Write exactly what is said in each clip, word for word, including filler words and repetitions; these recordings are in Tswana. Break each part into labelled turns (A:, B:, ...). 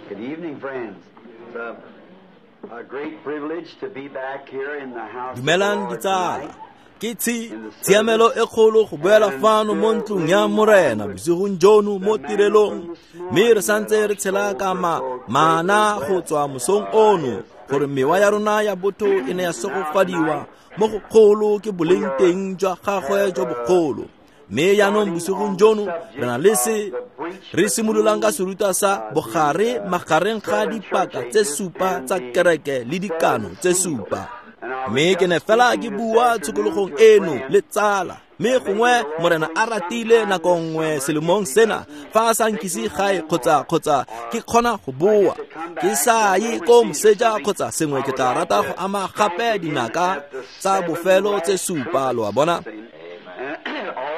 A: Good evening, friends. It's a, a great privilege to be back here in the house of the
B: Dumelang
A: Lord
B: ditsala.
A: tonight.
B: Ke tshi tshiamelo e kgolo go boela fano mo ntlong ya Morena bosigong jono mo tirelong, mme re santse re tshela ka ma mana go tswa mosong ono gore mewa ya rona ya botho e ne ya segofadiwa mo go kgolo ke boleng teng jwa gagwe jo bogolo. Mme jaanong bosigong jono re na le se re simololang ka serutwa sa bogare magareng ga dipaka tse supa tsa kereke le dikano tse supa. Mme ke ne fela ke bua tshokologong eno le tsala, mme gongwe Morena a ratile nako nngwe selemong sena fa a sa nkise gae kgotsa kgotsa ke kgona go boa ke sa ye ko moseja kgotsa sengwe, ke tla rata go ama gape dinaka tsa bofelo tse supa, lo a bona.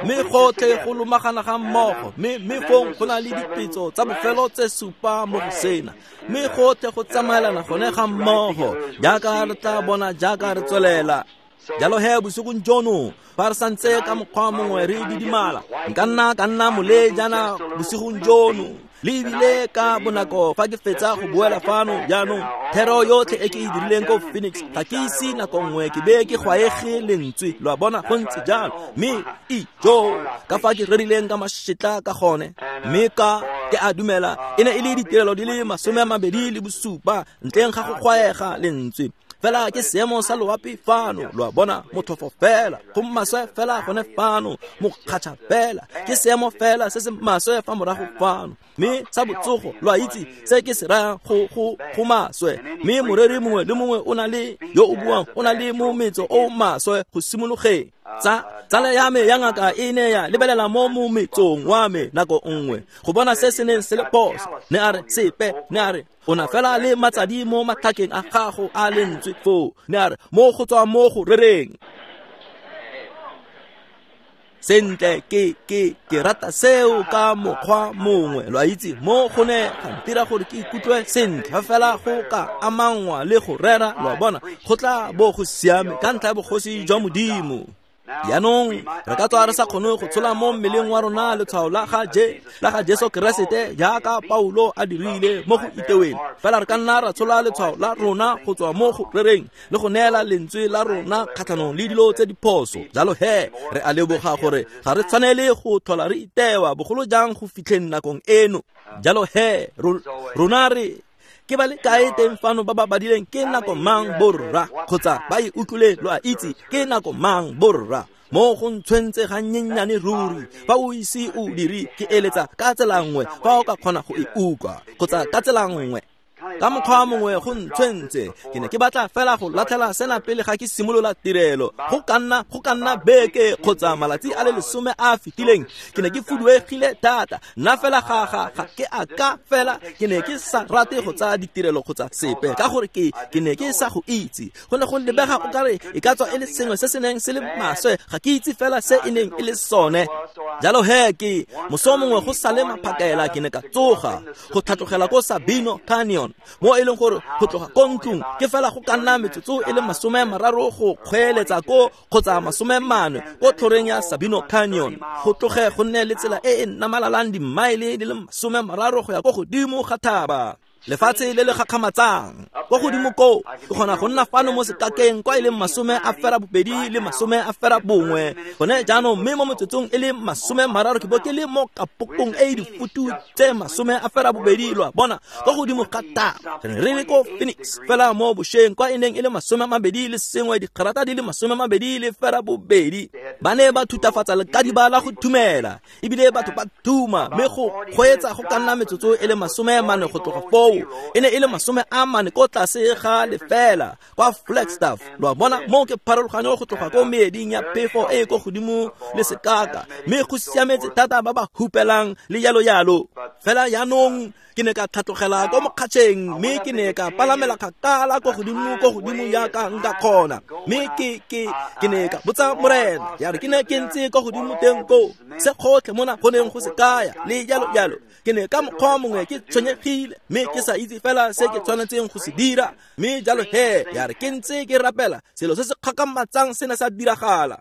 B: Mme gotlhe go lomagana ga mmogo, mme mme fong go na le dipetso tsa bofelo tse supa mo go sena, mme gotlhe go tsamaelana gone ga mmogo jaaka re tla bona jaaka re tswelela. Jalo he bosigong jono fa re santse ka mokgwa mongwe re didimala, nka nna ka nna molejana bosigong jono le ebile ka bonako fa ke fetsa go boela fano. Jaanong thero yotlhe e ke e dirileng ko Phoenix ga ke ise nako nngwe ke be ke gwaege lentswe, lo a bona, go ntse jalo. Mme ijo ka fa ke rerileng ka mašetla ka gone, mme ka ke a dumela e ne e le ditirelo di le masome a mabedi le bosupa ntleng ga go gwaega lentswe. Fela ke seemo sa loapi fano, lo a bona, motlhofo fela, go maswe fela gone fano, mokgatšha fela, ke seemo fela se se maswe fa morago fano. Mme sa botsogo, lo a itse se ke se rayang, go go go maswe. Mme moreri mongwe le mongwe o na le yo o buang, o na le mometso o maswe go simologeng. Tsa tsala ya me ya ngaka e ne ya lebelela mo mometsong wa me nako nngwe go bona se se neng se le phoso, ne a re sepe, ne a re o na fela le matsadi mo matlhakeng a gago a lentswe foo, ne a re mo go tswa mo go rereng. Sentle, ke ke ke rata seo ka mokgwa mongwe, lo a itse, mo go ne ga ntira gore ke ikutlwe sentle fa fela go ka amangwa le go rera, lo a bona, go tla bo go siame ka ntlha ya bogosi jwa Modimo. Jaanong re ka tswa re sa kgone go tshola mo mmeleng wa rona letshwao la ga Je la ga Jesu Keresete jaaka Paulo a dirile mo go iteweng, fela re ka nna ra tshola letshwao la rona go tswa mo go rereng le go neela lentswe la rona kgatlhanong le dilo tse diphoso. Jalo he re a leboga gore ga re tshwanele go tlhola re itewa bogolo jang go fitlheng nakong eno. Jalo he rona re ke ba le kae teng fano ba ba badileng ke nako mang borra, kgotsa ba e utlwile, lo a itse ke nako mang borra. Mo go ntshwentse ga nnyenyane ruri, fa o ise o dire ke eletsa ka tsela nngwe fa o ka kgona go e utlwa, kgotsa ka tsela nngwe ka mokgwa mongwe go ntshwentse. Ke ne ke batla fela go latlhela sena pele ga ke simolola tirelo. Go ka nna go ka nna beke kgotsa malatsi a le lesome a a fetileng ke ne ke fuduegile thata, nna fela ga ga ga ke a ka fela ke ne ke sa rate go tsaya ditirelo kgotsa sepe ka gore ke ke ne ke sa go itse. Go ne go lebega o kare e ka tswa e le sengwe se se neng se le maswe, ga ke itse fela se e neng e le sone. Jalo he ke moso mongwe go sale maphakela ke ne ka tsoga go tlhatlogela ko Sabino Canyon, mo e leng gore go tloga ko ntlong ke fela go ka nna metsotso e le masome a mararo go kgweeletsa ko kgotsa masome mane ko tlhoreng ya Sabino Canyon, go tloge go nne le tsela e e namalalang dimaele di le masome a mararo go ya ko godimo ga thaba, lefatshe le le gakgamatsang. Kwa godimo koo ke kgona go nna fano mo sekakeng kwa e leng masome a fera bobedi le masome a fera bongwe gone jaanong, mme mo metsotsong e le masome mararo ke bo ke le mo kapokong e e difutu tse masome a fera bobedi, lo a bona, kwa godimo ga thaba. Re ne re le ko Phoenix fela mo bošweng kwa e neng e le masome a mabedi le sengwe digrata di le masome a mabedi le fera bobedi. Ba ne ba thutafatsa lekadiba la go thumela, ebile batho ba thuma, mme go kgweetsa go ka nna metsotso e le masome a mane go tloga foo e ne e le masome a mane ko tlase ga lefela kwa Flagstaff, lo a bona. Mo ke pharologanyo go tloga ko meeding ya phefo e e ko godimo le sekaka, mme go siametse thata ba ba hupelang le jalo jalo. Fela jaanong ke ne ka tlhatlogela ko mokgatšheng, mme ke ne ka palamela kgakala ko godimo ko godimo jaaka nka kgona, mme ke ke ke ne ka botsa Morena ya re ke ne ke ntse ko godimo teng koo se gotlhe mona go neng go se kaya le jalo jalo. Ke ne ka mokgwa mongwe ke tshwenyegile mme ke ke sa itse fela se ke tshwanetseng go se dira. Mme jalo he ya re ke ntse ke rapela, selo se se kgakgamatsang se ne sa diragala.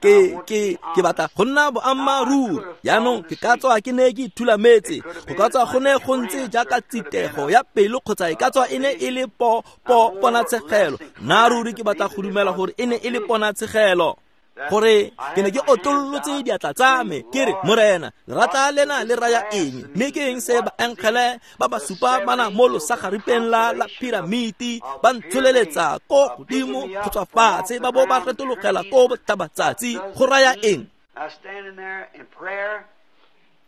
B: Ke ke ke batla go nna boammaaruri. Jaanong ke ka tswa ke ne ke ithulametse, go ka tswa go ne go ntse jaaka tsitego ya pelo kgotsa e ka tswa e ne e le po po ponatshegelo. Nna ruri ke batla go dumela gore e ne e le ponatshegelo, gore ke ne ke otollotse diatla tsa me ke re, Morena, lerata lena le raya eng? Mme ke eng se baengele ba ba supa bana mo losagaripeng la la piramiti ba ntsholeletsa ko godimo go tswa fatshe ba bo ba retologela ko botlhabatsatsi, go raya eng?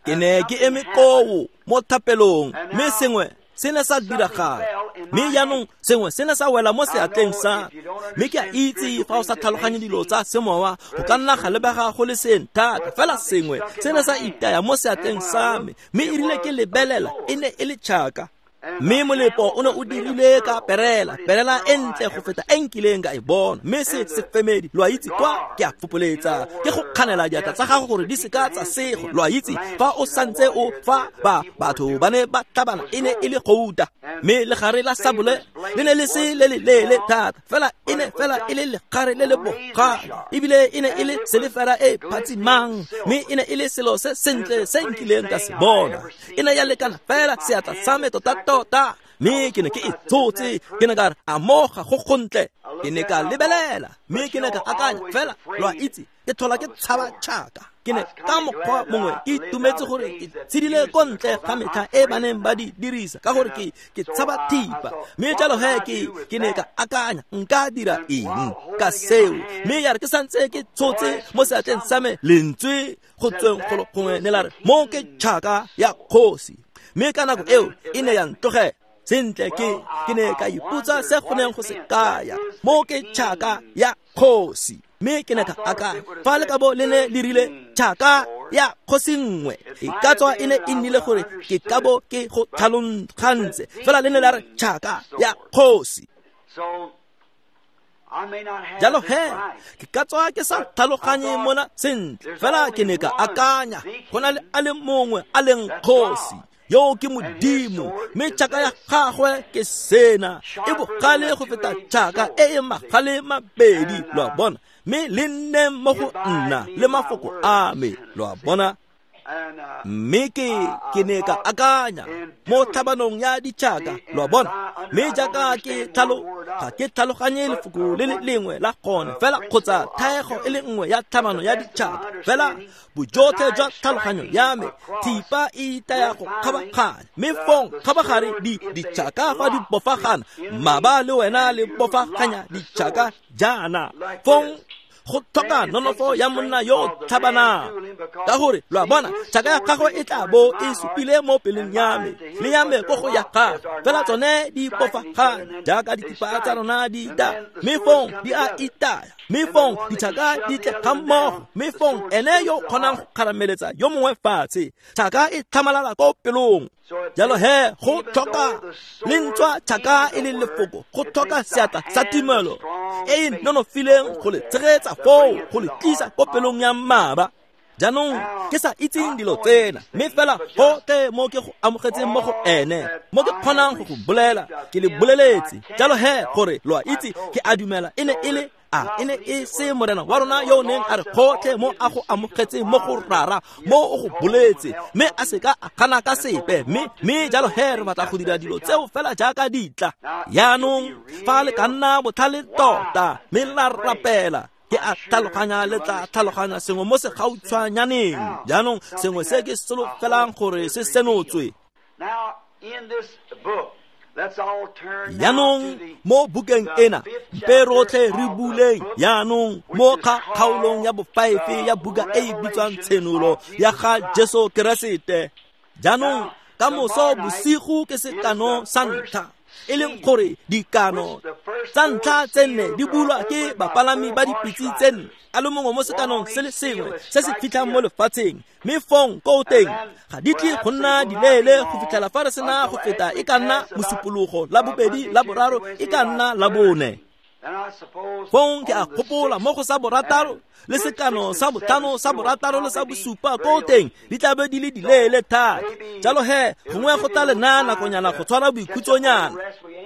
B: Ke ne ke eme koo mo thapelong, mme sengwe se ne sa diragala. Mme jaanong sengwe se ne sa wela mo seatleng sa mme ke a itse fa o sa tlhaloganye dilo tsa semowa go ka nna ga lebega go le seng thata, fela sengwe se ne sa itaya mo seatleng sa me, mme e rile ke lebelela e ne e le tšhaka. Mme molepo o ne o dirile ka perela, perela e ntle go feta e nkileng ka e bona. Mme se sefemedi, lo a itse kwa ke a fopoletsa, ke go kganela diatla tsa gago gore di seka tsa sego. Lo a itse fa o santse o fa ba batho ba ne ba tlhabana e ne e le gouta, mme legare la sabole le ne le se le le leele thata, fela e ne fela e le legare le le bogale, ebile e ne e le selefera e phatsimang, mme e ne e le selo se sentle se nkileng ka se bona. E ne ya lekana fela seatla sa me tota tota, mme ke ne ke e tshotse. Ke ne ka re, a mo ga go gontle. Ke ne ka lebelela, mme ke ne ka akanya fela, lo a itse, ke tlhola ke tshaba tšhaka. Ke ne ka mokgwa mongwe ke itumetse gore ke tshedile ko ntle ga metlha e ba neng ba di dirisa, ka gore ke ke tshaba thipa. Mme jalo he ke ke ne ka akanya nka dira eng ka seo. Mme ya re ke santse ke tshotse mo seatleng sa me lentswe go tsweng golo gongwe ne la re, mo ke tšhaka ya kgosi. Mme ka nako eo e ne ya ntlogela. Sentle ke ke ne ka ipotsa se go neng go se kaya, mo ke tšhaka ya kgosi. Mme ke ne ka akanya, fa le ka bo le ne le rile tšhaka ya kgosi nngwe, e ka tswa e ne e nnile gore ke ka bo ke go tlhalogantse, fela le ne la re tšhaka ya kgosi. Jalo he ke ka tswa ke sa tlhaloganye mona sentle, fela ke ne ka akanya go na le a le mongwe a leng kgosi, yo ke Modimo, mme tšhaka ya gagwe ke sena, e bogale go feta tšhaka e e magale mabedi, lo a bona, mme le nne mo go nna le mafoko a me, lo a bona. Mme ke ke ne ka akanya mo tlhabanong ya ditšhaka, lo a bona, mme jaaka ke tlhalo ga ke tlhaloganye lefoko le le lengwe la gone fela kgotsa thaego e le nngwe ya tlhabano ya ditšhaka, fela bojotlhe jwa tlhaloganyo ya me thipa e itaya go kgabaganya, mme fong kgabagare di ditšhaka fa di bofagana, maba le wena le bofaganya ditšhaka jaana, fong go tlhoka nonofo ya monna yo tlhabanang, ka gore lo a bona tšhaka ya gagwe e tla bo e supile mo pelong ya me le ya me ko go ya gagwe, fela tsone di bofagana jaaka dithipa tsa rona di ita, mme fong di a itaya, mme fong ditšhaka di tle ga mmogo, mme fong ene yo kgonang go kgarameletsa yo mongwe fatshe, tšhaka e tlhamalala ko pelong. Jalo he go tlhoka le ntswa tšhaka e le lefoko, go tlhoka seatla sa tumelo e e nonofileng go le tshegetsa foo, go le tlisa ko pelong ya mmaba. Jaanong ke sa itseng dilo tsena, mme fela gotlhe mo ke go amogetseng mo go ene, mo ke kgonang go go bolela, ke le boleletse. Jalo he gore lo a itse ke a dumela e ne e le a e ne e se Morena wa rona yo o neng a re gotlhe mo a go amogetseng mo go Rara, mo o go boletse, mme a se ka a gana ka sepe. Mme mme jalo he re batla go dira dilo tseo fela jaaka di tla. Jaanong fa le ka nna botlhale tota mme la rapela, ke a tlhaloganya le tla tlhaloganya sengwe mo segautshwanyaneng. Jaanong sengwe se ke solofelang gore se senotswe. Jaanong mo bukeng ena, mpe rotlhe re buleng jaanong mo kgaolong ya bofaefe ya buka e e bitswang Tshenolo ya ga Jesu Keresete. Jaanong ka moso bosigo ke sekano sa ntlha, e leng gore dikano tsa ntlha tse nne di bulwa ke bapalami ba dipitse tse nne, a le mongwe mo sekanong se le sengwe se se fitlhang mo lefatsheng, mme fong ko teng ga di tle go nna dileele go fitlhela fa re sena go feta e ka nna mosupologo la bobedi, la boraro e ka nna la bone. Fong ke a gopola mo go sa borataro le sekano sa botlhano sa borataro le sa bosupa ko teng di tla be di le dileele thata. Jalo he gongwe go tla le naya nakonyana go tshwara boikhutsonyana.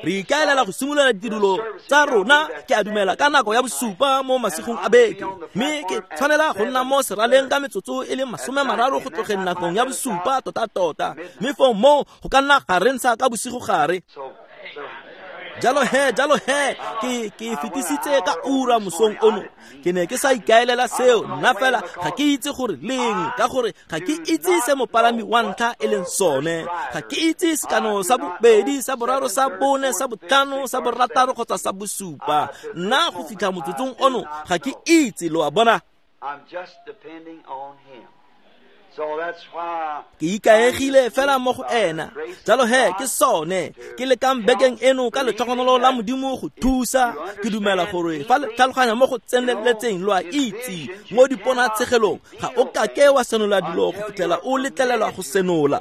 B: Re ikaelela go simolola ditirelo tsa rona ke a dumela ka nako ya bosupa mo masigong a beke, mme ke tshwanela go nna mo seraleng ka metsotso e le masome mararo go tlogeng nakong ya bosupa tota-tota, mme fong moo go ka nna ga re ntsha ka bosigo gare. Jalo he, jalo he, ke ke fetisitse ka ura mosong ono. Ke ne ke sa ikaelela seo, nna fela ga ke itse gore leng, ka gore ga ke itse se mopalami wa ntlha e leng sone. Ga ke itse sekano sa bobedi, sa boraro, sa bone, sa botlhano, sa borataro kgotsa sa bosupa. Nna go fitlha motsotsong ono ga ke itse, lo a bona.
A: I'm just depending on him. So that's why
B: Ke ikaegile fela mo go ena. Jalo he ke sone ke lekang bekeng eno ka letlhogonolo la Modimo go thusa. Ke dumela gore fa le tlhaloganya mo go tseneletseng lo a itse mo diponatshegelong ga o kake wa senola dilo go fitlhela o letlelelwa go senola.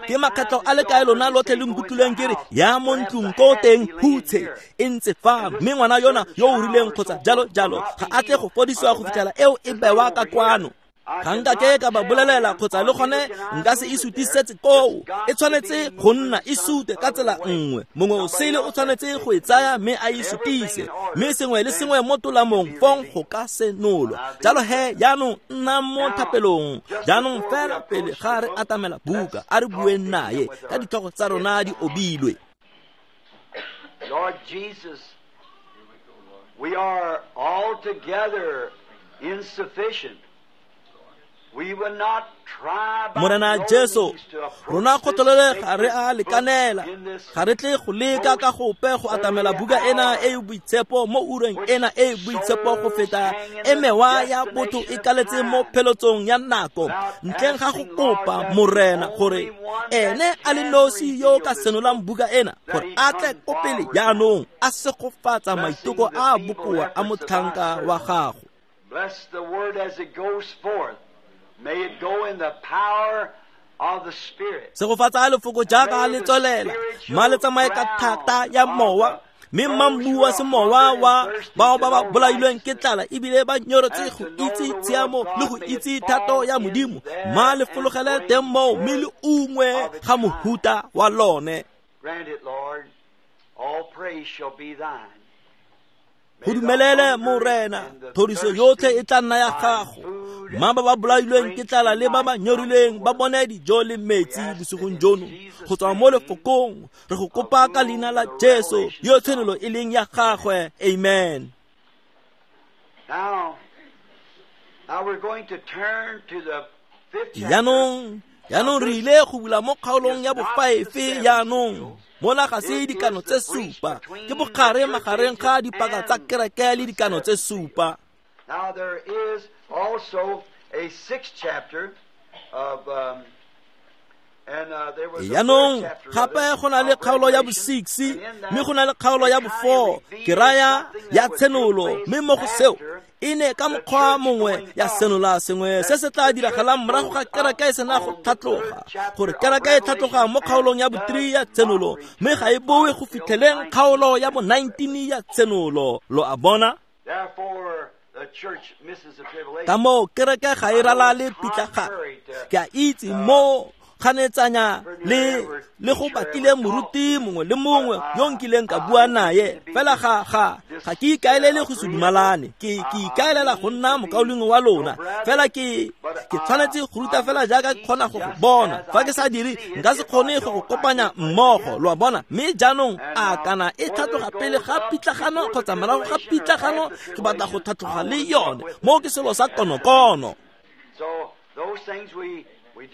B: Ke makgetlho a le kae lona lotlhe le nkutlwileng ke re ya mo ntlong ko teng hutshe e ntse fa, mme ngwana yona yo o rileng kgotsa jalo jalo ga a tle go fodisiwa go fitlhela eo e bewa ka kwano. Ga nka ke ka ba bolelela kgotsa le gone nka se e sutisetse koo. E tshwanetse go nna e sute ka tsela nngwe. Mongwe o sele o tshwanetse go e tsaya mme a e sutise, mme sengwe le sengwe mo tolamong fong go ka senolwa. Jalo he jaanong nna mo thapelong. Jaanong fela pele ga re atamela buka, a re bueng naye ka ditlhogo tsa rona di obilwe.
A: Lord Jesus, we are altogether insufficient.
B: Morena Jesu, rona kgotlelele ga re a lekanela, ga re tle go leka ka gope go atamela buka ena e e boitshepo mo ureng ena e e boitshepo go feta e mewa ya botho e kaletse mo pheletsong ya nako, ntleng ga go kopa Morena gore ene a le nosi yo ka senolang buka ena gore a tle ko pele jaanong a segofatsa maiteko a bokoa a motlhanka wa gago.
A: Bless the word as it goes forth. May it go in the power of the Spirit.
B: Segofatsa lefoko jaaka le tswelela, mma le tsamaye ka thata ya mowa, mme mma mmu wa semowa wa bao ba ba bolailweng ke tlala ebile ba nyoretse go itse tshiamo le go itse thato ya Modimo, mma le fologele teng moo mme le ungwe ga mohuta wa lone.
A: Grant it, Lord. All praise shall be thine.
B: Go dumelele Morena, thoriso yotlhe e tla nna ya gago. Mma ba ba bolailweng ke tlala le ba ba nyorilweng ba bone dijo le metsi bosigong jono go tswa mo lefokong. Re go kopa ka leina la Jesu yo tshenolo e leng ya gagwe. Amen.
A: Now, now we're going to turn to the fifth chapter.
B: Jaanong, jaanong re ile go bula mo kgaolong ya bofaefe jaanong. Mola ga se dikano tse supa, ke bogare magareng ga dipaka tsa kereke le dikano tse supa.
A: Now there is also a sixth chapter of um, and uh, there was a
B: Jaanong
A: fourth chapter
B: gape go na le kgaolo ya bo-six, mme go na le kgaolo ya bo-four, ke raya ya tshenolo, mme mo go seo e ne ka mokgwa mongwe ya senola sengwe se se tla diragalang morago ga kereke e sena go tlhatloga, gore kereke e tlhatloga mo kgaolong ya bo-three ya tshenolo, mme ga e boe go fitlheleng kgaolo ya bo-nineteen ya tshenolo. Lo a bona?
A: Therefore, the church misses the tribulation.
B: Ka moo kereke ga e ralale pitlagano. Ke a itse mo kganetsanya le le go batlile moruti mongwe le mongwe yo nkileng ka bua naye, fela ga ga ga ke ikaelele go se dumalane. Ke ke ikaelela go nna mokaulengwe wa lona, fela ke ke tshwanetse go ruta fela jaaka ke kgona go go bona. Fa ke sa dire nka se kgone go go kopanya mmogo, lo a bona. Mme jaanong a kana e tlhatloga pele ga pitlagano kgotsa morago ga pitlagano, ke batla go tlhatloga le yone. Moo ke selo sa konokono.
A: So those things we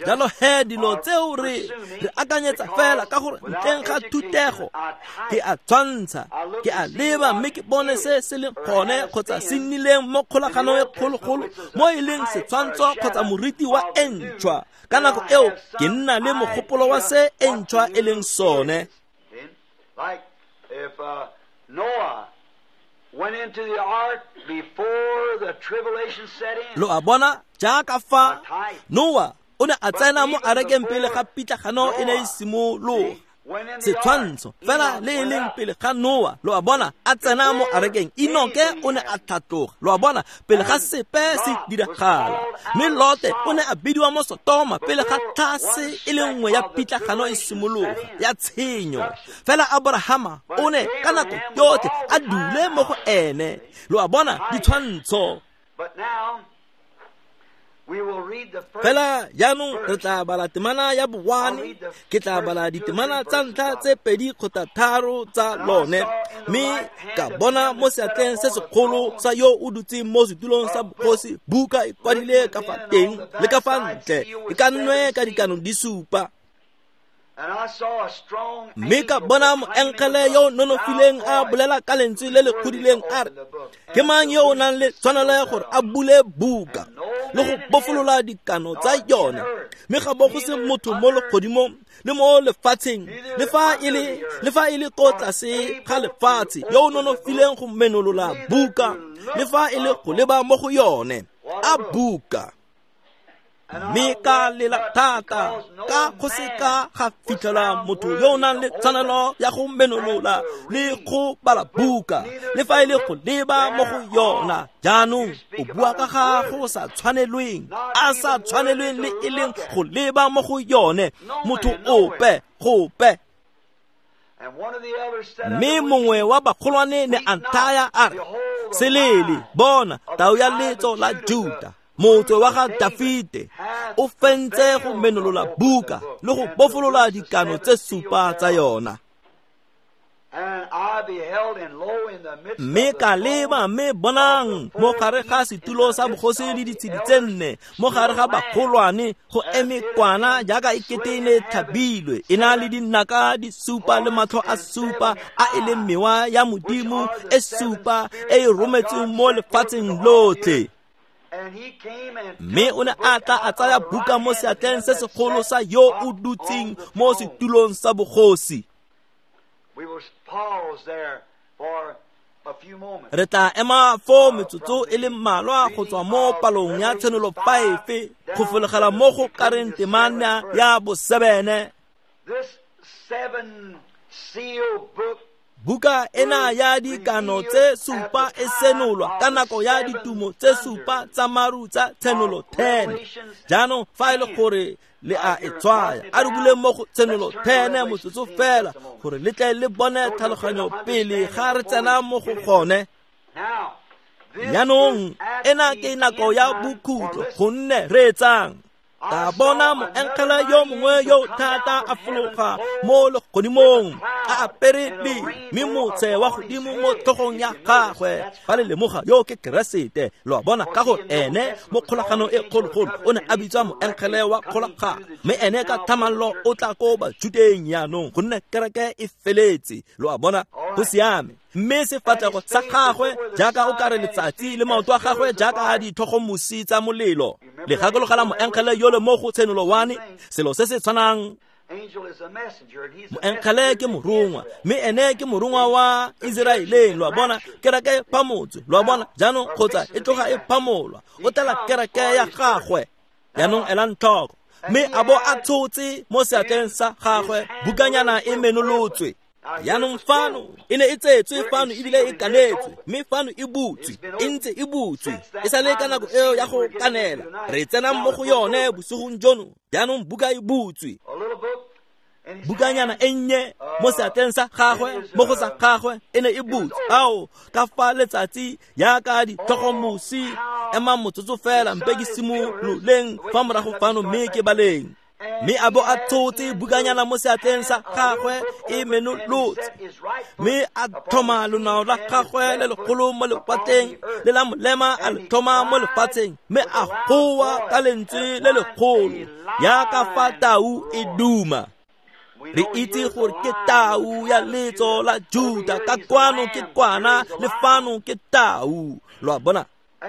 B: Jalo he dilo tseo re re akanyetsa fela ka gore ntleng ga thutego ke a tshwantsha, ke a leba mme ke bone se se leng gone kgotsa se nnileng mo kgolaganong e kgologolo mo e leng setshwantsho kgotsa moriti wa e ntšhwa. Ka nako eo ke nna le mogopolo wa se e ntšhwa e leng sone.
A: Like if uh, Noah went into the ark before the tribulation set in.
B: Lo a bona jaaka fa Noah o ne a tsena mo arekeng pele ga pitlagano e ne e simologa. Setshwantsho fela le e leng pele ga Noa, lo a bona, a tsena mo arekeng, Enoke o ne a tlhatloga, lo a bona, pele ga sepe se diragala. Mme Lote o ne a bidiwa mo Sotoma pele ga tlhase e le nngwe ya pitlagano e simologa ya tshenyo. Fela Abrahama o ne ka nako yotlhe a dule mo go ene, lo a bona, ditshwantsho. Fela jaanong re tla bala temana ya bowane, ke tla bala ditemana tsa ntlha tse pedi kgotsa tharo tsa lone, mme ka bona mo seatleng se segolo sa yo o dutseng mo setulong sa bogosi buka e kwadile ka fa teng le ka fa ntle, e ka nnwe ka dikano di supa. Mme ka bona moengele yo o nonofileng a bolela ka lentswe le le godileng a re, ke mang yo o nang le tshwanelo ya gore a bule buka le go bofolola dikano tsa yone? Mme ga bo go se motho mo legodimong le mo lefatsheng, le fa e le le fa e le ko tlase ga lefatshe, yo o nonofileng go menolola buka, le fa e le go leba mo go yone. A buka. Mme ka lela thata ka go se ka ga fitlhela motho yo o nang le tshwanelo ya go menolola le go bala buka, le fa e le go leba mo go yona. Jaanong o bua ka ga go sa tshwanelweng, a sa tshwanelweng le e leng go leba mo go yone, motho ope gope. Mme mongwe wa bagolwane ne a nthaya a re, selele, bona tau ya letso la Juta, motse wa ga Dafite, o fentse go menolola buka le go bofolola dikano tse supa tsa yona. Mme ka leba, mme bonang, mo gare ga setulo sa bogosi le ditshedi tse nne, mo gare ga bagolwane go eme kwana jaaka e kete e ne e tlhabilwe, e na le dinaka di supa le matlho a supa a e leng mewa ya Modimo e supa e e rometsweng mo lefatsheng lotlhe. Mme o ne a tla a tsaya buka mo seatleng se segolo sa yo o dutseng mo setulong sa bogosi. Re tla ema foo metsotso e le mmalwa go tswa mo palong ya Tshenolo five go fologela mo go kareng temana ya bosebene. Buka ena ya dikano tse supa e senolwa ka nako ya ditumo tse supa tsa maru tsa Tshenolo ten. Jaanong fa e le gore le a e tshwaya, a re buleng mo go Tshenolo ten motsotso fela gore le tle le bone tlhaloganyo pele ga re tsena mo go gone. Jaanong ena ke nako ya bokhutlo, gonne reetsang. Ka bona moengele yo mongwe yo thata a fologa mo legodimong a apere mme motse wa godimo mo tlhogong ya gagwe. Fa le lemoga yo ke Keresete, lo a bona, ka gore ene mo kgolagano e kgologolo o ne a bitswa moengele wa kgolagano, mme ene ka thamallo o tla ko Bajudeng jaanong, gonne kereke e feletse, lo a bona, go siame. Mme sefatlhego sa gagwe jaaka o kare letsatsi le maoto a gagwe jaaka a ditlhogomosi tsa molelo. Le gakologela moengele yole mo go Tshenolo one, selo se se tshwanang. Moengele ke morongwa, mme ene ke morongwa wa Iseraeleng, lo a bona, kereke e phamotswe, lo a bona, jaanong kgotsa e tloga e phamolwa, o tela kereke ya gagwe. Jaanong elang tlhoko, mme a bo a tshotse mo seatleng sa gagwe bukanyana e menolotswe. Jaanong fano e ne e tsetswe fano ebile e kanetswe, mme fano e butswe, e ntse e butswe, e sa le ka nako eo ya go kanela. Re tsenang mo go yone bosigong jono. Jaanong buka e butswe, bukanyana e nnye mo seatleng sa gagwe, mo go sa gagwe e ne e butswe. Ao, ka fa letsatsi jaaka ditlhogomosi, ema motsotso fela mpe ke simololeng fa morago fano mme ke baleng. Mme a bo a tshotse bukanyana mo seatleng sa gagwe e menolotse, mme a tlhoma lonao la gagwe le legolo mo lewatleng le la molema a le tlhoma mo lefatsheng, mme a goa ka lentswe le legolo jaaka fa tau e duma. Re itse gore ke tau ya letso la Juda, ka kwano ke kwana le fano ke tau, lo a bona.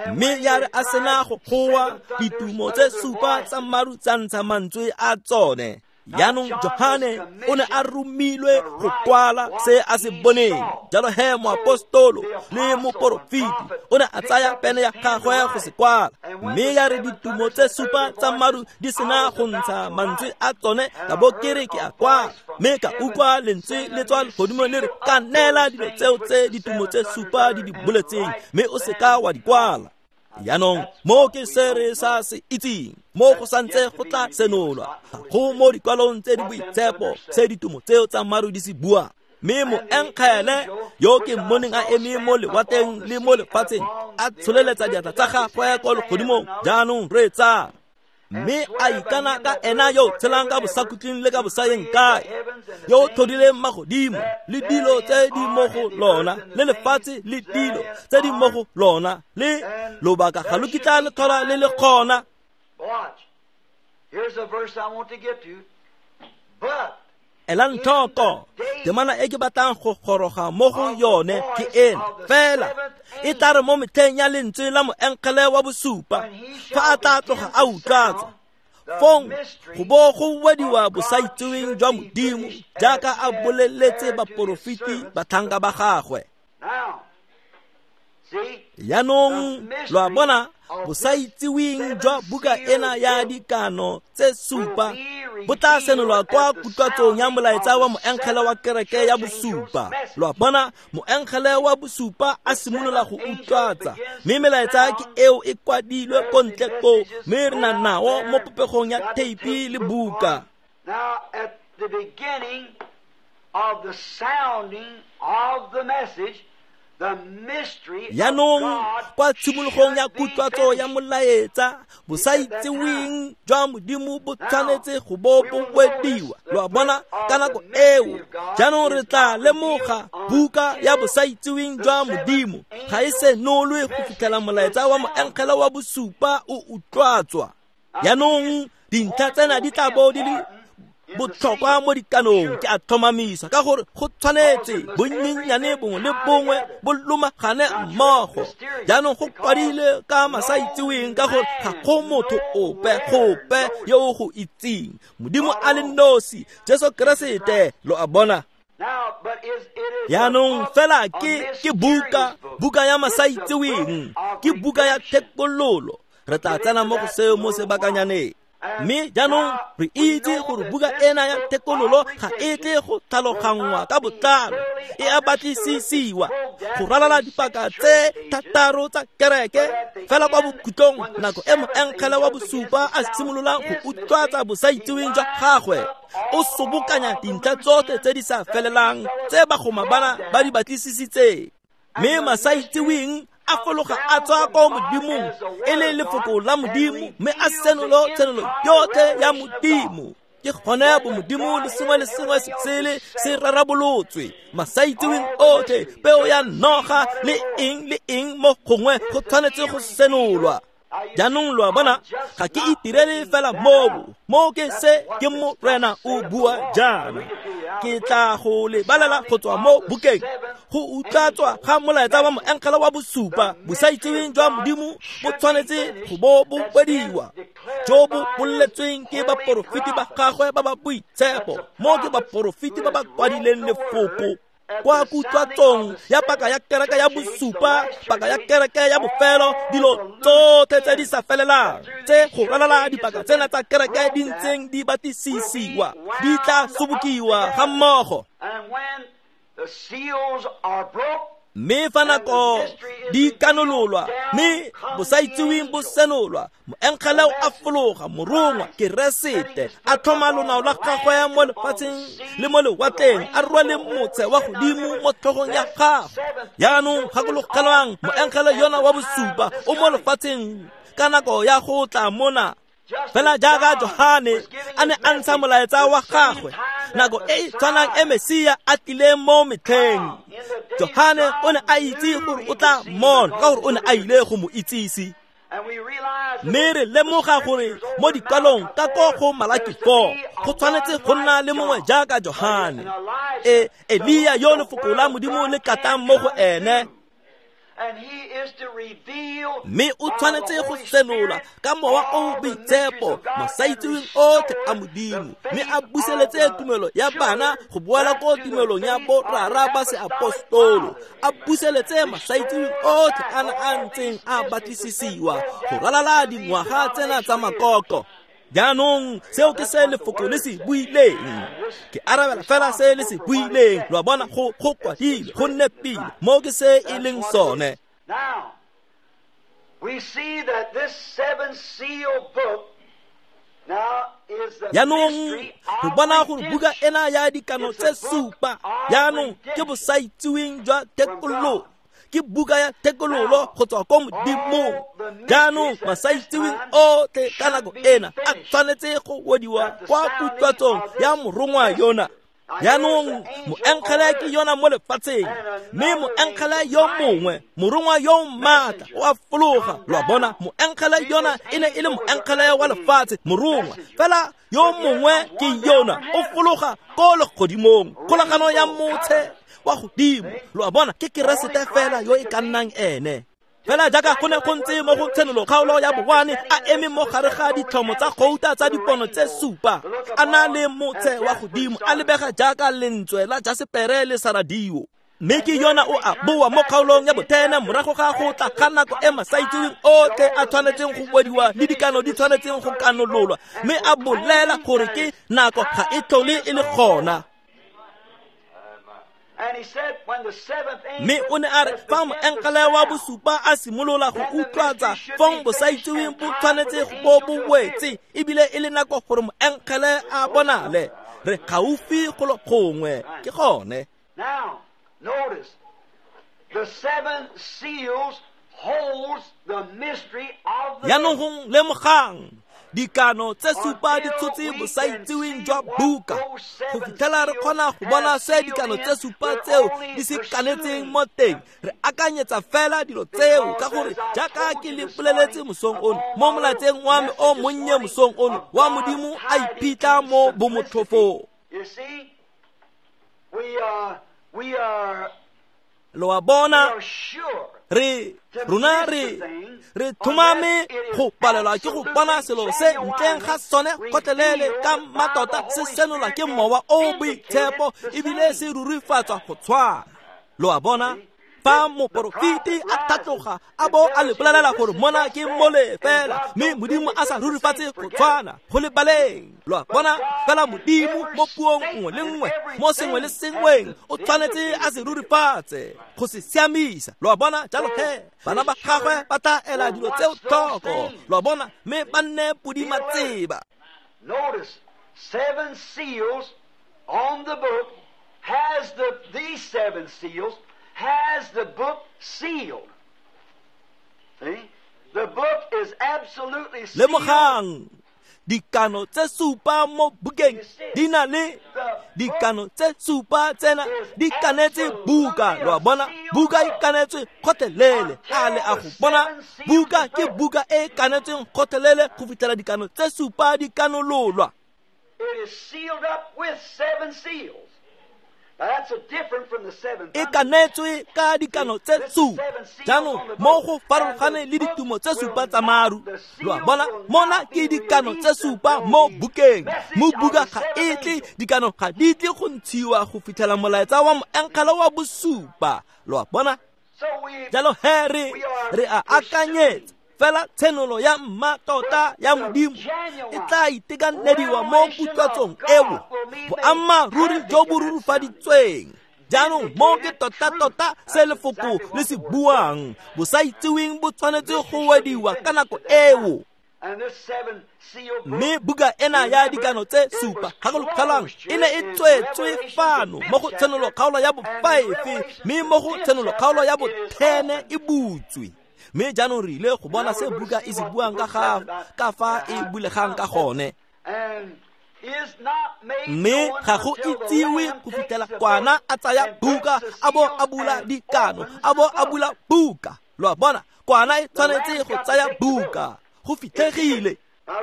B: Mme ya re a sena go goa, ditumo tse supa tsa maru tsa ntsha mantswe a tsone. Jaanong Johane o ne a romilwe go kwala se a se boneng. Jalo he moapostolo le moporofeti o ne a tsaya pene ya gagwe go se kwala. Mme ya re ditumo tse supa tsa maru di sena go ntsha mantswe a tsone, ka bo ke re ke a kwala. Mme ka utlwa lentswe le tswa legodimo le re, ka neela dilo tseo tse ditumo tse supa di di boletseng, mme o seka wa di kwala. Jaanong mo ke se re sa se itseng, mo go santse go tla senolwa, ga go mo dikwalong tse di boitshepo se ditumo tseo tsa maru di se buang. Mme moengele yo ke mmoneng a eme mo lewatleng le mo lefatsheng, a tsholeletsa diatla tsa gagwe kwa legodimong. Jaanong reetsa. Mme a ikana ka ena yo tshelang ka bosakhutleng le ka bosayeng kae, yo tlhodileng magodimo le dilo tse di mo go lona, le lefatshe le dilo tse di mo go lona, le lobaka ga lo kitla le tlhola le le kgona. Elang tlhoko, temana e ke batlang go goroga mo go yone ke ena fela. E tla re mo metlheng ya lentswe la moengele wa bosupa, fa a tla tloga a utlwatsa, fong go bo go wediwa bosaitseweng jwa Modimo jaaka a boleletse baporofeti batlhanka ba gagwe. Jaanong lo a bona, bosaitseweng jwa buka ena ya dikano tse supa bo tla senolwa kwa kutlwatsong ya molaetsa wa moengele wa kereke ya bosupa. Lo a bona, moengele wa bosupa a simolola go utlwatsa, mme melaetsa ke eo e kwadilwe ko ntle koo, mme re na nao mo popegong ya theipi le buka.
A: Now at the beginning of the sounding of the message,
B: Jaanong kwa tshimologong ya kutlwatso ya molaetsa, bosaitseweng jwa Modimo bo tshwanetse go bo bo wediwa. Lo a bona, ka nako eo jaanong re tla lemoga buka ya bosaitseweng jwa Modimo ga e senolwe go fitlhela molaetsa wa moengele wa bosupa o utlwatswa. Jaanong dintlha tsena di tla bo di le botlhokwa mo dikanong, ke a tlhomamisa, ka gore go tshwanetse bonnyenyane bongwe le bongwe bo lomagane mmogo. Jaanong go kwadile ka masaitseweng, ka gore ga go motho ope gope yo o go itseng, Modimo a le nosi, Jesu Keresete. Lo a bona. Jaanong fela ke ke buka, buka ya masaitseweng, ke buka ya thekololo. Re tla tsena mo go seo mo sebakanyaneng. Mme jaanong re itse gore buka ena ya thekololo ga e tle go tlhaloganngwa ka botlalo, e a batlisisiwa go ralala dipaka tse thataro tsa kereke. Fela kwa bokhutlong, nako e moengele wa bosupa a simololang go utlwatsa bosaitseweng jwa gagwe, o sobokanya dintlha tsotlhe tse di sa felelang tse bagoma bana ba di batlisisitseng. Mme masaitseweng a fologa a tswa ko Modimong e le lefoko la Modimo, mme a senolo tshenolo yotlhe ya Modimo. Ke gone bo Modimo le sengwe le sengwe se sele se rarabolotswe. Masaitseweng otlhe, peo ya noga le eng le eng mo gongwe go tshwanetse go senolwa. Jaanong lo a bona, ga ke itirele fela moo, mo ke se ke Morena o bua jaana. Ke tla go le balela go tswa mo bukeng. Go utlwatswa ga molaetsa wa moengele wa bosupa, bosaitseweng jwa Modimo bo tshwanetse go bo bo wediwa, jo bo boletsweng ke baporofeti ba gagwe ba ba boitshepo. Mo ke baporofeti ba ba kwadileng lefoko kwa kutlwatsong ya paka ya kereke ya bosupa, paka ya kereke ya bofelo, dilo tsotlhe tse di sa felelang tse go ralala dipaka tsena tsa kereke di ntseng di batlisisiwa, di tla sobokiwa ga mmogo. Mme fa nako di kanololwa, mme bosaitseweng bo senolwa, moengele o a fologa, morongwa Keresete a tlhoma lonao la gagwe mo lefatsheng le mo lewatleng, a rwale motse wa godimo mo tlhogong ya gagwe. Jaanong gakologelwang, moengele yona wa bosupa o mo lefatsheng ka nako ya go tla mona. Fela jaaka Johane a ne a ntsha molaetsa wa gagwe nako e e tshwanang e Mesia a tlileng mo metlheng, Johane o ne a itse gore o tla mmona, ka gore o ne a ile go mo itsise. Mme re lemoga gore mo dikwalong ka ko go Malaki four go tshwanetse go nna le mongwe jaaka Johane, e Elia yo lefoko la Modimo le katang mo go ene. Mme o tshwanetse go senola ka mowa o boitshepo masaitseweng otlhe a Modimo, mme a buseletse tumelo ya bana go boela ko tumelong ya borara ba seapostolo, a buseletse masaitseweng otlhe a na a ntseng a batlisisiwa go ralala dingwaga tsena tsa makoko. Jaanong seo ke se lefoko le se buileng. Ke arabela fela se le se buileng. Lo a bona, go go kwadile, go nepile, mo ke se e leng sone.
A: Now, we see that this seven seal book now is the
B: Jaanong
A: mystery
B: re
A: of
B: bona gore buka
A: redemption.
B: ena ya dikano tse supa jaanong ke bosaitsiweng jwa thekololo. Ke buka ya thekololo go tswa ko Modimong. Jaanong masaitseweng otlhe ka nako ena a tshwanetse go wediwa kwa kutlwatsong ya morongwa yona. Jaanong moengele ke yona mo lefatsheng, mme moengele yo mongwe, morongwa yo maatla, o a fologa. Lo a bona, moengele yona e ne e le moengele wa lefatshe, morongwa. Fela yo mongwe ke yona, o fologa ko legodimong, kgolagano ya motshe wa godimo. Lo a bona, ke Keresete fela yo e ka nnang ene. Fela jaaka go ne go ntse mo go Tshenolo kgaolo ya bowane, a eme mo gare ga ditlhomo tsa gouta tsa dipono tse supa, a na le motshe wa godimo, a lebega jaaka lentswe la jasepere le saradio. Mme ke yona o a boa mo kgaolong ya bothene morago ga go tla ga nako e masaitseweng otlhe a tshwanetseng go wediwa le dikano di tshwanetseng go kanololwa, mme a bolela gore ke nako ga e tlhole e le gona.
A: And he said, when the seventh angel
B: Mme o ne a re fa moengele wa bosupa a simolola go utlwatsa, fong bosaitseweng bo tshwanetse go bo bo wetse, ebile e le nako gore moengele a bonale. Re gaufi go lo gongwe, ke gone.
A: Now, notice, the seven seals holds the mystery of the
B: Jaanong go lemogang, dikano tse supa di tshotse bosaitseweng jwa buka go fitlhela re kgona go bona se dikano tse supa tseo di se kanetseng mo teng. Re akanyetsa fela dilo tseo ka gore jaaka ke le boleletse mosong ono mo molatseng wa me o monnye mosong ono wa Modimo a iphitlha mo bomotlhofong.
A: You see, we are, we are,
B: Lo a
A: we
B: bona,
A: are sure
B: re rona re re thomame go palelwa ke go bona selo se ntleng ga sone kgotlelele ka mmatota se senola ke mowa o boitshepo ebile se rurifatswa go tshwana. Lo a bona, fa moporofeti a tlhatloga a bo a le bolelela gore mona ke mole fela, mme Modimo a sa rurifatse go tshwana go lebaleng. Lo a bona, fela Modimo mo puong nngwe le nngwe, mo sengwe le sengweng, o tshwanetse a se rurifatse go se siamisa. Lo a bona, jalo he bana ba gagwe ba tla ela dilo tseo tlhoko. Lo a bona, mme ba nne podimatseba.
A: Notice, seven seals on the book has the, these seven seals has the book sealed. See? The book is absolutely sealed.
B: Lemogang, dikano tse supa mo bukeng di na le dikano tse supa tsena di kanetse buka. Lo a bona, buka e kanetswe kgotlelele. A le a go bona, buka ke buka e kanetsweng kgotlelele go fitlhela dikano tse supa di kanololwa.
A: It is sealed up with seven seals. Now that's a different from the seven
B: E
A: thunders.
B: kanetswe ka dikano tse supa. Jaanong mo go farologane le ditumo tse supa tsa maru. Lo a bona, mona ke dikano tse supa mo bukeng. Mo buka ga e tle, dikano ga di tle go ntshiwa go fitlhela molaetsa wa moengele wa bosupa. Lo a bona,
A: So we
B: jalo he re re a akanyetsa fela tshenolo ya mmatota ya Modimo e tla itekanediwa mo kutlwatsong eo, boammaaruri jo bo rurifaditsweng. Jaanong mo ke tota-tota se lefoko le se buang, bosaitseweng bo tshwanetse go wediwa ka nako eo.
A: and this seven seal book
B: Mme buka ena ya dikano tse supa, gakologelwang, e ne e tswetswe fano mo go Tshenolo kgaolo ya bo-five, mme mo go Tshenolo kgaolo ya bo-ten e butswe. Mme jaanong re ile go bona se buka e se buang ka ga ka fa e bulegang ka gone.
A: and is not made
B: Mme
A: known
B: ga go
A: until the
B: itsiwe
A: Lamb
B: go
A: takes
B: fitlhela
A: the
B: kwana
A: book
B: a tsaya
A: and
B: buka,
A: breaks the
B: a bo a
A: seals
B: bula
A: and
B: dikano,
A: opens
B: a bo
A: the
B: a
A: book.
B: bula buka. Lo a bona, kwana e tshwanetse go tsaya buka go fitlhegile.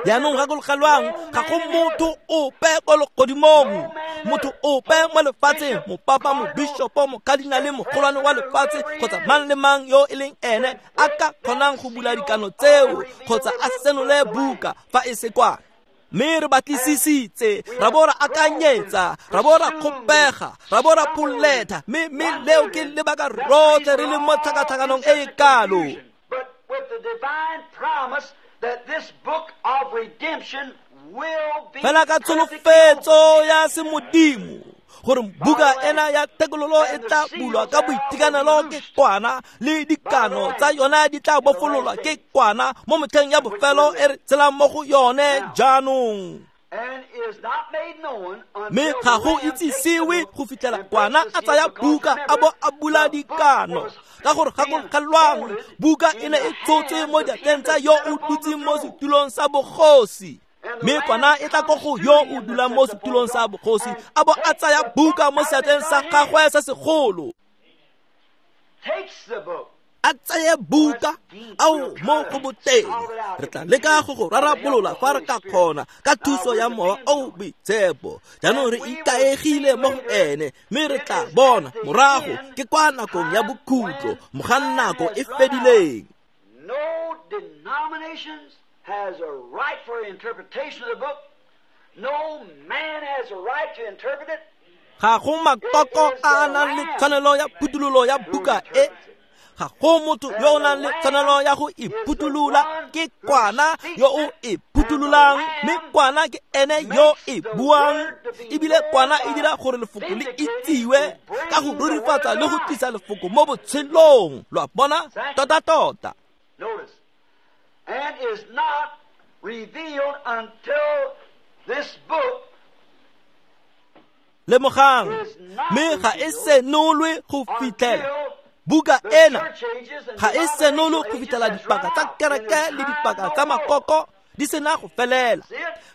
B: Jaanong gakologelwang, ga go motho ope ko legodimong, motho ope mo lefatsheng, mopapa, mobishopo, mokadinale, mogolwane wa lefatshe, kgotsa mang le mang yo e leng ene a ka kgonang go bula dikano tseo kgotsa a senole buka fa e se kwana. Mme re batlisisitse, ra bo ra akanyetsa, ra bo ra kgopega, ra bo ra pholetha, mme mme leo ke lebaka rotlhe re le mo tlhakatlhakanong e e kalo.
A: But with the divine promise that this book of redemption will be
B: Fela ka tsholofetso ya semodimo gore buka ena ya thekololo e tla bulwa ka boitekanelo ke kwana, le dikano tsa yona di tla bofololwa ke kwana mo metlheng ya bofelo e re tshelang mo go yone jaanong.
A: and is not made known
B: Mme
A: until
B: ga
A: the
B: go
A: Lamb takes the
B: itsisiwe
A: book
B: go fitlhela
A: and
B: kwana
A: breaks the
B: a tsaya
A: seal, because
B: buka a
A: remember,
B: bo a bula
A: the book
B: dikano.
A: was
B: Ka gore
A: being
B: gakologelwang,
A: folded
B: buka
A: in
B: e ne
A: the
B: e tshotse mo
A: hands of
B: diatleng
A: him
B: tsa
A: that
B: yo
A: sat
B: o
A: upon the
B: dutseng mo
A: throne.
B: setulong sa bogosi.
A: And the
B: Mme
A: Lamb
B: kwana e tla ko
A: comes
B: go
A: to
B: yo o
A: him that
B: dulang mo
A: sits upon
B: setulong
A: the
B: sa
A: throne
B: bogosi,
A: and
B: a bo a
A: takes
B: tsaya
A: the book
B: buka mo
A: out of
B: seatleng
A: his
B: sa
A: right hand.
B: gagwe se segolo.
A: Takes the book.
B: A tseye buka ao mo go boteng. Re tla leka go go rarabolola fa re ka kgona ka thuso ya Mowa o o Boitshepo. Jaanong re ikaegile mo go ene, mme re tla bona morago ke kwa nakong ya bokhutlo, mogang nako e fedileng.
A: No denominations has a right for interpretation of the book. No man has a right to interpret it.
B: Ga go makoko a a nang le tshwanelo ya phuthololo ya buka e. Ga go motho yo o nang le tshwanelo ya go e phuthulola, ke kwana yo o e phuthololang, mme kwana ke ene yo e buang. Ebile kwana e dira gore lefoko le itsiwe ka go rurifatsa le go tlisa lefoko mo botshelong. Lo a bona? Tota-tota.
A: Notice, and is not revealed until this book
B: Lemogang, mme ga e senolwe go fitlhela buka ena ga e senolwe go fitlhela dipaka tsa kereke le dipaka tsa makoko di sena go felela,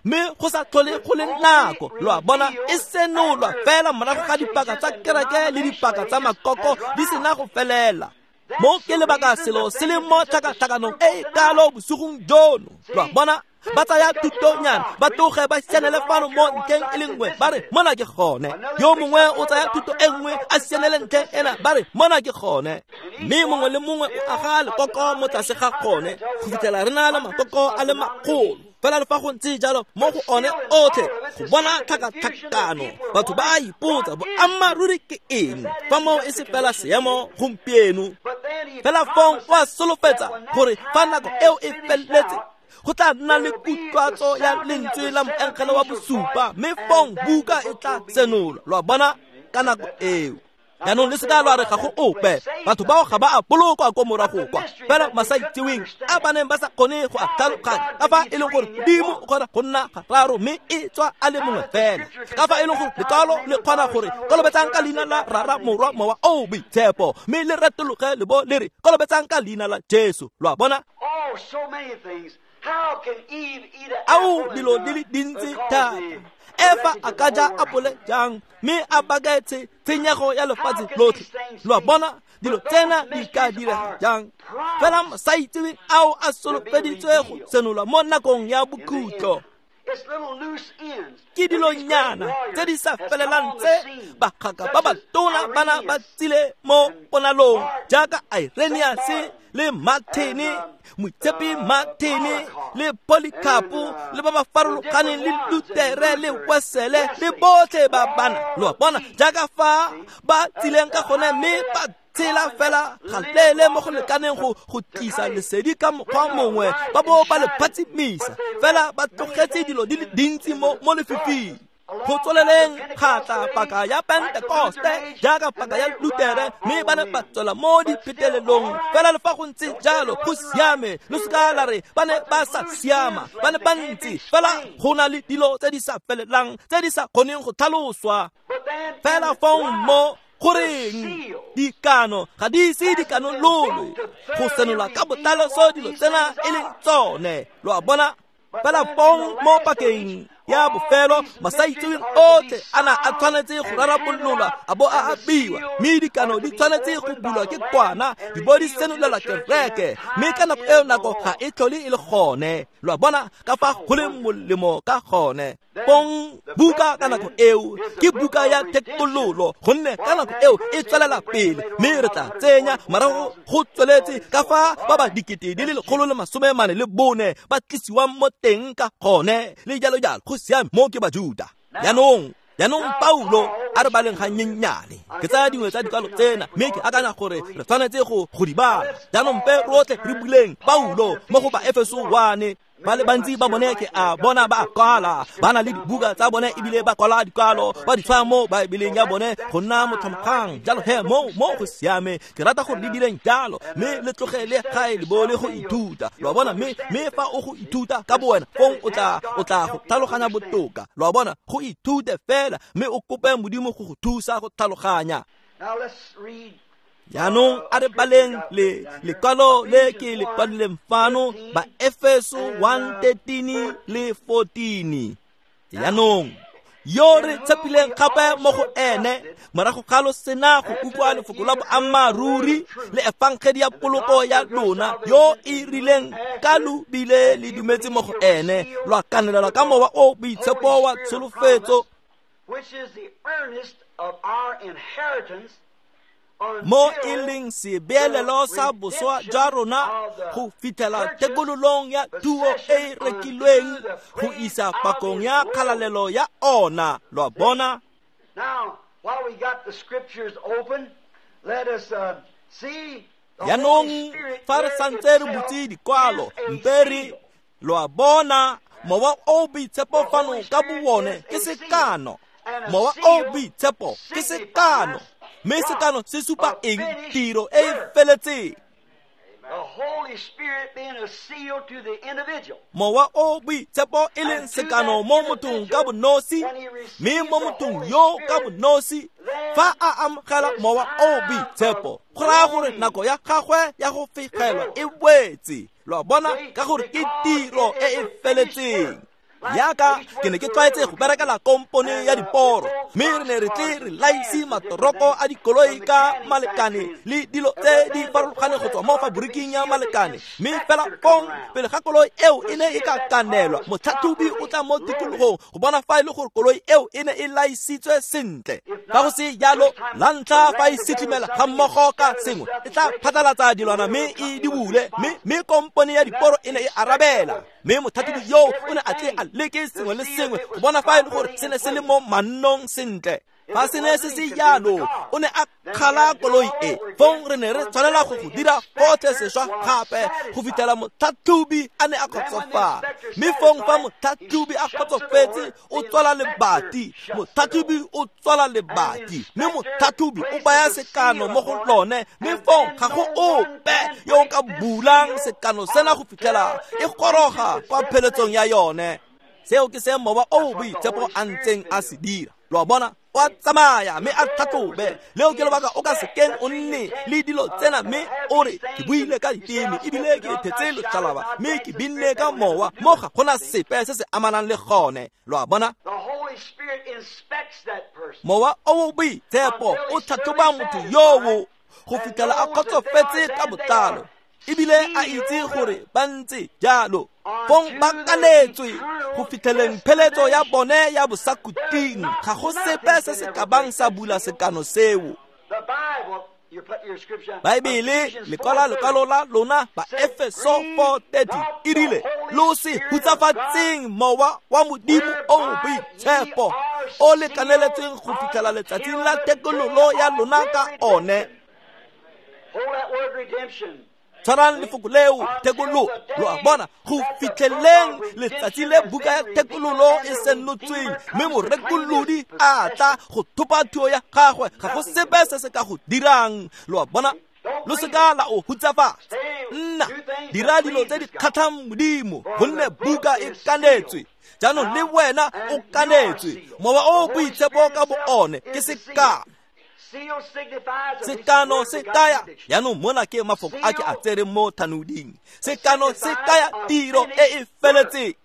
B: mme go sa tlhole go le nako. Lo a bona? E senolwa fela morago ga dipaka tsa kereke le dipaka tsa makoko di sena go felela. Mo ke lebaka selo se le mo tlhakatlhakanong e e kalo bosigong jono. Lo a bona? Ba tsaya thutonyana, ba tloge ba sianele fano mo ntlheng e le nngwe, ba re mona ke gone. Yo mongwe o tsaya thuto e nngwe a sianele ntlheng ena, ba re mona ke gone. Mme mongwe le mongwe o aga lekoko mo tlase ga gone go fitlhela re na le makoko a le makgolo. Fela le fa go ntse jalo mo go one otlhe go bona tlhakatlhakano, batho ba a ipotsa boammaaruri ke eng fa moo e se fela seemo gompieno. Fela fong o a solofetsa gore fa nako eo e feleletse go tla nna le kutlwatso ya lentswe la moengele wa bosupa, mme fong buka e tla senolwa. Lo a bona? Ka nako eo. Jaanong le seka lwa re ga go ope, batho bao ga ba a bolokwa ko morago kwa, fela masaitseweng a ba neng ba sa kgone go a tlhaloganya ka fa e leng gore Modimo o kgona go nna gararo mme e tswa a le mongwe fela, ka fa e leng gore lekwalo le kgona gore kolobetsang ka leina la Rara, Morwa, Mowa o Boitshepo, mme le retologe le bo le re kolobetsang ka leina la Jesu. Lo a bona?
A: Oh, so many things. How can Eve eat an
B: Ao
A: apple
B: dilo
A: and,
B: di le dintsi
A: uh,
B: thata.
A: cause the
B: Efa
A: wreckage
B: a
A: of
B: ka
A: the
B: ja
A: whole world?
B: apole jang mme a baketse tshenyego ya lefatshe
A: How can
B: lotlhe.
A: these things
B: Lo a
A: be?
B: bona? Dilo
A: But those
B: tsena di ka
A: mysteries
B: direga
A: are
B: jang?
A: promised
B: Fela masaitseweng ao a
A: to be
B: solofeditswe go
A: revealed
B: senolwa mo nakong ya
A: in the
B: bokhutlo.
A: end. It's little loose ends
B: Ke
A: that these great
B: dilonyana tse di
A: warriors
B: sa
A: has come
B: felelang
A: on the
B: tse
A: scene,
B: bagaka
A: such
B: ba ba
A: as
B: tona bana ba
A: Irenaeus
B: tsile mo
A: and
B: ponalong
A: Martin,
B: jaaka
A: Saint
B: Irenaeus
A: Martin,
B: le Martin,
A: and um,
B: Moitshepi
A: uh,
B: Martin
A: Polycarp,
B: le
A: and
B: Polycarp
A: uh,
B: le ba ba
A: the
B: farologaneng
A: different
B: le
A: ones, and
B: Lutere le
A: Luther and
B: Wesele le
A: Wesley,
B: botlhe ba bana.
A: all
B: Lo a bona?
A: these.
B: Jaaka fa
A: See,
B: ba
A: uh,
B: tsileng ka gone
A: how
B: mme
A: they
B: ba
A: have
B: tshela
A: come and
B: fela ga
A: lived
B: leele mo
A: long
B: go
A: enough
B: lekaneng go
A: to,
B: go
A: to
B: tlisa
A: kind of
B: lesedi ka mokgwa
A: bring a
B: mongwe,
A: light
B: ba
A: and
B: bo ba le
A: shine it,
B: phatsimisa,
A: but they
B: fela
A: left
B: ba
A: many
B: tlogetse
A: things
B: dilo di le
A: in,
B: dintsi
A: in
B: mo
A: the
B: mo lefifing.
A: darkness.
B: Go
A: Along comes the
B: tsweleleng ga tla
A: Pentecostal age,
B: paka ya
A: like the Luther
B: Pentekoste
A: age,
B: jaaka
A: and
B: paka ya
A: they run
B: Lutere,
A: out
B: mme
A: all
B: ba ne
A: men.
B: ba tswela mo
A: But still,
B: diphetelelong.
A: all right,
B: Fela le fa go ntse
A: don't say
B: jalo
A: they
B: go
A: wasn't right.
B: siame, lo
A: They
B: seka la
A: were.
B: re ba ne
A: But
B: ba
A: there's
B: sa
A: loose
B: siama,
A: ends
B: ba ne
A: left
B: ba
A: that can't be
B: ntse fela
A: explained.
B: go na le dilo tse di sa felelang tse di sa kgoneng go tlhaloswa.
A: But then in
B: Fela
A: the
B: fong
A: life,
B: mo
A: the
B: goreng
A: seal
B: dikano ga di ise
A: hasn't been
B: dikanololwe
A: built to
B: go
A: thoroughly
B: senola ka
A: reveal
B: botlalo
A: what
B: dilo
A: these
B: tsena
A: things
B: e leng
A: are.
B: tsone. Lo a bona?
A: But
B: Fela
A: then in
B: fong
A: the
B: mo
A: last age
B: pakeng ya bofelo masaitseweng otlhe a na a tshwanetse go rarabololwa a bo a abiwa, mme dikano di tshwanetse go bulwa ke kwana di bo di senolela kereke, mme ka nako eo nako ga e tlhole e le gone. Lo a bona ka fa go leng molemo ka gone. Pong buka ka nako eo ke buka ya thekololo, gonne ka nako eo e tswelela pele, mme re tla tsenya morago go tsweletse ka fa ba ba dikete di le lekgolo le masome mane le bone ba tlisiwang mo teng ka gone le jalo jalo. Go siame, mo ke Bajuda. Jaanong jaanong Paulo a re baleng ga nyenyane, ke tsaya dingwe tsa dikwalo tsena mme ke akanya gore re tshwanetse go go di bala. Jaanong mpe rotlhe re buleng Paulo mo go Baefeso one. Ba le bantsi ba bone ke a bona ba kwala, ba na le dibuka tsa bone ebile ba kwala dikwalo ba di tshwaya mo Baebeleng ya bone go nna motlhomokgang. Jalo he mo mo go siame, ke rata gore le direng jalo, mme le tlogele gae le bo le go ithuta. Lo a bona, mme mme fa o go ithuta ka bowena fong o tla o tla go tlhaloganya botoka. Lo a bona, go ithute fela mme o kope Modimo go go thusa go tlhaloganya. Jaanong a re baleng le lekwalo le ke le kwadileng fano, Baefeso one thirteen le fourteen. Jaanong yo re tshepileng gape mo go ene morago ga lo sena go utlwa lefoko la boammaaruri le efangedi ya poloko ya lona, yo e rileng ka lo bile le dumetse mo go ene, lwa kanelelwa ka mowa o boitshepo wa tsholofetso,
A: which is the earnest of our inheritance,
B: mo e leng sebeelelo sa boswa jwa rona go fitlhela tekololong ya thuo e e rekilweng go isa pakong ya kgalalelo ya ona. Lo a bona?
A: Now, while we got the scriptures open, let us uh, see the
B: Jaanong fa re santse re butse dikwalo, mpe re lo a bona mowa o boitshepo fano ka bowone ke sekano. Mowa o boitshepo ke sekano, mme sekano se supa eng? Tiro e e feletseng.
A: The Holy Spirit being a seal to the individual.
B: Mowa o boitshepo e leng sekano mo mothong ka bonosi, mme mo mothong yo ka bonosi fa a amogela mowa o boitshepo, go raya gore nako ya gagwe ya go fegelwa e wetse. Lo a bona, ka gore ke tiro e e feletseng. Yaka ke ne ke tlwaetse go berekela kompone ya diporo, mme re ne re tle re laise matoroko a dikoloi ka malekane le dilo tse di farologaneng go tswa mo faboriking ya malekane. Mme fela fong pele ga koloi eo e ne e ka kanelwa, motlhatlhobi o tla mo tikologong go bona fa e le gore koloi eo e ne e laisitswe sentle. Fa go se jalo, la ntlha fa e sitlimela ga mmogo ka sengwe, e tla phatlalatsa dilwana mme e di bule, mme mme kompone ya diporo e ne e arabela. Mme motlhatlhobi yo o ne a tle a leke sengwe le sengwe go bona fa e le gore se ne se le mo mannong sentle. Fa se ne se se jalo, o ne a kgala koloi e. Fong re ne re tshwanela go go dira gotlhe sešwa gape go fitlhela motlhatlhobi a ne a kgotsofala. Mme fong fa motlhatlhobi a kgotsofetse, o tswala lebati. Motlhatlhobi o tswala lebati, mme motlhatlhobi o baya sekano mo go lone. Mme fong ga go ope yo o ka bulang sekano sena go fitlhela e goroga kwa pheletsong ya yone. Seo ke se mowa o boitshepo a ntseng a se dira. Lo a bona, o a tsamaya mme a tlhatlhobe. Leo ke lebaka o ka sekeng o nne le dilo tsena mme o re ke buile ka diteme ebile ke thetse lotšhalaba mme ke binne ka mowa, mo ga gona sepe se se amanang le gone. Lo a bona?
A: The Holy Spirit inspects that person.
B: Mowa o boitshepo o tlhatlhoba motho yoo go fitlhela a kgotsofetse ka botlalo, ebile a itse gore ba ntse jalo. Fong ba kanetswe go fitlheleng pheletso ya bone ya bosakuting. Ga go sepe se se ka bang sa bula sekano seo.
A: The Bible, you put your scripture.
B: Baebele lekwala lekwalo la lona Baefeso four thirty e rile, lo se hutsafatseng mowa wa Modimo o boitshepo o le kaneletsweng go fitlhela letsatsing la thekololo ya lona ka one.
A: Hold that word redemption.
B: Tshwarang lefoko leo thekololo. Lo a bona, go fitlheleng letsatsi le buka ya thekololo e senotsweng, mme morekolodi a tla go thopa thuo ya gagwe. Ga go sepe se se ka go dirang. Lo a bona, lo seka la o hutsafatsa. Nna dira dilo tse di kgatlhang Modimo, gonne buka e kanetswe. Jaanong le wena o kanetswe. Mowa o boitshepo ka bo one ke sekano. Sekano se kaya, jaanong mona ke mafoko a ke a tsereng mo thanoding. Sekano se kaya tiro e e feletseng.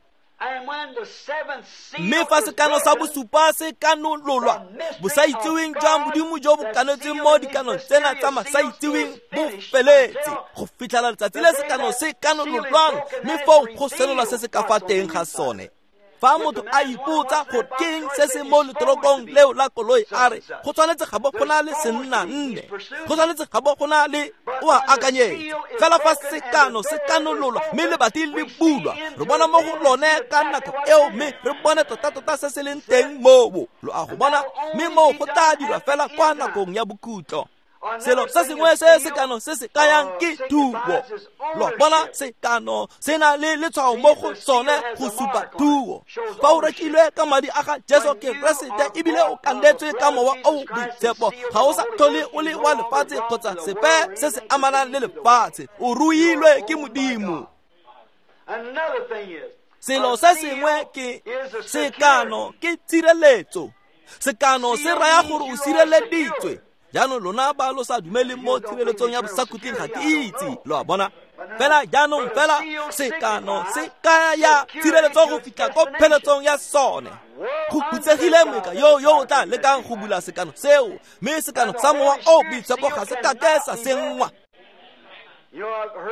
B: Mme fa sekano sa bosupa se kanololwa, bosaitseweng jwa Modimo jo bo kanetsweng mo dikanong tsena tsa masaitseweng bo feletse go fitlhela letsatsi le sekano se kanololwang, mme foo go senola se se ka fa teng ga sone. Fa motho a ipotsa gore ke eng se se mo letorokong leo la koloi, a re go tshwanetse ga bo go na le senna nne, go tshwanetse ga bo go na le o a akanyetsa. Fela fa sekano se kanololwa mme lebati le bulwa, re bona mo go lone ka nako eo, mme re bone tota-tota se se leng teng moo. Lo a go bona, mme moo go tla dirwa fela kwa nakong ya bokhutlo. Selo se sengwe se sekano se se kayang ke thuo. Lo bona, sekano se na le letshwao mo go sone go supa thuo. Fa o rekilwe ka madi a ga Jesu Keresete ebile o kanetswe ka Mowa o o Boitshepo, ga o sa tlhole o le wa lefatshe kgotsa sepe se se amanang le lefatshe, o ruilwe ke Modimo. Selo se sengwe ke sekano ke tshireletso. Sekano se raya gore o sireleditswe. Jaanong lona ba lo sa dumeleng mo tshireletsong ya bosakhutleng ga ke itse, lo a bona. Fela jaanong fela sekano se kaya tshireletso go fitlha ko pheletsong ya sone. Go phutsegile moeka yo yo o tla lekang go bula sekano seo, mme sekano sa Mowa o o Boitshepo ga se kake sa senngwa.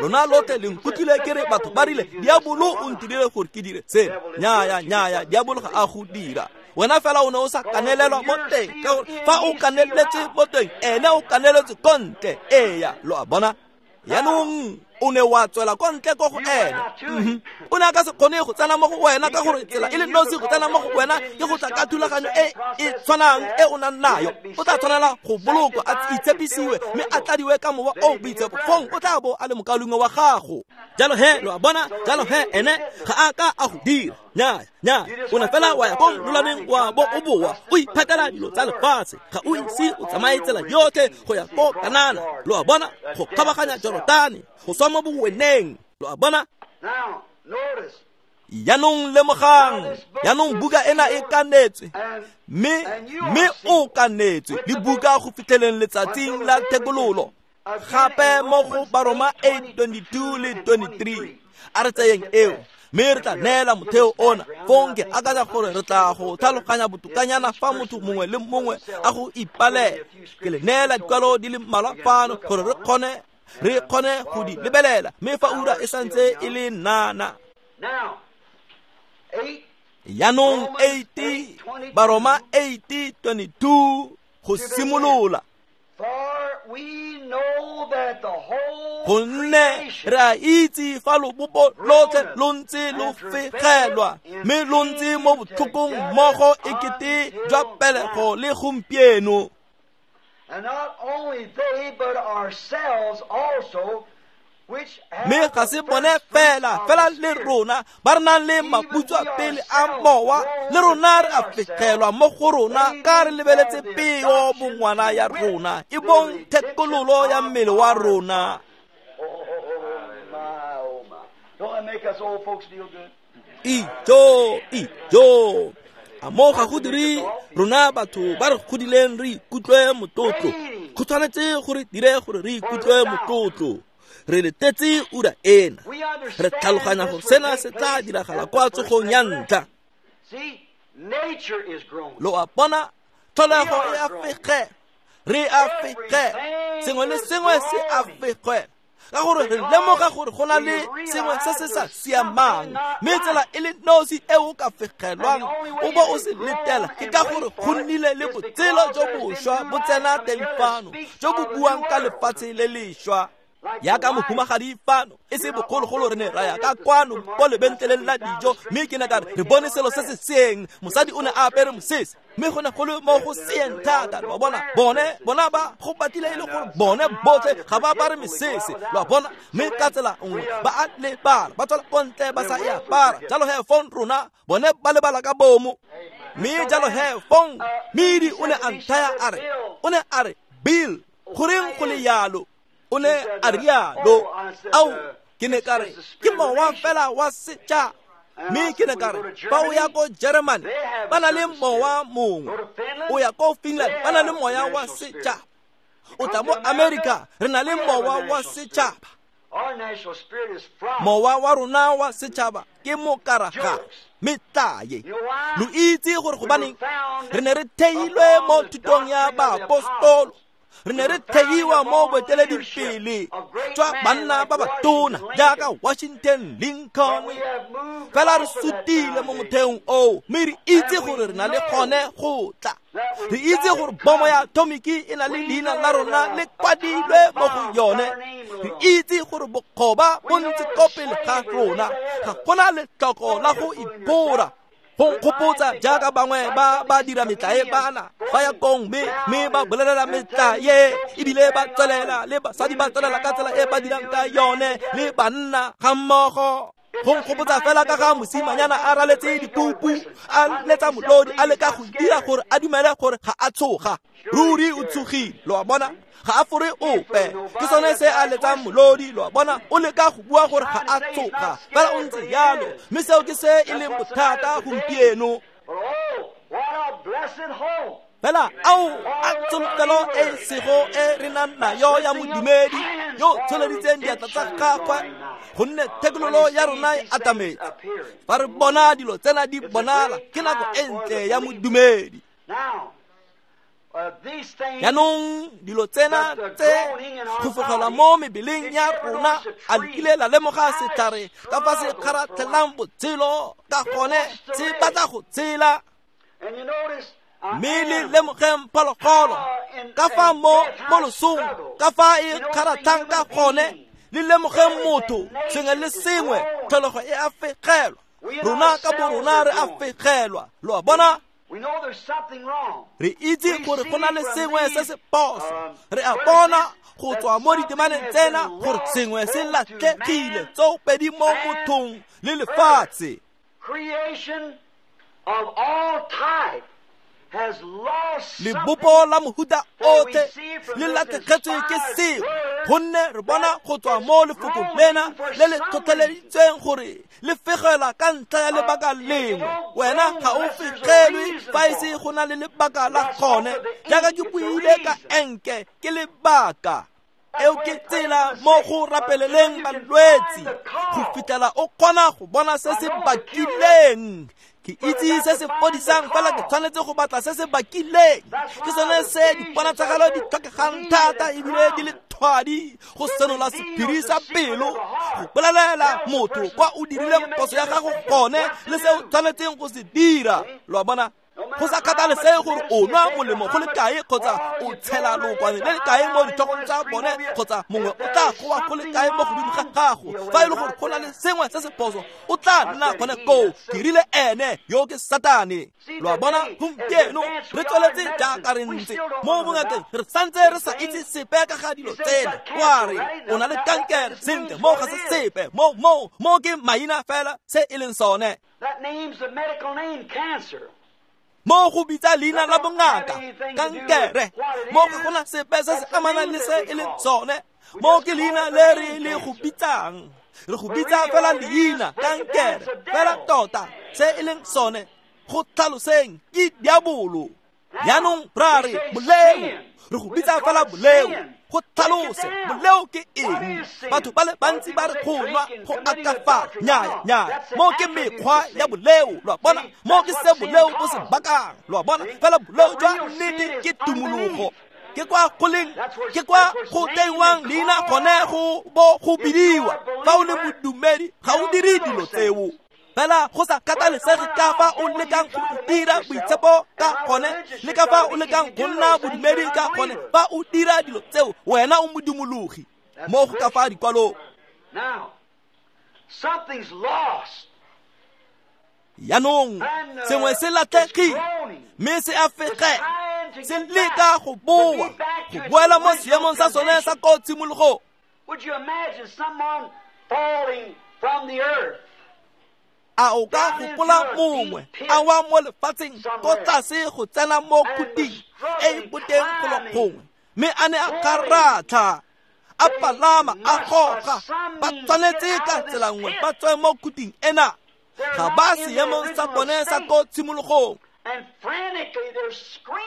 B: Lona lotlhe le nkutlwile ke re batho ba rile diabolo o ntirile gore ke dire seno. Nnyaya, nnyaya, diabolo ga a go dira. Wena fela o ne o sa kanelelwa mo teng, ka gore fa o kaneletswe mo teng, ene o kaneletswe ko ntle. Eya, lo a bona. Jaanong o ne wa tswela ko ntle ko go ene. Mm-hmm. O ne a ka se kgone go tsena mo go wena, ka gore tsela e le nosi go tsena mo go wena ke go tla ka thulaganyo e e tshwanang e o nang nayo. O tla tshwanela go bolokwa, a itshepisiwe, mme a tladiwe ka Mowa o o Boitshepo. Fong o tla bo a le mokaulengwe wa gago. Jalo he, lo a bona, jalo he ene ga a ka a go dira. Nnyaya, nnyaya, o ne fela wa ya ko lolameng wa bo o boa, o iphatela dilo tsa lefatshe, ga o ise o tsamaye tsela yotlhe go ya ko Kanana. Lo a bona, go kgabaganya Jorotane, go swa mo boweneng. Lo a bona. Jaanong lemogang, jaanong buka ena e kanetswe, mme mme o kanetswe le buka go fitlheleng letsatsing la thekololo. Gape mo go Baroma eight twenty-two le twenty-three, a re tseyeng eo, mme re tla neela motheo ona. Fong ke akanya gore re tla go tlhaloganya botokanyana fa motho mongwe le mongwe a go ipalela. Ke le neela dikwalo di le mmalwa fano gore re kgone re kgone go di lebelela, mme fa ura e santse e le nana. Jaanong eight Baroma eight twenty-two go simolola. Gonne re a itse fa lobopo lotlhe lo ntse lo fegelwa, mme lo ntse mo botlhokong mmogo ekete jwa pelego le gompieno. Mme ga se bone fela, fela le rona ba re nang le maputswa pele a mowa, le rona re a fegelwa mo go rona ka re lebeletse peo bongwana ya rona, e bong thekololo ya mmele wa rona. Ijo, ijo, a mo ga go dire rona batho ba re godileng re ikutlwe motlotlo. Go tshwanetse gore dire gore re ikutlwe motlotlo. Re letetse ura ena, re tlhaloganya gore sena se tla diragala kwa tsogong ya ntlha. Lo a bona, tlholego e a fege, re a fege, sengwe le sengwe se a fege, ka gore re lemoga gore go na le sengwe se se sa siamang, mme tsela e le nosi e o ka fegelwang o bo o se letela ke ka gore go nnile le botshelo jo bošwa bo tsena teng fano, jo bo buang ka lefatshe le lešwa. Yaka mohumagadi fano e se bogologolo re ne ra ya ka kwano ko lebentleleng la dijo, mme ke ne ka re re bone selo se se seeng. Mosadi o ne a apere mosese, mme go ne go le mo go seeng thata. Lo a bona, bone bona ba go batlile e le gore bone botlhe ga ba apare mesese. Lo a bona, mme ka tsela nngwe ba a lebala, ba tswela ko ntle ba sa e apara. Jalo he fong rona bone ba lebala ka bomo. Mme jalo he fong Midi o ne a nthaya a re, o ne a re, Bill, goreng go le yalo? O ne a rialo. Ao, ke ne ka re ke mowa fela wa setšhaba. Mme ke ne ka re fa o ya ko Germany ba na le mowa mongwe, o ya ko Finland ba na le moya wa setšhaba, o tla mo America re na le mowa wa setšhaba. Mowa wa rona wa setšhaba ke mokaraga metlae. Lo itse gore gobaneng re ne re theilwe mo thutong ya baapostolo, re ne re theiwa mo boeteledipele jwa banna ba batona jaaka Washington, Lincoln. Fela re sutile mo motheong oo, mme re itse gore re na le gone go tla. Re itse gore bomo ya atomiki e na le leina la rona le kwadilwe mo go yone. Re itse gore bokgoba bo ntse ko pele ga rona, ga gona letlhoko la go ipora. Go nkgopotsa jaaka bangwe ba ba dira metlae bana ba ya kong mme mme ba bolelela metlae, ebile ba tswelela le basadi ba tswelela ka tsela e ba dirang ka yone le banna ga mmogo. Go nkgopotsa fela ka ga mosimanyana a raletse dikupu, a letsa molodi, a leka go dira gore a dumele gore ga a tshoga. Ruri o tshogile, lo a bona, ga a fore ope. Ke sone se a letsang molodi, lo a bona, o leka go bua gore ga a tshoga, fela o ntse yalo. Mme seo ke se e leng bothata gompieno. Fela ao a tsholofelo e sego e re nang nayo ya modumedi yo tsholeditseng diatla tsa gagwe, gonne thekololo ya rona e atametse. Fa re bona dilo tsena di bonala, ke nako e ntle ya modumedi. Jaanong dilo tsena tse go fogelwa mo mebeleng ya rona, a le kile la lemoga setlhare ka fa se kgaratlhelang botshelo ka gone, se batla go tshela. Mme le lemogeng phologolo ka fa mo mo losong ka fa e kgaratlhang ka gone, le lemogeng motho, sengwe le sengwe tlholego e a fegelwa. Rona ka bo rona re a fegelwa, lo a bona. Re itse gore go na le sengwe se se phoso. Re a bona go tswa mo ditemaneng tsena gore sengwe se latlhegile tsoopedi mo mothong le lefatshe. Lebopo la mohuta otlhe le latlhegetswe ke sengwe, gonne re bona go tswa mo lefokong lena le le tlhotlheleditsweng gore le fegela ka ntlha ya lebaka lengwe. Wena ga o fegelwe fa e se go na le lebaka la gone, jaaka ke buile ka enke, ke lebaka. Eo ke tsela mo go rapeleleng balwetsi go fitlhela o kgona go bona se se bakileng. Ke itse se se fodisang, fela ke tshwanetse go batla se se bakileng. Ke sone se diponatshagalo di tlhokegang thata ebile di le thwadi go senola sephiri sa pelo, go bolelela motho kwa o dirileng phoso ya gago gone le se o tshwanetseng go se dira. Lo a bona? Go sa kgathalesege gore o nwa molemo go le kae kgotsa o tshela lookwane le le kae mo ditlhogong tsa bone kgotsa mongwe o tla goa go le kae mo godimo ga gago, fa e le gore go na le sengwe se se phoso o tla nna gone koo. Ke rile ene yo ke Satane. Lo a bona? Gompieno re tsweletse jaaka re ntse mo bongakeng, re santse re sa itse sepe ka ga dilo tsena. Wa re o na le kankere, sentle mo ga se sepe, mo mo mo ke maina fela se e leng sone. Mo go bitsa leina la bongaka kankere, mo ga gona sepe se se amanang le se e leng sone. Mo ke leina le re le go bitsang, re go bitsa fela leina kankere, fela tota se e leng sone go tlhaloseng ke diabolo. Jaanong ra re boleo, re go bitsa fela boleo. Go tlhalose boleo ke eng? Batho ba le bantsi ba re go nwa go akafa. Nnyaya, nnyaya, mo ke mekgwa ya boleo, lo a bona. Mo ke se boleo bo se bakang, lo a bona. Fela boleo jwa nnete ke tumologo, ke kwa go leng, ke kwa go tengwang leina gone go bo go bidiwa. Fa o le modumedi ga o dire dilo tseo. Fela go sa kgathalesege ka fa o lekang go dira boitshepo ka gone le ka fa o lekang go nna bodumedi ka gone, fa o dira dilo tseo wena o modumologi. Mo go ka fa dikwalong. Jaanong sengwe se latlhegile mme se a fegela, se leka go boa, go boela mo seemong sa sone sa ko tshimologong. A o ka gopola mongwe a wa mo lefatsheng ko tlase go tsena mo khuting e e boteng golo gongwe, mme a ne a kgaratlha, a palama, a goga, ba tshwanetse ka tsela nngwe ba tswe mo khuting ena. Ga ba seemong sa bone sa ko tshimologong.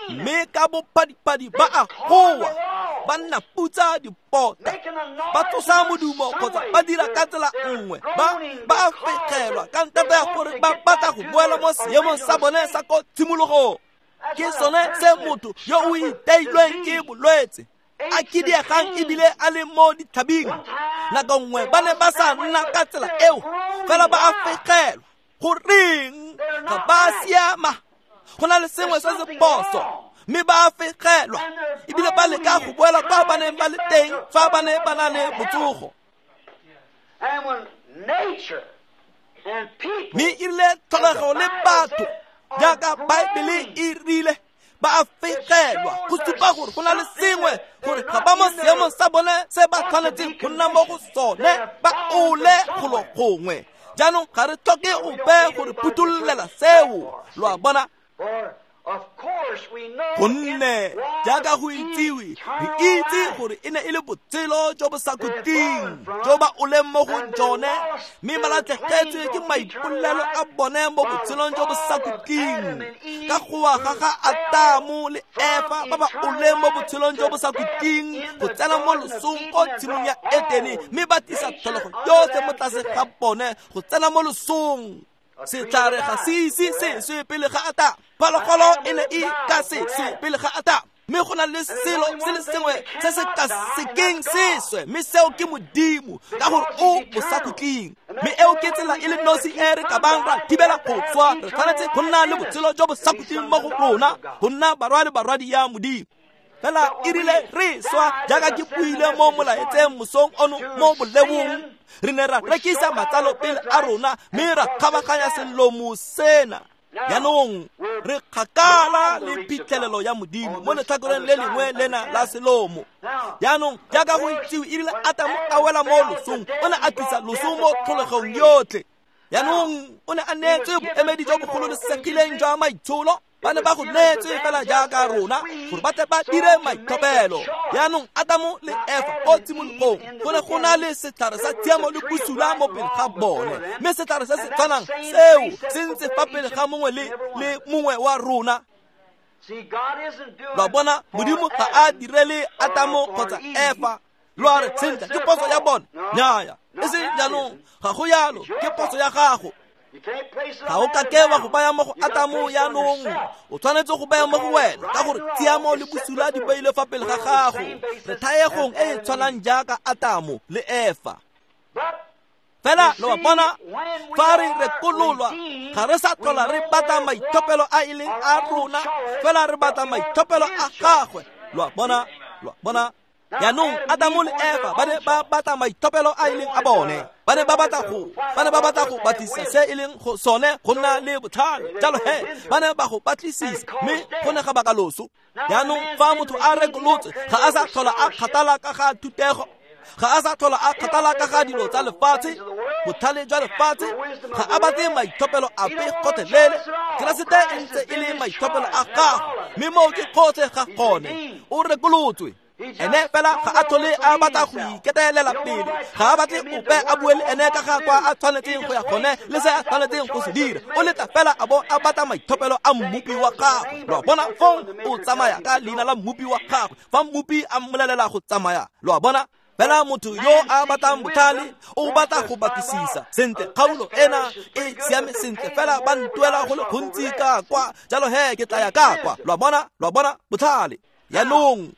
B: Mme ka bophadiphadi ba a goa, ba nna putsa dipota, ba tsosa modumo kgotsa ba dira ka tsela nngwe, ba ba a fegelwa ka ntata ya gore ba batla go boela mo seemong sa bone sa ko tshimologong. Ke sone se motho yo o iteilweng ke bolwetse a kidiegang ebile a le mo ditlhabing. Nako nngwe ba ne ba sa nna ka tsela eo, fela ba a fegelwa. Goreng ga ba siama? Go na le sengwe se se phoso, mme ba a fegelwa ebile ba leka go boela kwa ba neng ba le teng fa ba ne ba na le botsogo. Mme e rile tlholego le batho jaaka Baebele e rile ba a fegelwa, go supa gore go na le sengwe gore ga ba mo seemong sa bone se ba tshwanetseng go nna mo go sone, ba ole golo gongwe. Jaanong ga re tlhoke ope gore phuthollela seo, lo a bona. Gonne jaaka go itsiwe, re itse gore e ne e le botshelo jo bo sa khutleng jo ba oleng mo go jone, mme ba latlhegetswe ke maipolelo a bone mo botshelong jo bo sa khutleng ka goa ga ga Atamo le Efa ba ba oleng mo botshelong jo bo sa khutleng go tsena mo losong ko tshimong ya Etene, mme ba tlisa tlholego yotlhe mo tlase ga bone go tsena mo losong. Setlhare ga se ise se swe pele ga Atamo, phologolo e ne e ka se swe pele ga Atamo, mme go na le selo se le sengwe se se ka sekeng se swe, mme seo ke Modimo, ka gore o bosakhutleng. Mme eo ke tsela e le nosi e re ka bang ra thibela go swa. Re tshwanetse go nna le botshelo jo bo sa khutleng mo go rona, go nna barwa le barwadi ya Modimo. Fela e rile re swa, jaaka ke buile mo molaetseng mosong ono mo bolebong, re ne ra rekisa matsalo pele a rona mme ra kgabaganya selomo sena. Jaanong re kgakala le phitlhelelo ya Modimo mo letlhakoreng le lengwe lena la selomo. Jaanong jaaka go itsiwe, e rile Atamo a wela mo losong, o ne a tlisa loso mo tlholegong yotlhe. Jaanong o ne a neetswe boemedi jo bogololesegileng jwa maitsholo. Ba ne ba go neetswe fela jaaka rona gore ba tle ba dire maitlhophelo. Jaanong Atamo le Efa ko tshimologong go ne go na le setlhare sa tshiamo le bosula mo pele ga bone, mme setlhare se se tshwanang seo se ntse fa pele ga mongwe le le mongwe wa rona. Lo bona, Modimo ga a direle Atamo kgotsa Efa. Lo a re sentle, ke phoso ya bone? Nnyaya, e seng jaanong, ga go yalo, ke phoso ya gago. Ga o ka ke wa go baya mo go Atamo jaanong, o tshwanetse go baya mo go wena, ka gore tshiamo le bosula di beilwe fa pele ga gago. Re thaegong e e tshwanang jaaka Atamo le Efa. Fela lo a bona, fa re rekololwa, ga re sa tlhola re batla maitlhophelo a e leng a rona, fela re batla maitlhophelo a gagwe. Lo a bona, lo a bona. Jaanong Atamo le Efa ba ne ba batla maitlhophelo a e leng a bone, ba ne ba batla go ba ne ba batla go batlisisa se e leng go sone go nna le botlhale. Jalo he ba ne ba go batlisisa, mme go ne ga baka loso. Jaanong fa motho a rekolotswe, ga a sa tlhola a kgathala ka ga thutego, ga a sa tlhola a kgathala ka ga dilo tsa lefatshe, botlhale jwa lefatshe, ga a batle maitlhophelo ape gotlhelele. Keresete e ntse e le maitlhophelo a gagwe, mme moo ke gotlhe ga gone. O rekolotswe. Ene fela ga a tlhole a batla go iketelela pele, ga a batle ope a bue le ene ka ga kwa a tshwanetseng go ya gone le se a tshwanetseng go se dira. O letla fela a bo a batla maitlhophelo a mmopi wa gagwe. Lo a bona, fong o tsamaya ka leina la mmopi wa gagwe fa mmopi a mmolelela go tsamaya. Lo a bona, fela motho yo a batlang botlhale o batla go batlisisa sentle, kgaolo ena e siame sentle, fela ba ntuela go le gontsi ka kwa, jalo he ke tla ya ka kwa. Lo a bona, lo a bona botlhale. Jaanong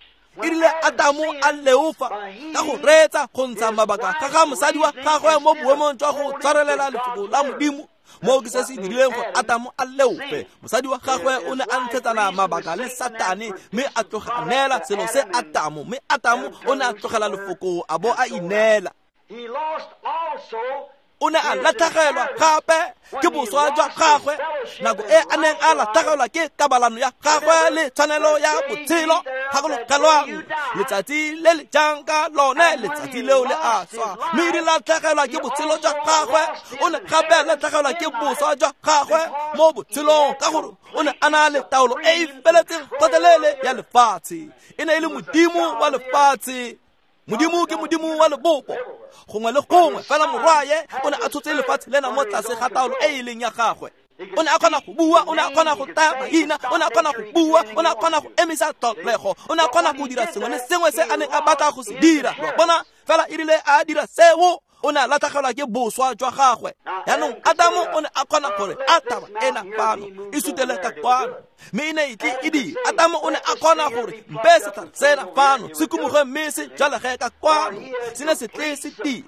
B: e rile Atamo a leofa ka go reetsa go ntsha mabaka ga ga mosadi wa gagwe mo boemong jwa go tshwarelela lefoko la Modimo. Moo ke se se dirileng gore Atamo a leofe. Mosadi wa gagwe o ne a ntshetsana mabaka le Satane, mme a tloga a neela selo se Atamo, mme Atamo o ne a tlogela lefoko a bo a ineela. O ne a latlhegelwa gape ke boswa jwa gagwe nako e a neng a latlhegelwa ke kabalano ya gagwe le tshwanelo ya botshelo. Gakologelwang letsatsi le le jang ka lone, letsatsi leo le a swa, mme di latlhegelwa ke botshelo jwa gagwe. O ne gape a latlhegelwa ke boswa jwa gagwe mo botshelong, ka gore o ne a na le taolo e e feletseng gotlhelele ya lefatshe. E ne e le Modimo wa lefatshe. Modimo ke Modimo wa lebopo gongwe le gongwe, fela morwaye o ne a tshotse lefatshe lena mo tlase ga taolo e e leng ya gagwe. O ne a kgona go bua, o ne a kgona go taya maina, o ne a kgona go bua, o ne a kgona go emisa tlholego, o ne a kgona go dira sengwe le sengwe se a neng a batla go se dira. Lo a bona? Fela e rile a dira seo, o ne a latlhegelwa ke boswa jwa gagwe. Jaanong Adamo o ne a kgona gore a taba ena fano e sutele ka kwano, mme e ne e tle e dira. Adamo o ne a kgona gore mpe setlhare sena fano se kumuge mme se jalege ka kwano, se ne se tle se dira.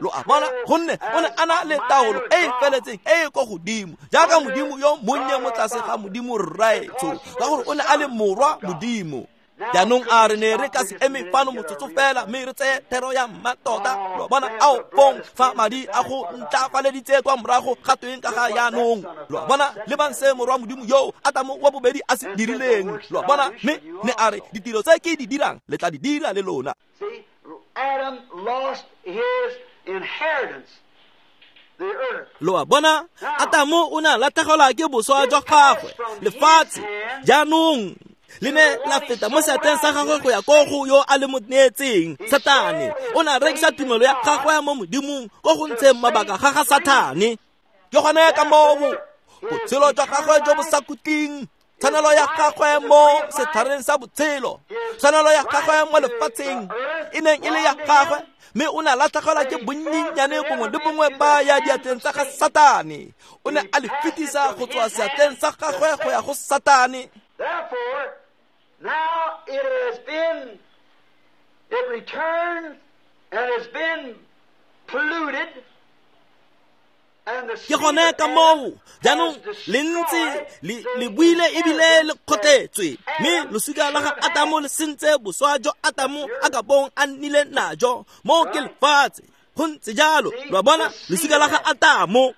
B: Lo a bona? Gonne o ne a na le taolo e e feletseng e e ko godimo, jaaka Modimo yo monnye mo tlase ga Modimo Rraetsho, ka gore o ne a le morwa Modimo. Jaanong a re ne re ka se eme fano motsotso fela mme re tseye thero ya mmatota. Lo bona? Ao fong fa madi a go ntlafaleditse kwa morago ga tweng ka ga jaanong. Lo bona? Lebang se morwa Modimo yo Adamo wa bobedi a se dirileng. Lo bona? Mme ne a re ditiro tse ke di dirang le tla di dira le lona.
A: See, Adam lost his inheritance.
B: Lo a bona? Adamo o ne a latlhegelwa ke boswa jwa gagwe, lefatshe. Jaanong le ne la feta mo seatleng sa gagwe go ya ko go yo a le mo neetseng, Satane. O ne a rekisa tumelo ya gagwe mo Modimong ko go ntsheng mabaka ga ga Satane. Ke gone ka moo botshelo jwa gagwe jo bo sa khutleng, tshwanelo ya gagwe mo setlhareng sa botshelo, tshwanelo ya gagwe mo lefatsheng e neng e le ya gagwe, mme o ne a latlhegelwa ke bonnyenyane bongwe le bongwe ba ya diatleng tsa ga Satane. O ne a le fetisa go tswa seatleng sa gagwe go ya go Satane.
A: Therefore, now it has been, it returns and has been polluted.
B: Ke gone ka moo jaanong le ntse le buile ebile le kgotletswe, mme losika la ga Adamo le sentse boswa jo Adamo a ka bong a nnile najo mo ke lefatshe. Go ntse jalo. Lo a bona? Losika la ga Adamo.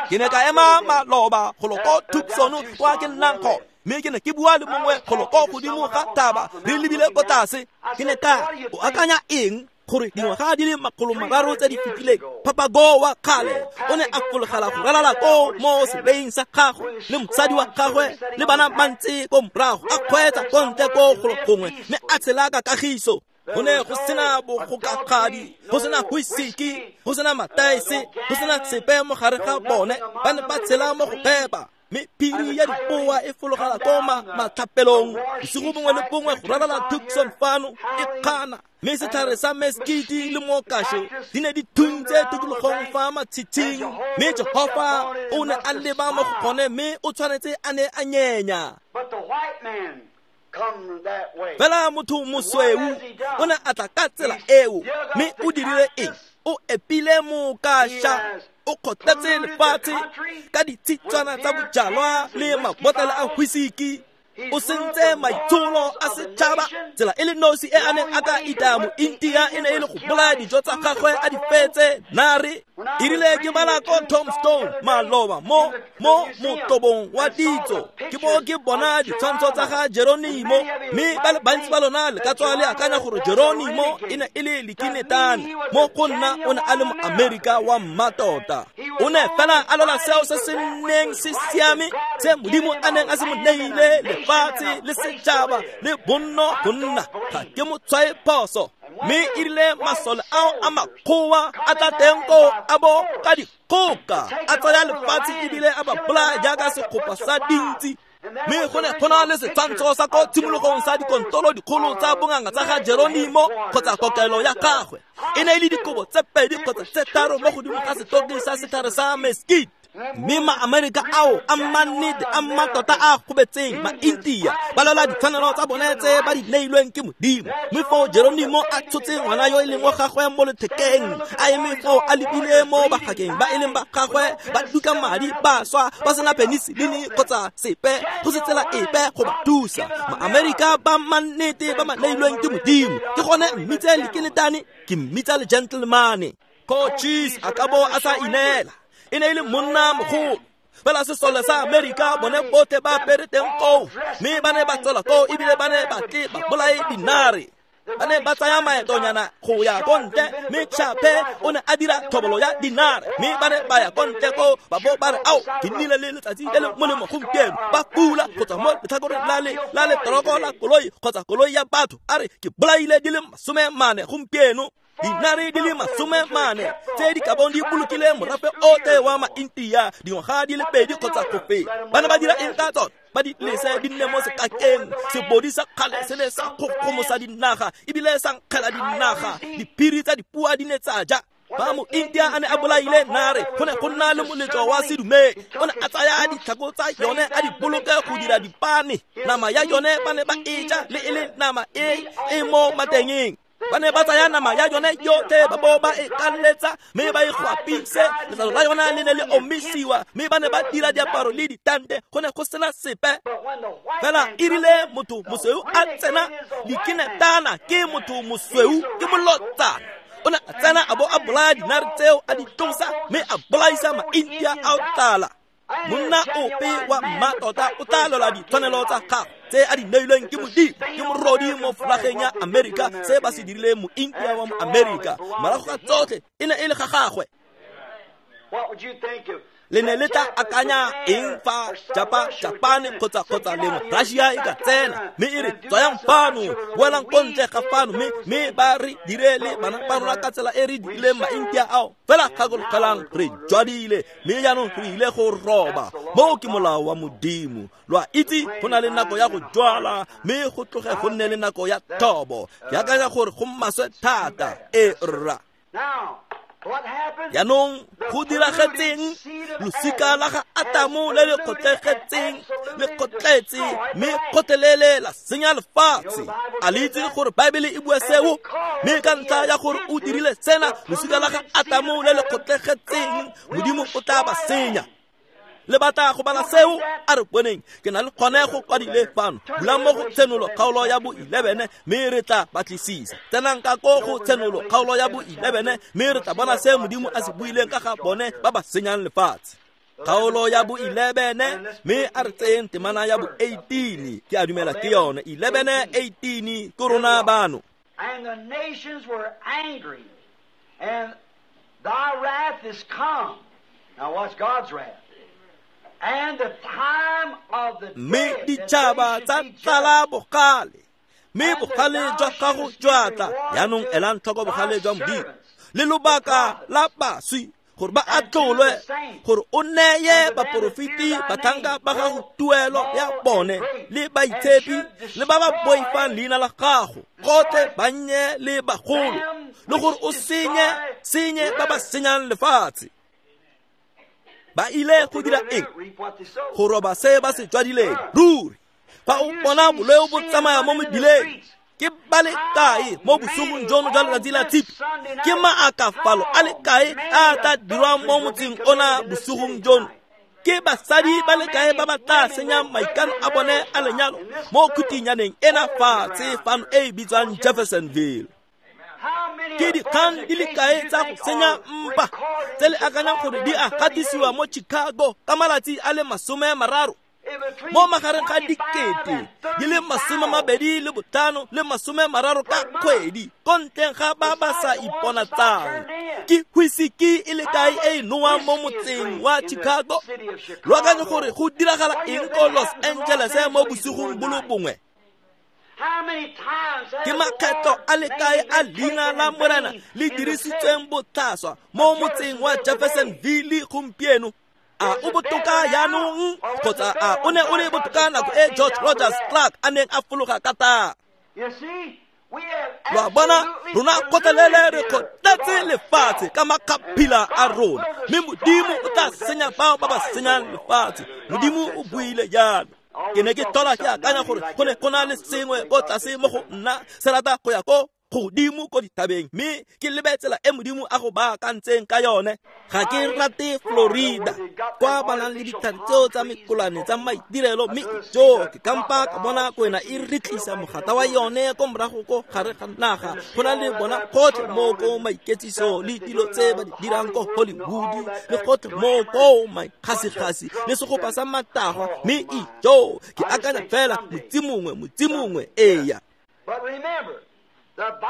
B: Ke ne ka ema maloba golo ko Tucson kwa ke nnang gone, mme ke ne ke bua le mongwe golo ko godimo ga thaba re lebile ko tlase. Ke ne ka o akanya eng gore dingwaga di le makgolo mararo tse di fetileng Papago wa kgale o ne a fologela go ralala ko mo seleing sa gagwe le mosadi wa gagwe le bana ba ntse ko morago, a kgweetsa ko ntle ko golo gongwe mme a tshela ka kagiso. Go ne go sena bogokagadi, go sena whisky, go sena mataese, go sena sepe mo gare ga bone. Ba ne ba tshela mo go phepa, mme phiri ya dipoa e fologela ko matlhapelong bosigo bongwe le bongwe go ralala Tucson fano e kgana, mme setlhare sa meskiti le mokašo di ne di thuntse tikologong fa matshitshing, mme Jehofa o ne a leba mo go gone mme o tshwanetse a ne a nyenya. Fela motho mosweu o ne a tla ka tsela eo, mme o dirile eng? O epile mokaša, o kgotletse lefatshe ka ditshitswana tsa bojalwa le mabotlolo a whisky. O sentse maitsholo a setšhaba. Tsela e le nosi e a neng a ka itaya mointia e ne e le go bolaya dijo tsa gagwe a di fetse nare. E rile ke bala ko Tombstone maloba mo mo motobong wa ditso, ke bo ke bona ditshwantsho tsa ga Geronimo, mme ba le bantsi ba lona le ka tswa le akanya gore Geronimo e ne e le lekinetane. Mo go nna o ne a le moamerika wa mmatota. O ne fela a lwela seo se se neng se siame se Modimo a neng a se mo neile, lefatshe le setšhaba le bonno go nna. Ga ke mo tshwae phoso. Mme e rile masole ao a makgowa a tla teng koo a bo ka dikgoka a tsaya lefatshe ebile a ba bolaya jaaka segopa sa dintsi. Mme go ne go na le setshwantsho sa ko tshimologong sa dikontolo dikgolo tsa bonganga tsa ga Geronimo kgotsa kokelo ya gagwe. E ne e le dikobo tse pedi kgotsa tse tharo mo godimo ga setoki sa setlhare sa mesquite. Mme ma-Amerika ao a mannete a mmatota a gobetseng ma-India ba lwela ditshwanelo tsa bone tse ba di neilweng ke Modimo. Mme foo Geronimo a tshotse ngwana yo e leng wa gagwe mo lethekeng, a eme foo a lebile mo bagakeng ba e leng ba gagwe ba duka madi ba swa ba sena peniselene kgotsa sepe, go se tsela epe go ba thusa. Ma-Amerika ba mannete ba ba neilweng ke Modimo, ke gone mmitse lekenetane, ke mmitsa le gentlemane. Cochise a ka bo a sa ineela, e ne e le monna mogolo. Fela sesole sa Amerika bone botlhe ba apere teng koo, mme ba ne ba tswela koo ebile ba ne ba tle ba bolaye dinare. Ba ne ba tsaya maetonyana go ya ko ntle, mme Chape o ne a dira thobolo ya dinare, mme ba ne ba ya ko ntle koo ba bo ba re ao ke nnile le letsatsi le le molemo gompieno. Ba fula go tswa mo letlhakoreng la le la letoroko la koloi kgotsa koloi ya batho, a re ke bolaile di le masome mane gompieno. Dinare di le masome mane tse di ka bong di bolokile morafe otlhe wa ma-India dingwaga di le pedi kgotsa go feta. Ba ne ba dira eng ka tsone? Ba di lese di nne mo sekakeng. Sebodi sa kgale se ne sa kgokgomosa dinaga ebile sa nkgela dinaga. Diphiri tsa dipua di ne tsa ja. Fa mo-India a ne a bolaile nare, go ne go nna le moletlo wa sedumedi. O ne a tsaya ditlhako tsa yone a di boloke go dira dipane. Nama ya yone ba ne ba e ja le e le nama e e mo matengeng. Ba ne ba tsaya nama ya yone yotlhe ba bo ba e kaletsa mme ba e gwapise. Letlalo la yona le ne le omisiwa mme ba ne ba dira diaparo le ditante. Go ne go sena sepe. Fela e rile motho mosweu a tsena dikinetana ke motho mosweu ke molotsana. O ne a tsena a bo a bolaya dinare tseo a di tlosa mme a bolaisa ma-India a o tlala. Monna ope wa mmatota o tla lwela ditshwanelo tsa gagwe tse a di neilweng ke Modimo ke morodi mo folageng ya Amerika. Se ba se dirileng mo-India wa mo-Amerika morago ga tsotlhe e ne e le ga gagwe. Le ne le tla akanya eng fa Japa, Japane kgotsa kgotsa lengwe Russia e ka tsena mme e re tswayang fano, boelang ko ntle ga fano, mme mme ba re dire le bana ba rona ka tsela e re dirileng ma-India ao. Fela gakologelang re jwadile mme jaanong re ile go roba. Moo ke molao wa Modimo. Lo a itse go na le nako ya go jwala mme go tloge go nne le nako ya thobo. Ke akanya gore go maswe thata. E rra. Jaanong go diragetseng losika la ga Atamo le le kgotlegetseng le kgotletse mme kgotlelele la senya lefatshe. A le itse gore Baebele e bua seo? Mme ka ntlha ya gore o dirile sena, losika la ga Atamo le le kgotlegetseng Modimo o tla ba senya. Le batla go bala seo? A re boneng. Ke na le kgone go kwadile fano. Bulang mo go Tshenolo kgaolo ya bo eleven mme re tla batlisisa. Tsenang ka ko go Tshenolo kgaolo ya bo eleven mme re tla bona se Modimo a se buileng ka ga bone ba ba senyang lefatshe. Kgaolo ya bo eleven mme a re tseyeng temana ya bo eighteen. Ke a dumela ke yone eleven eighteen ke rona bano.
A: And the nations were angry, and thy wrath is come. Now what's God's wrath?
B: Mme ditšhaba tsa tlala bogale, mme bogale jwa gago jwa tla. Jaanong elang tlhoko bogale jwa Modimo le lobaka la baswi gore ba atlolwe, gore o neye baporofeti batlhanka ba gago tuelo ya bone le baitshepi le ba ba boifang leina la gago, gotlhe bannye le bagolo, le gore o senye senye ba ba senyang lefatshe. Ba ile go dira eng? Go roba se ba se jwadileng. Ruri fa o bona boleo bo tsamaya mo mebileng, ke ba le kae mo bosigong jono jwa letsatsi la Tshipi? Ke maakafalo a le kae a tla dirwang mo motseng ona bosigong jono? Ke basadi ba le kae ba ba tla senyang maikano a bone a lenyalo mo khutinyaneng ena fatshe fano e e bitswang Jeffersonville? Ke dikgang di le kae tsa go senya mpa tse le akanyang gore di a gatisiwa mo Chicago ka malatsi a le masome mararo? Mo magareng ga dikete di le masome mabedi le botlhano le masome mararo ka kgwedi, ko ntleng ga ba ba sa iponatsang. Ke whisky e le kae e e nowang mo motseng wa Chicago? Lo akanye gore go diragala eng ko Los Angeles mo bosigong bo le bongwe? Ke makgetlo a le kae a leina la Morena le dirisitsweng botlhaswa mo motseng wa Jeffersonville gompieno? A o botoka jaanong kgotsa a o ne o le botoka nako e George Rogers Clark a neng a fologa ka tang? Lo a bona, rona kgotlelele re kgotletse lefatshe ka makgaphila a rona, mme Modimo o tla senya bao ba ba senyang lefatshe. Modimo o buile jalo. Ke ne ke tlhola ke akanya gore go ne go na le sengwe ko tlase mo go nna se rata go ya ko godimo ko dithabeng, mme ke lebe tsela e Modimo a go baakantseng ka yone. Ga ke rate Florida kwa ba nang le ditlhare tseo tsa mekolane tsa maitirelo, mme jo ke kampa ka bona kwena e re tlisa mogata wa yone ko morago ko gare ga naga. Go na le bona gotlhe mo ko maiketsiso le dilo tse ba di dirang ko Hollywood le gotlhe mo ko maikgasigasi le segopa sa matagwa, mme ijo ke akanya fela motsi mongwe motsi mongwe eya.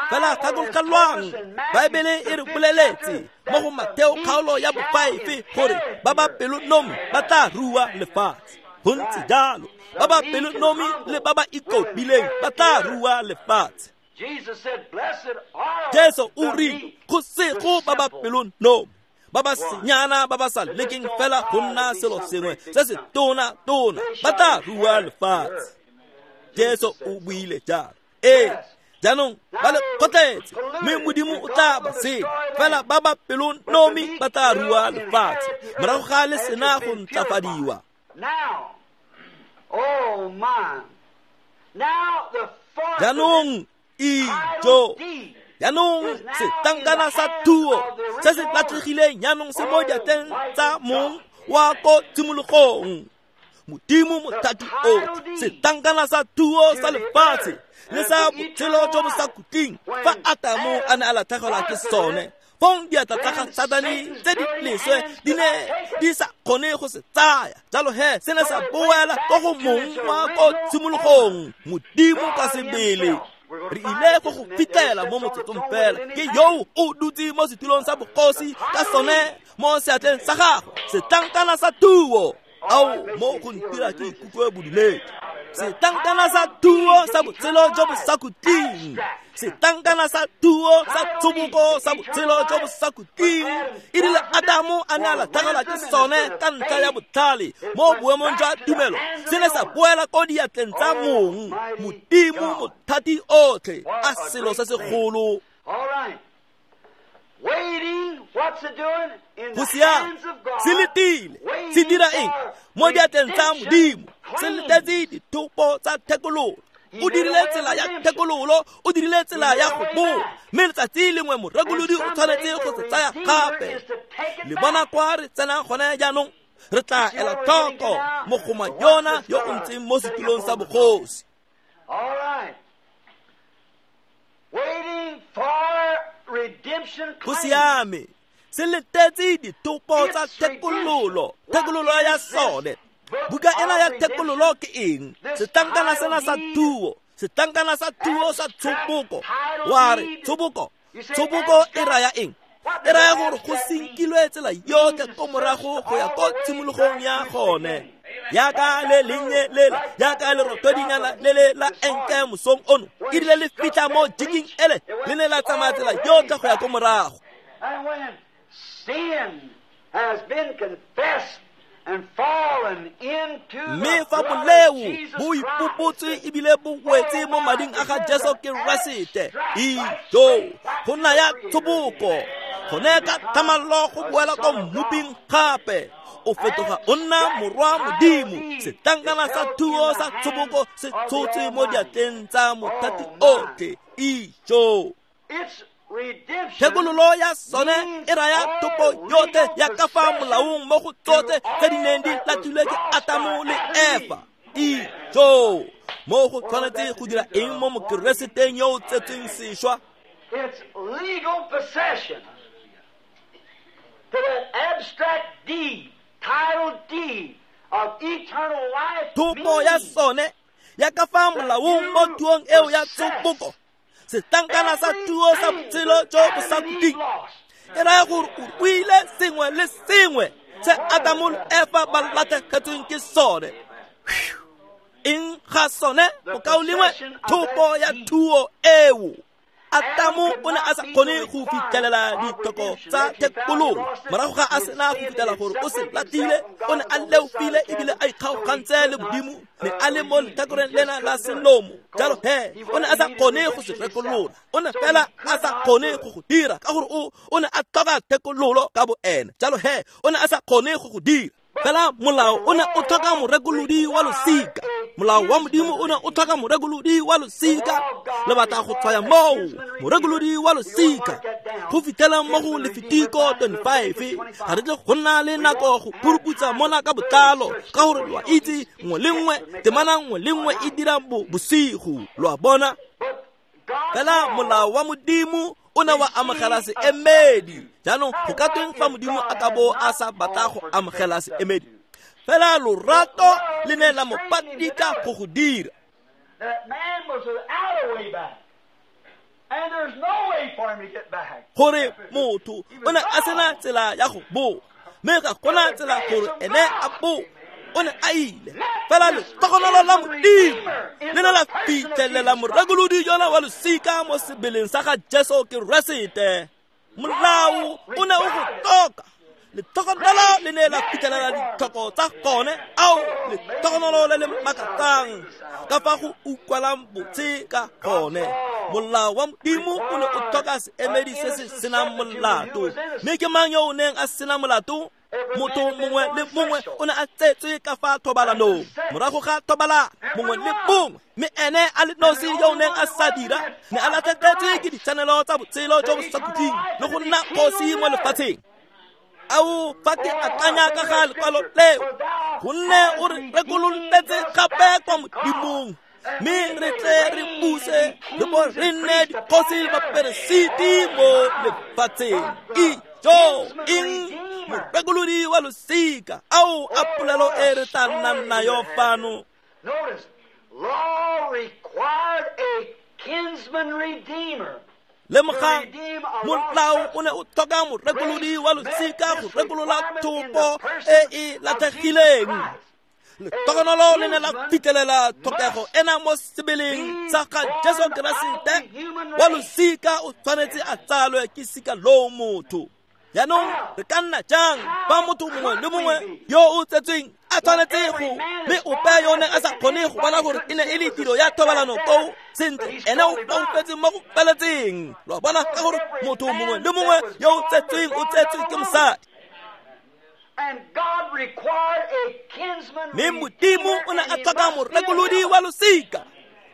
B: Fela gakologelwang, Baebele e re boleletse mo go Mateo kgaolo ya bofive gore ba ba pelonomi ba tla rua lefatshe. Go ntse jalo, ba ba pelonomi le ba ba ikobileng ba tla rua lefatshe. Jesu o rile go sego ba ba pelonomi, ba ba senyana, ba ba sa lekeng fela go nna selo sengwe se se tona-tona, ba tla rua lefatshe. Jesu o buile jalo. Ee, jaanong ba le kgotletse, mme Modimo o tla ba senya, fela ba ba pelonomi ba tla rua lefatshe morago ga le sena go ntlafadiwa. Jaanong ijo, jaanong setlankana sa thuo se se latlhegileng jaanong se mo diatleng tsa mong wa ko tshimologong, Modimo Mothati otlhe. Setlankana sa thuo sa lefatshe le sa botshelo jo bo sa khutleng, fa Atamo a ne a latlhegelwa ke sone, fong diatla tsa ga Satane tse di leswe di ne di sa kgone go se tsaya. Jalo he se ne sa boela ko go mong wa ko tshimologong, Modimo ka sebele. Re ile go go fitlhela mo motsotsong fela, ke yo o dutse mo setulong sa bogosi ka sone mo seatleng sa gagwe, setlankana sa thuo. Ao, mo go ntira ke ikutlwe bodumedi. Setlankana sa thuo sa botshelo jo bo sa khutleng, setlankana sa thuo sa tshoboko sa botshelo jo bo sa khutleng. E rile Adamo a ne a latlhegelwa ke sone ka ntlha ya botlhale mo boemong jwa tumelo, se ne sa boela ko diatleng tsa mong, Modimo Mothati otlhe. A selo se segolo. Go siame, se letile, se dira eng mo diatleng tsa Modimo? Se letetse dithopo tsa thekololo. O dirile tsela ya thekololo, o dirile tsela ya go boa, mme letsatsi lengwe morekolodi o tshwanetse go se tsaya gape. Le bona kwa re tsenang gone jaanong, re tla ela tlhoko mogoma yona yo o ntseng mo setulong sa bogosi. Go siame, se letetse dithopo tsa thekololo, thekololo ya sone. Buka ena ya thekololo ke eng? Setlankana sena sa thuo, setlankana sa thuo sa tshoboko. Wa re tshoboko, tshoboko e raya eng? E raya gore go senkilwe tsela yotlhe ko morago go ya ko tshimologong ya gone. Yaka le lennye lela, yaka lerotodinyana le le la enke mosong ono, e rile le fitlha mo jiking ele, le ne la tsamaya tsela yotlhe go ya ko morago. Mme fa boleo bo ipopotswe ebile bo wetse mo mading a ga Jesu Keresete, ijo, go nna ya tshoboko, gone ka thamallo go boela ko mmoping gape. O fetoga o nna morwa Modimo. Setlankana sa thuo sa tshoboko se tshotse mo diatleng tsa Mothati otlhe. Ijo, thekololo ya sone e raya topo yotlhe ya ka fa molaong mo go tsotlhe tse di neng di latlhilwe ke Atamo le Efa. Ijo, mo go tshwanetse go dira eng mo Mokereseteng yo o tsetsweng sešwa?
A: It's legal possession to that abstract deed, title deed of eternal life.
B: Thopo ya sone ya ka fa molaong mo thuong eo ya tshoboko, setlankana sa thuo sa botshelo jo bo sa khutleng, e raya gore o ruile sengwe le sengwe se Adamo le Efa ba latlhegetsweng ke sone. Eng ga sone, mokaulengwe? Thopo ya thuo eo. Atamo o ne a sa kgone go fitlhelela ditlhoko tsa thekololo morago ga a sena go fitlhela gore o se latlhile. O ne a leofile ebile a ikgaogantse le Modimo, ne a le mo letlhakoreng lena la selomo. Jalo he o ne a sa kgone go se rekolola, o ne fela a sa kgone go go dira ka gore o o ne a tlhoka thekololo ka bo ene. Jalo he o ne a sa kgone go go dira. Fela molao o ne o tlhoka morekolodi wa losika. Molao wa Modimo o ne o tlhoka morekolodi wa losika. Le batla go tshwaya moo morekolodi wa losika go fitlhela mo go Lefitiko twenty-five. Ga re tle go nna le nako go puruputsa mona ka botlalo, ka gore lo a itse nngwe le nngwe, temana nngwe le nngwe e dira bosigo, lo a bona. Fela molao wa Modimo o ne wa amogela seemedi. Jaanong go ka tweng fa Modimo a ka bo a sa batla go amogela seemedi? Fela lorato le ne la mo patika go go dira. Gore motho o ne a sena tsela ya go boa, mme ga gona tsela gore ene a boe. o ne a ile. Fela letlhogonolo la Modimo le ne la fitlhelela morekolodi yona wa losika mo sebeleng sa ga Jesu Keresete. Molao o ne o go tlhoka. Letlhogonolo le ne la fitlhelela ditlhoko tsa gone. Ao, letlhogonolo le le makatsang ka fa go utlwalang botse ka gone. Molao wa Modimo o ne o tlhoka seemedi se se senang molato. Mme ke mang yo o neng a sena molato? Motho mongwe le mongwe o ne a tsetswe ka fa thobalanong. Morago ga thobalano mongwe le mongwe, mme ene a le nosi yo o neng a sa dira, ne a latlhegetswe ke ditshwanelo tsa botshelo jo bo sa khutleng le go nna kgosi mo lefatsheng. Ao, fa ke akanya ka ga lekwalo leo, gonne o re rekololetse gape kwa Modimong, mme re tle re buse le bo re nne dikgosi le baperesiti mo lefatsheng. Ijo, eng? Morekolodi wa losika. Ao, a polelo e re tla nnang nayo fano.
A: Notice, law required a kinsman redeemer.
B: Lemogang, molao o ne o tlhoka morekolodi wa losika go rekolola thopo e e latlhegileng. Letlhogonolo le ne la fitlhelela tlhokego ena mo sebeleng sa ga Jesu Keresete. Wa losika o tshwanetse a tsalwe ke sika loo motho. Jaanong re ka nna jang fa motho mongwe le mongwe yo o tsetsweng a tshwanetse go, mme ope yo neng a sa kgone go bona gore e ne e le tiro ya thobalano koo, sentle ene o foufetse mo go feletseng. Lo a bona, ka gore motho mongwe le mongwe yo o tsetsweng o tsetswe ke mosadi. Mme Modimo o ne a tlhoka morekolodi wa losika,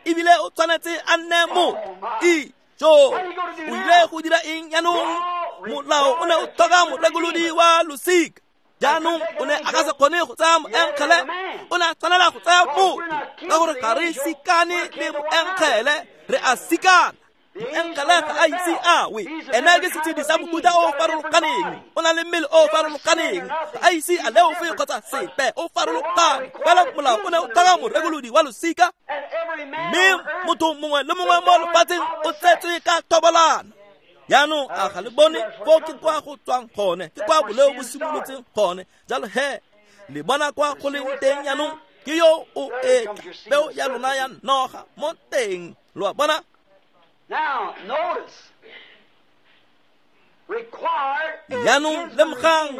B: ebile o tshwanetse a nne motho. Ijo, o ile go dira eng jaanong? Molao o ne o tlhoka morekolodi wa losika. Jaanong o ne a ka se kgone go tsaya moengele, o ne a tshwanela go tsaya motho, ka gore ga re sikane le moengele, re a sikana. Moengele ga a ise a we, ene ke setshedi sa mofuta o o farologaneng, o na le mmele o o farologaneng, ga a ise a leofe kgotsa sepe, o farologane. Fela molao o ne o tlhoka morekolodi wa losika, mme motho mongwe le mongwe mo lefatsheng o tsetswe ka thobalano. Jaanong a ga le bone foo ke kwa go tswang gone, ke kwa boleo bo simolotseng gone. Jalo he, le bona kwa go leng teng jaanong, ke yo o etla peo ya lona ya noga mo teng. Lo a bona? Jaanong lemogang,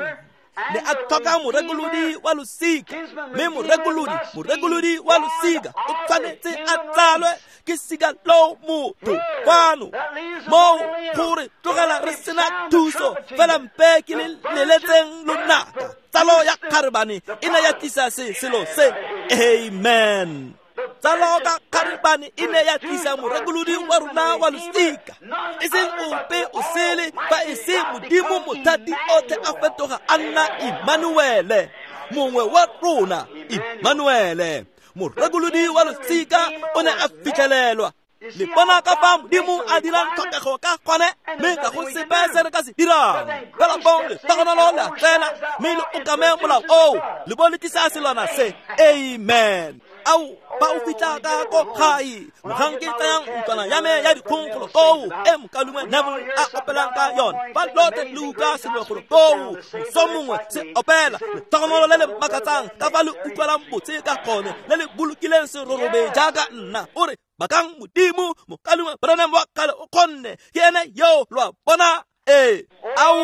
B: ne a tlhoka morekolodi wa losika, mme morekolodi, morekolodi wa losika o tshwanetse a tsalwe ke sika loo motho. Fano moo gore tlogela re sena thuso, fela mpe ke le leletseng lonaka. Tsalo ya kgarebane e ne ya tlisa se selo se. Amen. Tsalo ka kgarebane e ne ya tlisa morekolodi wa rona wa losika, e seng ope o sele, fa e se Modimo mothati otlhe a fetoga a nna Emmanuele, mongwe wa rona. Emmanuele, morekolodi wa losika o ne a fitlhelelwa. Le bona ka fa Modimo a dirang tlhokego ka gone, mme ga go sepe se re ka se dirang. Fela fong letlhogonolo le a tsena, mme le okame molao oo, le bo le tlisa selwana se. Amen. Ao, fa o fitlha ka ko gae, mogang ke tsayang ntlwana ya me ya dikgong golo koo, e mokaulengwe Neville a opelang ka yone. Fa lotlhe le utlwa sengwe golo koo, moso mongwe se opela letlhogonolo le le makatsang ka fa le utlwalang botse ka gone, le le bolokileng serorobe jaaka nna. O re, bakang Modimo, mokaulengwe Branham wa kgale o kgonne, ke ene yo, lo a bona? Ee, ao,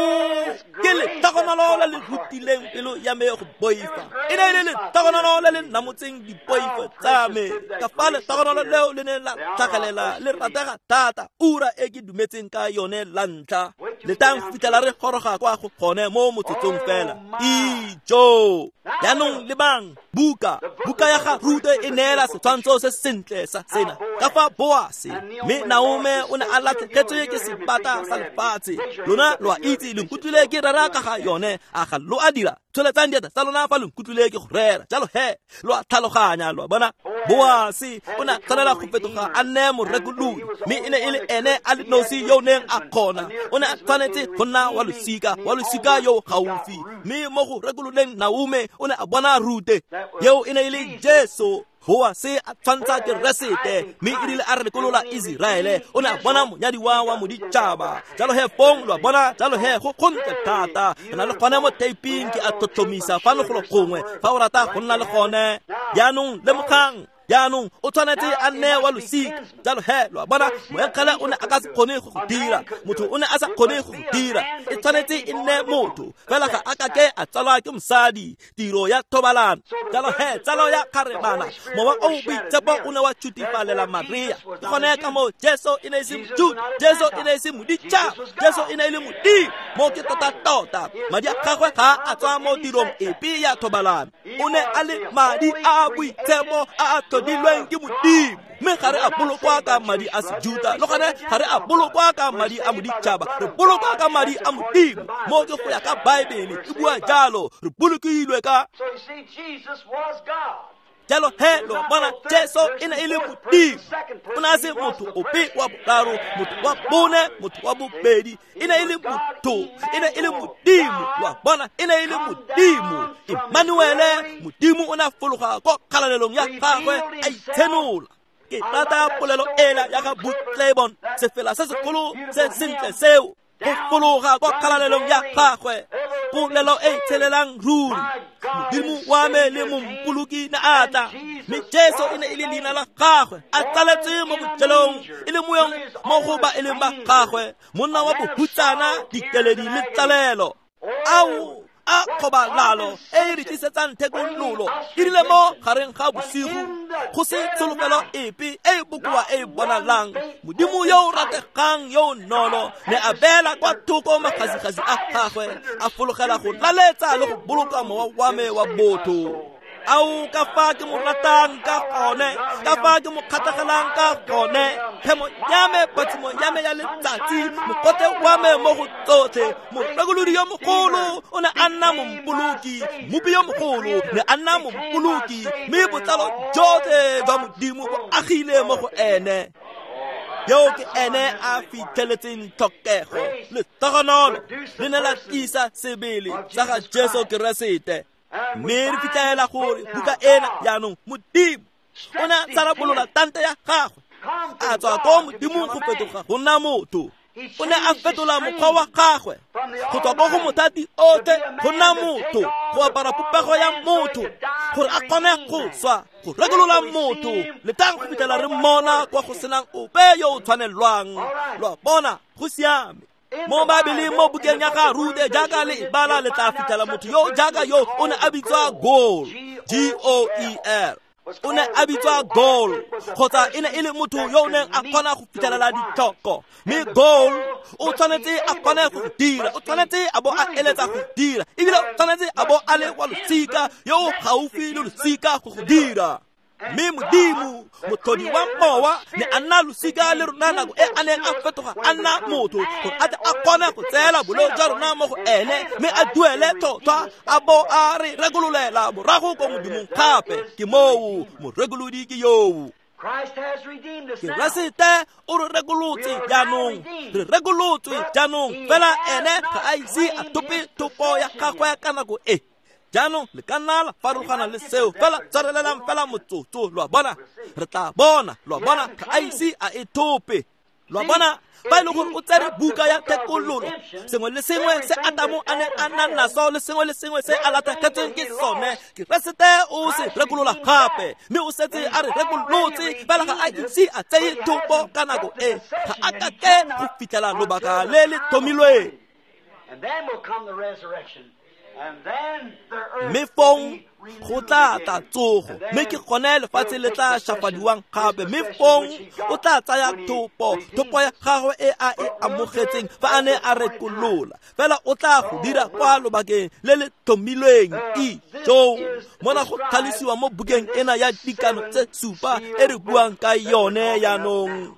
B: ke letlhogonolo le le rutileng pelo ya me go boifa. E ne e le letlhogonolo le le namotseng dipoifo tsa me. Ka fa letlhogonolo leo le ne la tlhagelela le ratega thata, ura e ke dumetseng ka yone la ntlha. Letang go fitlhela re goroga kwa go gone mo motsotsong fela. Ijo, jaanong lebang buka, buka ya ga Rute e neela setshwantsho se sentle sa sena. Ka fa Boase, mme Naome o ne a latlhegetswe ke sebata sa lefatshe. Lona lo a itse, le nkutlwile ke rera ka ga yone, a ga lo a dira? Tsholetsang diatla tsa lona fa le nkutlwile ke go rera. Jalo he, lo a tlhaloganya, lo a bona? Boase o ne a tshwanela go fetoga a nne morekolodi, mme e ne e le ene a le nosi yo o neng a kgona. O ne a tshwanela tshwanetse go nna wa losika, wa losika yo gaufi. Mme mo go rekololeng Naomi o ne a bona Rute, yeo e ne e le Jesu. Boase a tshwantsha Keresete, mme e rile a re rekolola Iseraele, o ne a bona monyadiwa wa moditšhaba. Jalo he fong lo a bona, jalo he go gontle thata. Re na le gone mo taping, ke a tlhotlhomisa fano golo gongwe fa o rata go nna le gone. Jaanong lemogang, jaanong o tshwanetse a nne wa losika. Jalo he lo a bona, moengele o ne a ka se kgone go go dira, motho o ne a sa kgone go go dira. E tshwanetse e nne motho, fela ga a ka ke a tsalwa ke mosadi, tiro ya thobalano. Jalo he tsalo ya kgarebana, mowa o o boitshepo o ne wa tšhutifalela Maria. Ke gone ka moo Jesu e ne e se Mojuda, Jesu e ne e se moditšhaba, Jesu e ne e le Modimo. Mo ke tota-tota, madi a gagwe ga a tswa mo tirong epe ya thobalano. O ne a le madi a a boitshepo a a tlhodilweng ke Modimo. Mme ga re a bolokwa ka madi a Sejuta, le gone ga re a bolokwa ka madi a moditšhaba, re bolokwa ka madi a Modimo. Mo ke go ya ka Baebele e bua jalo, re bolokilwe ka. Jalo he lo bona, Jesu e ne e le Modimo. O ne a se motho ope wa boraro, motho wa bone, motho wa bobedi. E ne e le motho, e ne e le Modimo. Lo a bona, e ne e le Modimo. Emmanuele, Modimo o ne a fologa ko kgalalelong ya gagwe a itshenola. Ke rata polelo ela ya ga Booth-Clibborn, sefela se segolo se sentle seo, go fologa ko kgalalelong ya gagwe, polelo e tshelelang ruri. Modimo wa me le mompoloki ne a tla, mme Jesu e ne e le leina la gagwe, a tsaletswe mo bojelong, e le moyong mo go ba e leng ba gagwe, monna wa bohutsana, dikeledi le tlalelo. Ao a kgobalalo e e re tlisetsang thekololo, e rile mo gareng ga bosigo, go se tsholofelo epe e e bokoa e e bonalang, Modimo yo o rategang yo o nolo ne a beela kwa thoko magasigasi a gagwe, a fologela go laletsa le go boloka mowa wa me wa botho. Ao ka fa ke mo ratang ka gone, ka fa ke mo kgatlhegelang ka gone, phemo ya me, phatsimo ya me ya letsatsi, mokote wa me mo go tsotlhe. Morekolodi yo mogolo o ne a nna mompoloki, mmopi yo mogolo ne a nna mompoloki, mme botlalo jotlhe jwa Modimo bo agile mo go ene. Yo ke ene a fitlheletseng tlhokego. Letogonolo le ne la tlisa sebele sa ga Jesu Keresete. Mme re fitlhela gore buka ena jaanong Modimo o ne a tsarabolola tante ya gagwe, a tswa ko Modimong go fetoga go nna motho. O ne a fetola mokgwa wa gagwe go tswa ko go mothati otlhe go nna motho, go apara popego ya motho gore a kgone go swa, go rekolola motho. Letang go fitlhela re mmona kwa go senang ope yo o tshwanelwang. Lo a bona, go siame. Mo Baebeleng, mo bukeng ya ga Rute, jaaka le e bala, le tla fitlhela motho yo jaaka yo o ne a bitswa Goel, G O E L. O ne a bitswa Goel, kgotsa e ne e le motho yo o neng a kgona go fitlhelela ditlhoko. Mme Goel o tshwanetse a kgone go dira, o tshwanetse a bo a eletsa go dira, ebile o tshwanetse a bo a le wa losika yo o gaufi le losika go go dira. Mme Modimo, motlhodi wa mowa, ne a nna losika le rona nako e a neng a fetoga a nna motho, gore a tle a kgone go tseela boleo jwa rona mo go ene, mme a duele tlhotlhwa, a bo a re rekololela morago ko Modimong gape. Ke moo, morekolodi ke yoo. Keresete o re rekolotse jaanong, re rekolotswe jaanong, fela ene ga a ise a thope thopo ya gagwe ka nako e. Jaanong le ka nna la farologana le seo, fela tshwarelelang fela motsotso. Lo a bona, re tla bona. Lo a bona, ga a ise a e thope. Lo a bona, fa e le gore o tsere buka ya thekololo, sengwe le sengwe se Adamo a neng a na naso le sengwe le sengwe se a latlhegetsweng ke sone, Keresete o se rekolola gape, mme o setse a re rekolotse, fela ga a ise a tseye thopo ka nako e. Ga a ka ke go fitlhela lobaka le le tlhomilweng. Mme fong go tla tla tsogo, mme ke gone lefatshe le tla shafadiwang gape. Mme fong o tla tsaya thopo, thopo ya gagwe e a e amogetseng fa a ne a rekolola. Fela o tla go dira kwa lobakeng le le tlhomilweng. Ijo mona go tlhalosiwa mo bukeng ena ya dikano tse supa e re buang ka yone jaanong.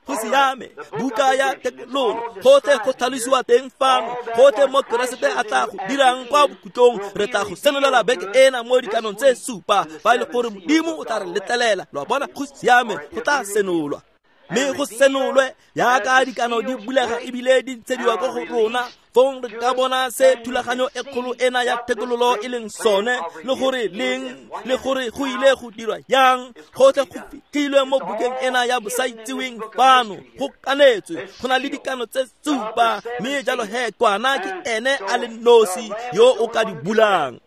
B: Go siame, buka ya thekololo, gotlhe go tlhalosiwa teng fano, gotlhe mo Keresete a tla go dirang kwa bokhutlong. Re tla go senolela beke ena mo dikanong tse supa, fa e le gore Modimo o tla re letlelela. Lo a bona, go siame, go tla senolwa. Mme go senolwe jaaka dikano di bulega ebile di ntshediwa ko go rona, fong re ka bona se thulaganyo e kgolo ena ya thekololo e leng sone, le gore leng, le gore go ile go dirwa yang. Gotlhe go fitlhilwe mo bukeng ena ya bosaitsiweng fano, go kanetswe, go na le dikano tse supa, mme jalo he kwana ke ene a le nosi yo o ka di bulang.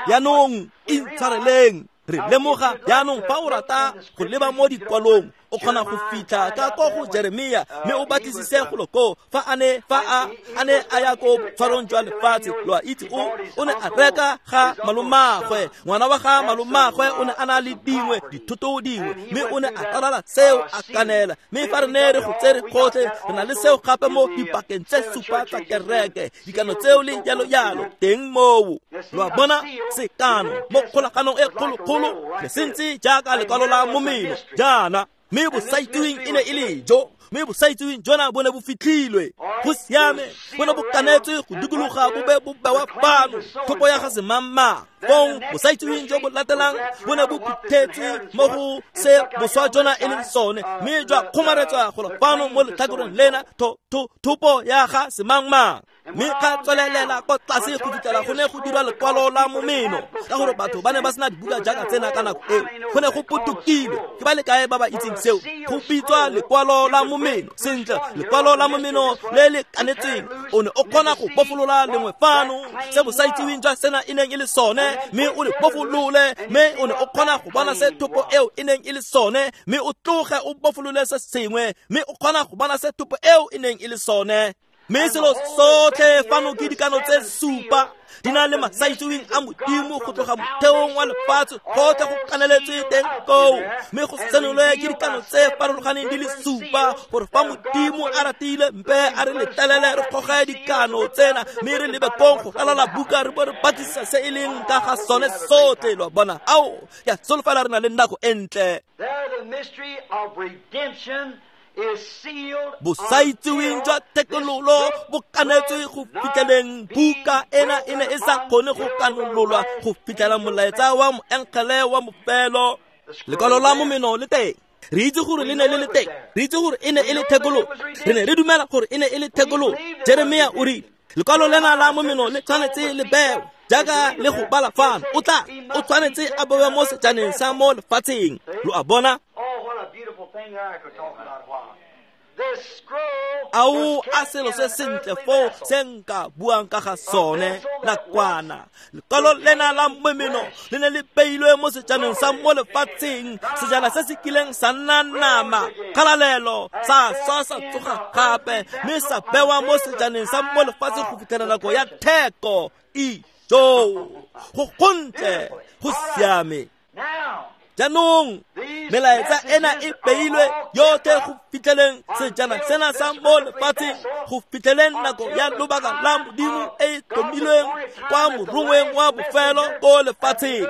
B: Jaanong intshwareleng, re lemoga jaanong fa o rata go leba mo dikwalong, o kgona go fitlha ka ko go Jeremia mme o batlisise golo koo fa a ne fa a a ne a ya ko tshwarong jwa lefatshe. Lo a itse o o ne a reka ga malomagwe, ngwana wa ga malomagwe o ne a na le dingwe dithoto dingwe, mme o ne a ralala seo a kanela. Mme fa re ne re go tsere gotlhe, re na le seo gape mo dipakeng tse supa tsa kereke, dikano tseo le jalo jalo teng moo. Lo a bona sekano mo kgolaganong e kgolokgolo le sentse jaaka lekwalo la momeno jaana, mme bosaitsiweng e ne e le jo, mme bosaitsiweng jona bo ne bo fitlhilwe. Go siame, bo ne bo kanetswe go dikologa bo be bo bewa fano, thopo ya ga semangmang. Fong bosaitsiweng jo bo latelang bo ne bo phuthetswe mo go se boswa jona e leng sone, mme jwa kgomaretswa golo fano mo letlhakoreng lena, thopo ya ga semangmang. Mme ga tswelelela kwa tlase go fitlhela go ne go dirwa lekwalo la momeno, ka gore batho ba ne ba sena dibuka jaaka tsena ka nako eo. Go ne go potokile. Ke ba le kae ba ba itseng seo? Go bitswa lekwalo la momeno. Sentle, lekwalo la momeno le le kanetsweng, o ne o kgona go bofolola lengwe fano se bosaitsiweng jwa sena e neng e le sone, mme o le bofolole, mme o ne o kgona go bona se thopo eo e neng e le sone, mme o tloge o bofolole se sengwe, mme o kgona go bona se thopo eo e neng e le sone. Mme selo sotlhe fano ke dikano tse supa, di na le masaitsiweng a Modimo go tloga motheong wa lefatshe, gotlhe go kaneletswe teng koo, mme go senolwe ke dikano tse farologaneng di le supa, gore fa Modimo a ratile mpe a re letelele re goge dikano tsena, mme re lebe kong go ralala buka re bo re batlisisa se e leng ka ga sone sotlhe. Lo a bona? Ao, ke a solofela re na le nako e ntle. Bosaitsiweng jwa thekololo bo kanetswe go fitlheleng buka ena e ne e sa kgone go kanololwa go fitlhela molaetsa wa moengele wa mofelo. Lekwalo la momeno le teng, re itse gore le ne le le teng, re itse gore e ne e le thekololo, re ne re dumela gore e ne e le thekololo. Jeremia o rile lekwalo lena la momeno le tshwanetse le bewe jaaka le go bala fano, o tla o tshwanetse a bewe mo sejaneng sa mo lefatsheng. Lo a bona? Ao a selo se sentle foo se nka buang ka ga sone nakwana. Lekwalo lena la momeno le ne le beilwe mo sejaneng sa mo lefatsheng, sejana se se kileng sa nna nama kgalalelo, sa swa sa tsoga gape, mme sa bewa mo sejaneng sa mo lefatsheng go fitlhela nako ya theko. Ijo, go gontle, go siame. Jaanong melaetsa ena e beilwe yotlhe go fitlheleng sejana sena sa mo lefatsheng, go fitlheleng nako ya lobaka la Modimo e e tlhomilweng kwa morongweng wa bofelo ko lefatsheng.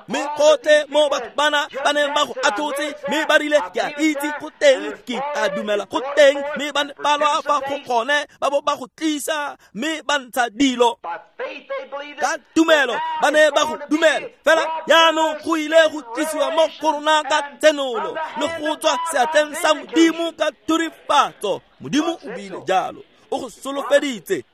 B: Mme gotlhe mo batho bana ba neng ba go atlhotse, mme ba rile ke a itse go teng, ke a dumela go teng, mme ba ne ba lwa fa go gone, ba bo ba go tlisa, mme ba ntsha dilo ka tumelo, ba ne ba go dumela. Fela jaanong go ile go tlisiwa mo go rona ka tsenolo le go tswa seatleng sa Modimo ka thurifatso. Modimo o buile jalo, o go solofeditse.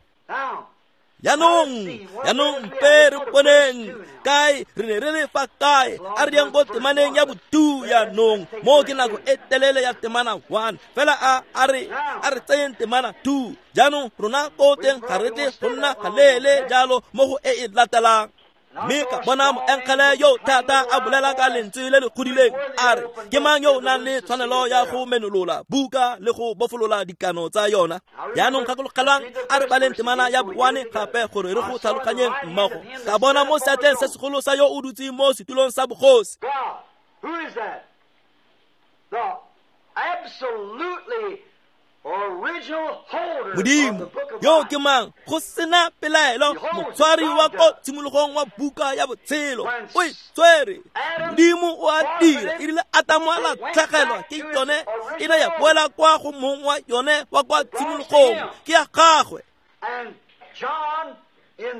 B: Jaanong, jaanong mpe re boneng kae re ne re le fa kae. A re yang ko temaneng ya botu jaanong, mo ke nako e telele ya temana one, fela a a re a re tseyeng temana two. Jaanong rona ko teng ga re tle go nna galeele jalo mo go e e latelang. Mme ka bona moengele yo thata a bolela ka lentswe le le godileng a re, ke mang yo o nang le tshwanelo ya go menolola buka le go bofolola dikano tsa yona? Jaanong gakologelwang, a re baleng temana ya boane gape gore re go tlhaloganyeng mmogo. Ka bona mo seatleng se segolo sa yo o dutseng mo setulong sa bogosi. Modimo yo ke mang? Go sena pelaelo, motshwari wa ko tshimologong wa buka ya botshelo o e tshwere. Modimo o a dira. E rile Atamo a latlhegelwa ke yone, e ne ya boela kwa go mong wa yone wa kwa tshimologong, ke ya gagwe.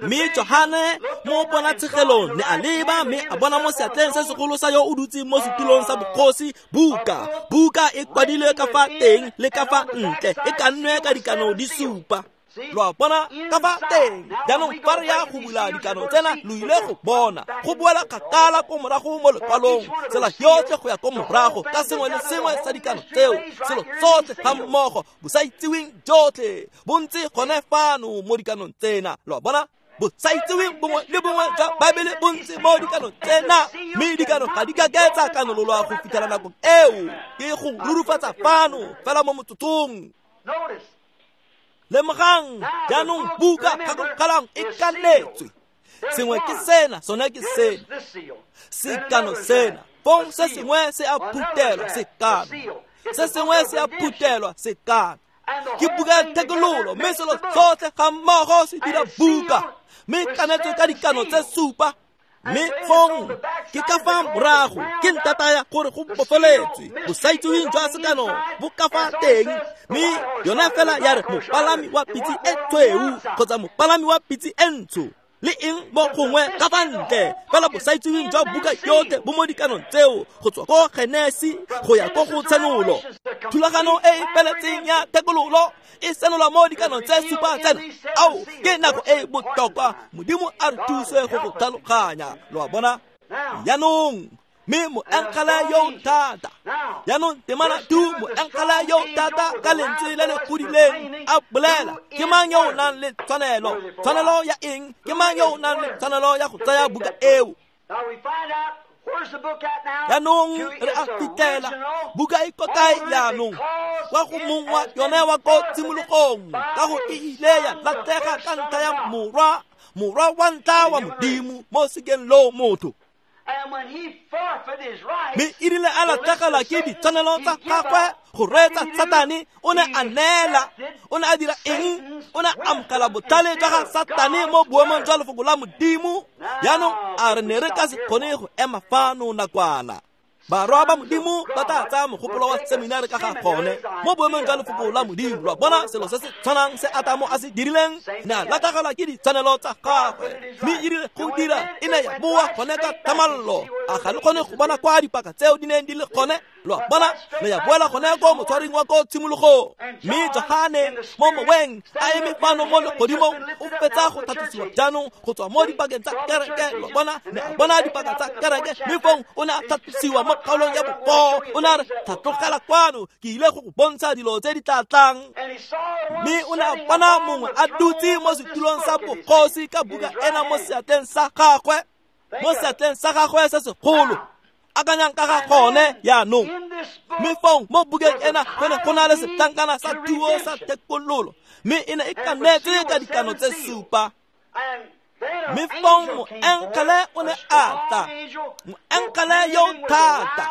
B: Mme Johane mo ponatshegelong ne a leba mme a bona mo seatleng se segolo sa yo o dutseng mo setulong sa bogosi buka. Buka e kwadilwe ka fa teng le ka fa ntle, e kannwe ka dikano di supa. Lo a bona ka fa teng. Jaanong fa re ya go bula dikano tsena lo ile go bona go boela kgakala ko morago mo lekwalong, tsela yotlhe go ya ko morago ka sengwe le sengwe sa dikano tseo, selo tsotlhe ga mmogo bosaitsiweng jotlhe bo ntse gone fano mo dikanong tsena. Lo a bona bosaitsiweng bongwe le bongwe jwa Baebele bo ntse mo dikanong tsena, mme dikano ga di ka ke tsa kanololwa go fitlhela nakong eo. Ke go rurufatsa fano fela mo motsotsong. Lemogang jaanong buka gakologelang e kanetswe. Sengwe ke sena, sone ke sena, sekano sena. Fong se sengwe se a phutelwa sekano, se sengwe se a phutelwa sekano. Ke buka ya thekololo, mme selo tsotlhe ga mmogo se dira buka, mme kanetswe ka dikano tse supa. Mme fong ke ka fa morago ke ntata ya gore go bofeletswe bosaitsiweng jwa sekano bo ka fa teng, mme yona fela ya re mopalami wa pitse e tshweu kgotsa mopalami wa pitse e ntsho le eng mo gongwe ka fa ntle. Fela bosaitsiweng jwa buka yotlhe bo mo dikanong tseo go tswa ko Genesi go ya ko go Tshenolo. Thulagano e e feletseng ya thekololo e senola mo dikanong tse supa tsena. Ao, ke nako e botlhokwa. Modimo a re thuse go go tlhaloganya. Lo a bona jaanong. Mme moengele yo thata, jaanong temana tu, moengele yo thata ka lentswe le le godileng a bolela, ke mang yo o nang le tshwanelo? Tshwanelo ya eng? Ke mang yo o nang le tshwanelo ya go tsaya buka eo? Jaanong re a fitlhela buka e ko kae jaanong? Kwa go mong wa yone wa ko tshimologong, ka go e ile ya latlhega ka ntlha ya morwa, morwa wa ntlha wa Modimo mo sekeng loo motho. Mme e rile a latlhegelwa ke ditshwanelo tsa gagwe go reetsa Satane, o ne a neela. O ne a dira eng? O ne a amogela botlhale jwa ga Satane mo boemong jwa lefoko la Modimo. Jaanong a re ne re ka se kgone go ema fano nakwana. Barwa ba Modimo ba tla tsaya mogopolo wa seminari ka ga gone mo boemong jwa lefoko la Modimo. Lo a bona selo se se tshwanang se Atamo a se dirileng, ne a latlhegelwa ke ditshwanelo tsa gagwe, mme e rile go dira e ne ya boa gone ka thamallo. A ga le kgone go bona kwa dipaka tseo di neng di le gone? Lo a bona, ne ya boela gone ko motshwaring wa ko tshimologong. Mme Johane mo moweng a eme fano mo legodimong o fetsa go tlhatlosiwa jaanong go tswa mo dipakeng tsa kereke. Lo a bona, ne a bona dipaka tsa kereke, mme fong o ne a tlhatlosiwa mo kgaolong ya bofo. O ne a re, tlhatlogela kwano, ke ile go go bontsha dilo tse di tla tlang. Mme o ne a bona mongwe a dutse mo setulong sa bogosi ka buka ena mo seatleng sa gagwe, mo seatleng sa gagwe se segolo. Akanyang ka ga gone jaanong. Mme fong mo bukeng ena go ne go na le setlankana sa thuo sa thekololo, mme e ne e kanetswe ka dikano tse supa. Mme fong moengele o ne a tla, moengele yo thata,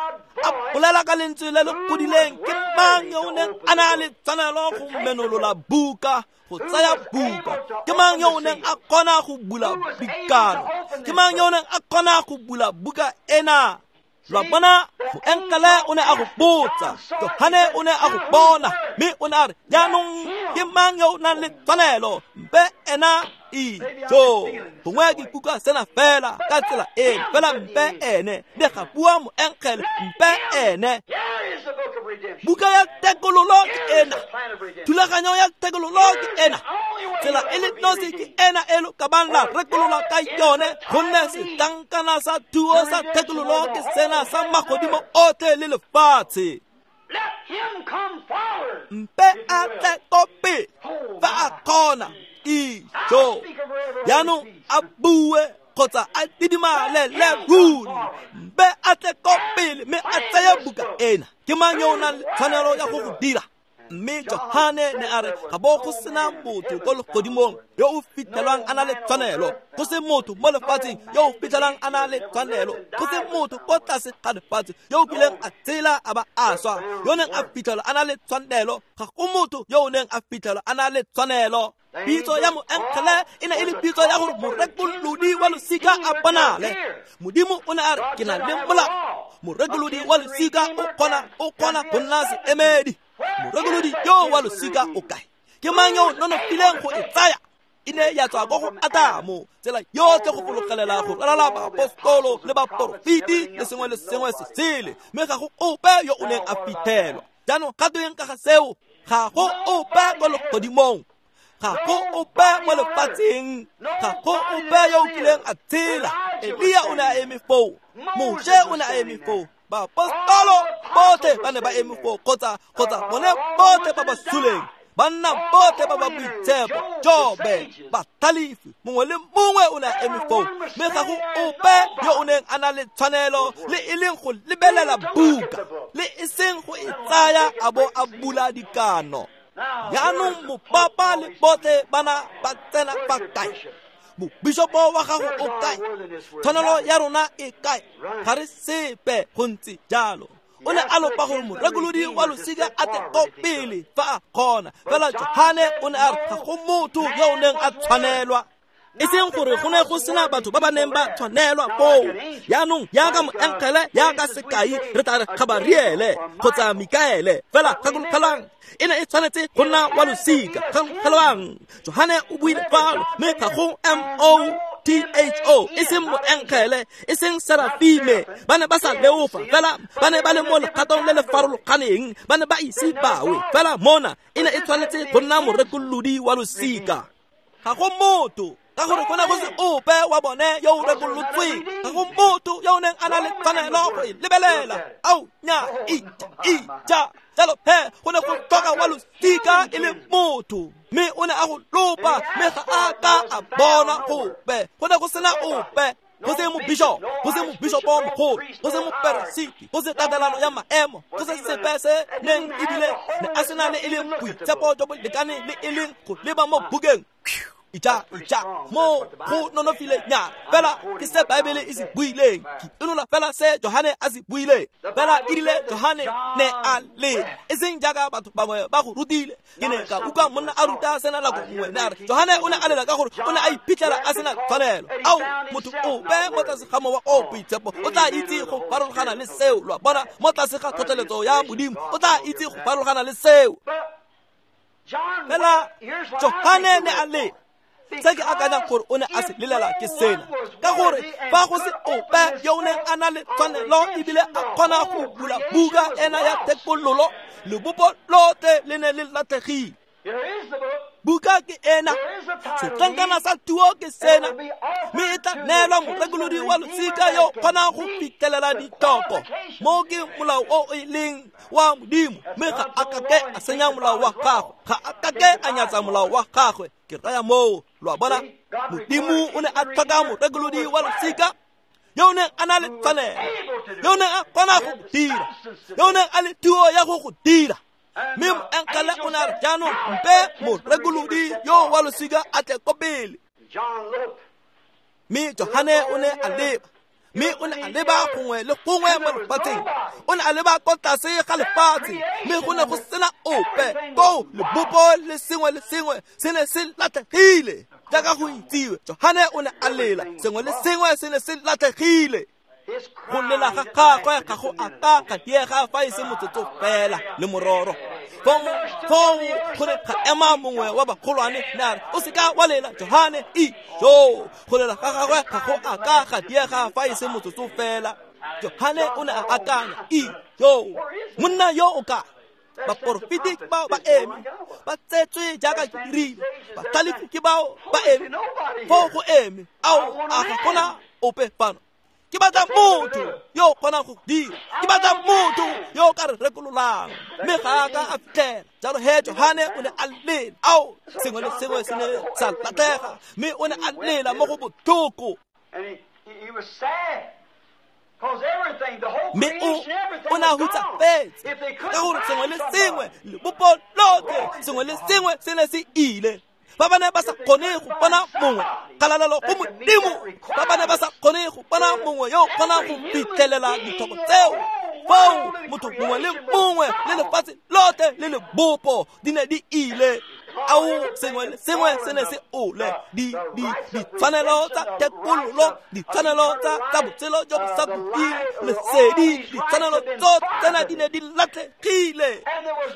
B: a bolela ka lentswe le le godileng, ke mang yo o neng a na le tshwanelo go menolola buka, go tsaya buka? Ke mang yo o neng a kgona go bula dikano? Ke mang yo o neng a kgona go bula buka ena? Lo a bona, moengele o ne a go botsa, Johane o ne a go bona, mme o ne a re, jaanong ke mang yo o nang le tshwanelo? Mpe ena ijo. Gongwe ke ikutlwa sena fela ka tsela eno, fela mpe ene. Ne ga bua moengele, mpe ene. Buka ya thekololo ke ena, thulaganyo ya thekololo ke ena, tsela e le nosi ke ena e lo ka bang la rekolola ka yone, gonne setlankana sa thuo sa thekololo ke sena sa magodimo otlhe le lefatshe. Mpe a tle ko pele fa a kgona. Ijo. Jaanong a bue kgotsa a didimale le ruri. Mpe a tle ko pele mme a tseye buka ena. Ke mang yo o nang le tshwanelo ya go go dira? Mme Johane ne a re ga bo go sena motho ko legodimong yo o fitlhelwang a na le tshwanelo, go se motho mo lefatsheng yo o fitlhelwang a na le tshwanelo, go se motho ko tlase ga lefatshe yo o kileng a tshela a ba a swa yo neng a fitlhelwa a na le tshwanelo. Ga go motho yo o neng a fitlhelwa a na le tshwanelo. Pitso ya moengele e ne e le pitso ya gore morekolodi wa losika a bonale. Modimo o ne a re, ke na le molao. Morekolodi wa losika o kgona o kgona go nna seemedi. Morekolodi yo wa losika o kae? Ke mang yo o nonofileng go e tsaya? E ne ya tswa ko go Adamo, tsela yotlhe go fologelela go ralala baapostolo le baporofeti le sengwe le sengwe se sele, mme ga go ope yo o neng a fitlhelwa. Jaanong ga tweng ka ga seo? Ga go ope ko legodimong, ga go ope mo lefatsheng, ga go ope yo o kileng a tshela. Elia o ne a eme foo, Moshe o ne a eme foo, baapostolo botlhe ba ne ba eme foo, kgotsa kgotsa bone botlhe ba ba suleng, banna botlhe ba ba boitshepo, Jobe, batlhalefi, mongwe le mongwe o ne a eme foo, mme ga go ope yo o neng a na le tshwanelo le e leng go lebelela buka, le e seng go e tsaya a bo a bula dikano. Jaanong mopapa le botlhe bana ba tsena fa kae? Mobishopo wa gago o kae? Tshwanelo ya rona e kae? Ga re sepe go ntse jalo. O ne a lopa gore morekolodi wa losika a tle ko pele fa a kgona, fela Johane o ne a re ga go motho yo o neng a tshwanelwa. E seng gore go ne go sena batho ba ba neng ba tshwanelwa foo. Jaanong jaaka moengele, jaaka sekai, re tla re Gabariele kgotsa Mikaele, fela gakologelwang e ne e tshwanetse go nna wa losika. Gakologelwang Johane o buile fano, mme ga go M O T H O, e seng moengele, e seng serafime, ba ne ba sa leofa, fela ba ne ba le mo legatong le le farologaneng, ba ne ba ise bawe, fela mona e ne e tshwanetse go nna morekolodi wa losika. Ga go motho, ka gore go ne go se ope wa bone yo o rekolotsweng, ga go motho yo o neng a na le tshwanelo go e lebelela. Ao nya ija ija, jalo he go ne go tlhoka wa losika e le motho, mme o ne a go lopa, mme ga a ka a bona gope. Go ne go sena ope, go se mobishopo, go se mobishopo mogolo, go se moperesiti, go se tatelano ya maemo, go se sepe se neng ebile ne a sena le e leng boitshepo jo bo lekaneng le e leng go leba mo bukeng. Ija ija, mo go nonofile nyana, fela ke se Baebele e se buileng, ke inola fela se Johane a se buileng. Fela e rile Johane ne a lela, e seng jaaka batho bangwe ba go rutile. Ke ne ka utlwa monna a ruta sena nako nngwe, ne a re Johane o ne a lela ka gore o ne a iphitlhela a sena tshwanelo. Ao, motho ope mo tlase ga mowa o boitshepo o tla itse go farologana le seo. Lo a bona, mo tlase ga tlhotlheletso ya Modimo o tla itse go farologana le seo. Fela Johane ne a lela. Se ke akanyang gore o ne a se lelela ke sena, ka gore fa go se ope yo o neng a na le tshwanelo ebile a kgona go bula buka ena ya thekololo, lebopo lotlhe le ne le latlhegile. Buka ke ena, setlankana sa tuo ke sena, mme e tla neelwa morekolodi wa losika yo kgonang go fitlhelela ditlhoko. Mo ke molao o e leng wa Modimo, mme ga a kake a senya molao wa gagwe, ga a kake a nyatsa molao wa gagwe. Ke raya moo, lo a bona, Modimo o ne a tlhoka morekolodi wa losika yo o neng a na le tshwanelo, yo o neng a kgona go dira, yo o neng a le thuo ya go go dira. Mme moengele o ne a re jaanong mpe morekolodi yo wa losika a tle ko pele. Mme Johane o ne a leba, mme o ne a leba gongwe le gongwe mo lefatsheng, o ne a leba ko tlase ga lefatshe, mme go ne go sena ope koo. Lebopo le sengwe le sengwe se ne se latlhegile jaaka go itsiwe. Johane o ne a lela, sengwe le sengwe se ne se latlhegile. Go lela ga gagwe ga go a ka ga diega fa e se motsotso fela le mororo. Foo go ne ga ema mongwe wa bagolwane, ne a re o seka wa lela Johane, ijo. Go lela ga gagwe ga go a ka ga diega fa e se motsotso fela. Johane o ne a akanya, ijo, monna yo o kae? Baporofeti bao ba eme, ba tsetswe jaaka ke dirile, batlhalefi ke bao ba eme, foo go eme. Ao, a ga gona ope fano. Ke batla motho yo o kgonang go dira, ke batla motho yo o ka re rekololang. Mme ga a ka a fitlhela. Jalo he Johane o ne a lela. Ao, sengwe le sengwe se ne sa latlhega, mme o ne a lela mo go botlhoko. Mme o o ne a hutsafetse ka gore sengwe le sengwe, lebopo lotlhe, sengwe le sengwe se ne se ile. Ba ba ne ba sa kgone go bona mongwe, kgalalelo go Modimo. Ba ba ne ba sa kgone go bona mongwe yo o kgonang go fitlhelela ditlhoko tseo. Foo motho mongwe le mongwe le lefatshe lotlhe le lebopo di ne di ile. Ao, sengwe le sengwe se ne se ole. Di di ditshwanelo tsa thekololo, ditshwanelo tsa tsa botshelo jo bo sa khutleng, lesedi, ditshwanelo tsotlhe tsena di ne di latlhegile,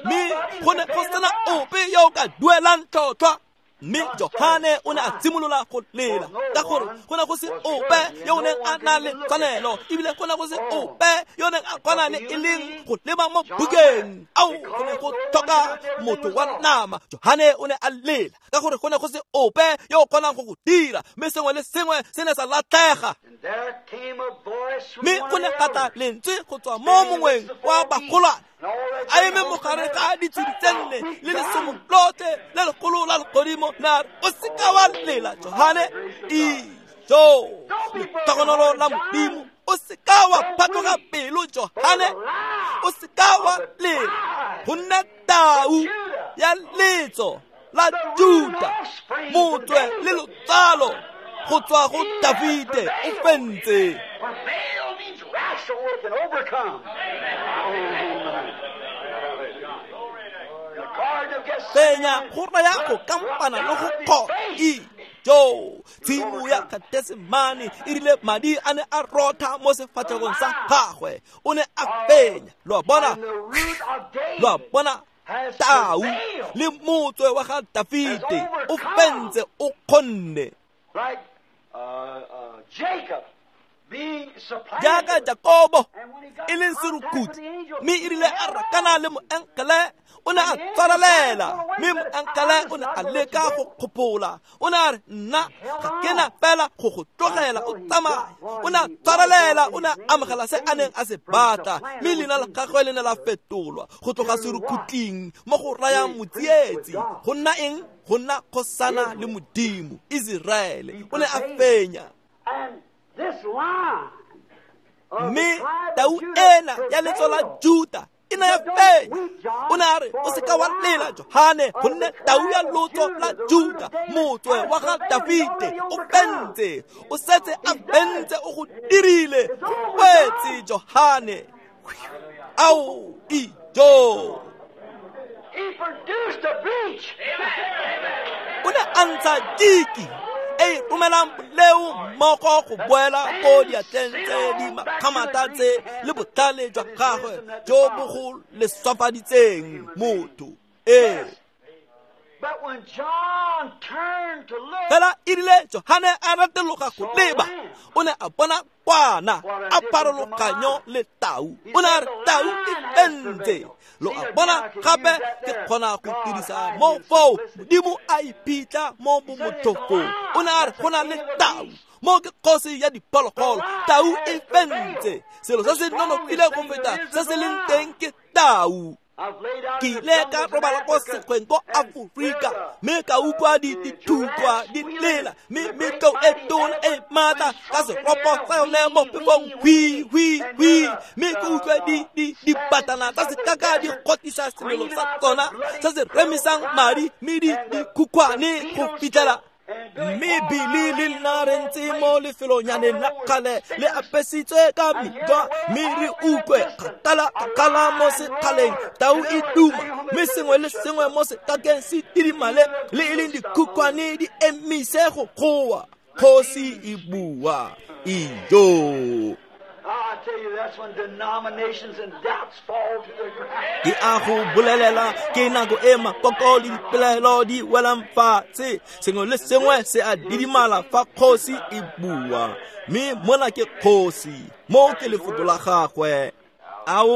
B: mme go ne go sena ope yo o ka duelang tlhotlhwa. Mme Johane o ne a simolola go lela ka gore go ne go se ope yo o neng a na le tshwanelo, ebile go ne go se ope yo o neng a kgona le e leng go leba mo bukeng. Ao, go ne go tlhoka motho wa nama. Johane o ne a lela ka gore go ne go se ope yo o kgonang go go dira, mme sengwe le sengwe se ne sa latlhega. Mme go ne ga tla lentswe go tswa mo mongweng wa bagolwane a eme mo gare ga ditshedi tse nne le lesomo lotlhe le legolo la legodimo, na re o seka wa lela Johane. Ijo, letlhogonolo la Modimo, o seka wa phatloga pelo Johane, o seka wa lela, go nna tau ya letso la Juda, motswe le lotsalo go tswa go Dafite o fentse. Fenya go raya go kampana le go kgona. Ijo, tshimo ya Getsemane e rile madi a ne a rotha mo sefatlhegong sa gagwe, o ne a fenya. Lo a bona, lo a bona, tau le motswe wa ga Dafite o fentse, o kgonne. Jaaka Jakobo e leng serukutlhi, mme e rile a rakana le moenkele, o ne a tshwarelela, mme moenkele o ne a leka go kgopola. O ne a re, nna ga ke na fela go go tlogela o tsamaya. O ne a tshwarelela, o ne a amogela se a neng a se batla, mme leina la gagwe le ne la fetolwa go tloga serukhutlhing mo go rayang motsietsi go nna eng? Go nna kgosana le Modimo. Iseraele o ne a fenya. Mme tau ena ya letso la Juda e ne ya fenya. O ne a re, o seka wa lela Johane, gonne tau ya lotso la Juda, motswe wa ga Dafite, o fentse, o setse a fentse, o go dirile, go wetse Johane. Ao, ijo. O ne a ntsha diki e romelang boleo mmogo go boela ko diatleng tse di makgamata tse le botlhale jwa gagwe jo bo go leswafaditseng motho. Ee. Fela e rile Johane a retologa go leba, o ne a bona kwana a pharologanyo le tau. O ne a re, tau e fentse. Lo a bona gape ke kgona go dirisa mo foo Modimo a iphitlha mo bomothofong. O ne a re go na le tau mo ke kgosi ya diphologolo, tau e fentse. Selo se se nonofileng go feta se se leng teng ke tau. Ke ile ka robala ko sekgweng ko Aforika, mme ka utlwa dithutlwa di lela, mme metlou e tona e maatla ka seropo sa yone mo phefong, hwi hwi hwi, mme ke utlwe dibatana tsa sekaka di kgotisa selelo sa tsona se se remisang madi, mme di dikhukhwane go fitlhela. Mme Billy le nna re ntse mo lefelonyaneng la kgale le apesitswe ka metlwa, mme re utlwe kgakala kgakala mo sekgaleng tau e duma, mme sengwe le sengwe mo sekakeng se tidimale, le e leng dikhukhwane di emise go goa. Kgosi e bua. Ijo. Ke a go bolelela, ke nako e makoko le dipelaelo di welang fatshe, sengwe le sengwe se a didimala fa kgosi e bua. Mme mona ke kgosi, mo ke lefoko la gagwe. Ao,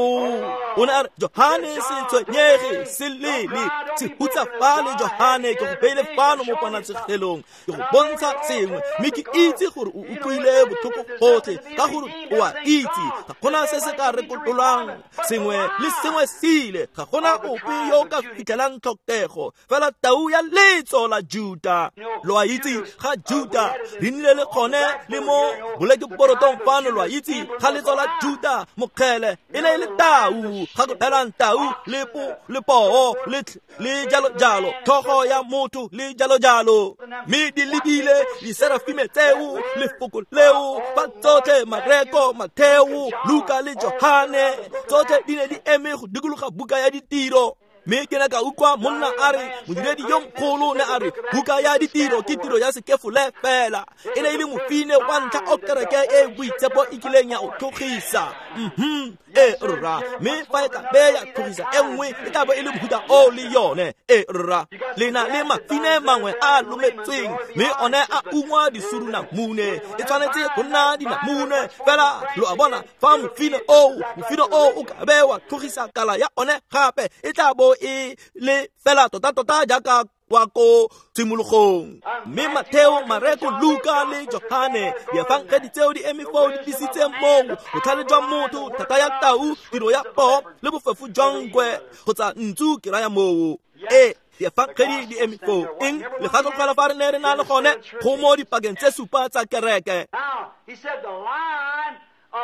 B: o ne a re, Johane se tshwenyege, se lele, se hutsafale Johane, ke go beile fano mo ponatshegelong, ke go bontsha sengwe, mme ke itse gore o utlwile botlhoko gotlhe, ka gore o a itse, ga gona se se ka rekololwang, sengwe le sengwe se ile, ga gona ope yo o ka fitlhelang tlhokego, fela tau ya letso la Juda. Lo a itse ga Juda, re nnile le kgone le mo bolekeporotong fano, lo a itse ga letso la Juda, mokgele e ne e le tau, ga go phelang tau le po le poo le le jalo jalo, tlhogo ya motho le jalo jalo. Mme di lebile diserafime tseo, lefoko leo, fa tsotlhe Mareko, Matheo, Luka le Johane, tsotlhe di ne di eme go dikologa buka ya ditiro. Mme ke ne ka utlwa monna a re modiredi yo mogolo ne a re buka ya ditiro ke tiro ya sekefole fela. E ne e le mofine wa ntlha o kereke e boitshepo e kileng ya o tlhogisa. Mhm, e rra. Mme fa e ka be ya tlhogisa e nngwe e tla bo e le mohuta o le yone. E rra. Le na le mafine mangwe a lometsweng mme one a ungwa disurunamune. E tshwanetse go nna dinamune fela. Lo a bona, fa mofine oo mofine oo o ka be wa tlhogisa kala ya one gape e tla bo e le fela tota-tota jaaka kwa ko tshimologong. Mme Mateo, Mareko, Luka le Johane, diefangedi tseo di eme foo di tlisitse moo botlhale jwa motho, thata ya tau, tiro ya poo le bofefo jwa nkwe kgotsa ntsu ke raya moo. E diefangedi di eme foo. Eng le gakologelwa fa re ne re na le gone go mo dipakeng tse supa tsa kereke.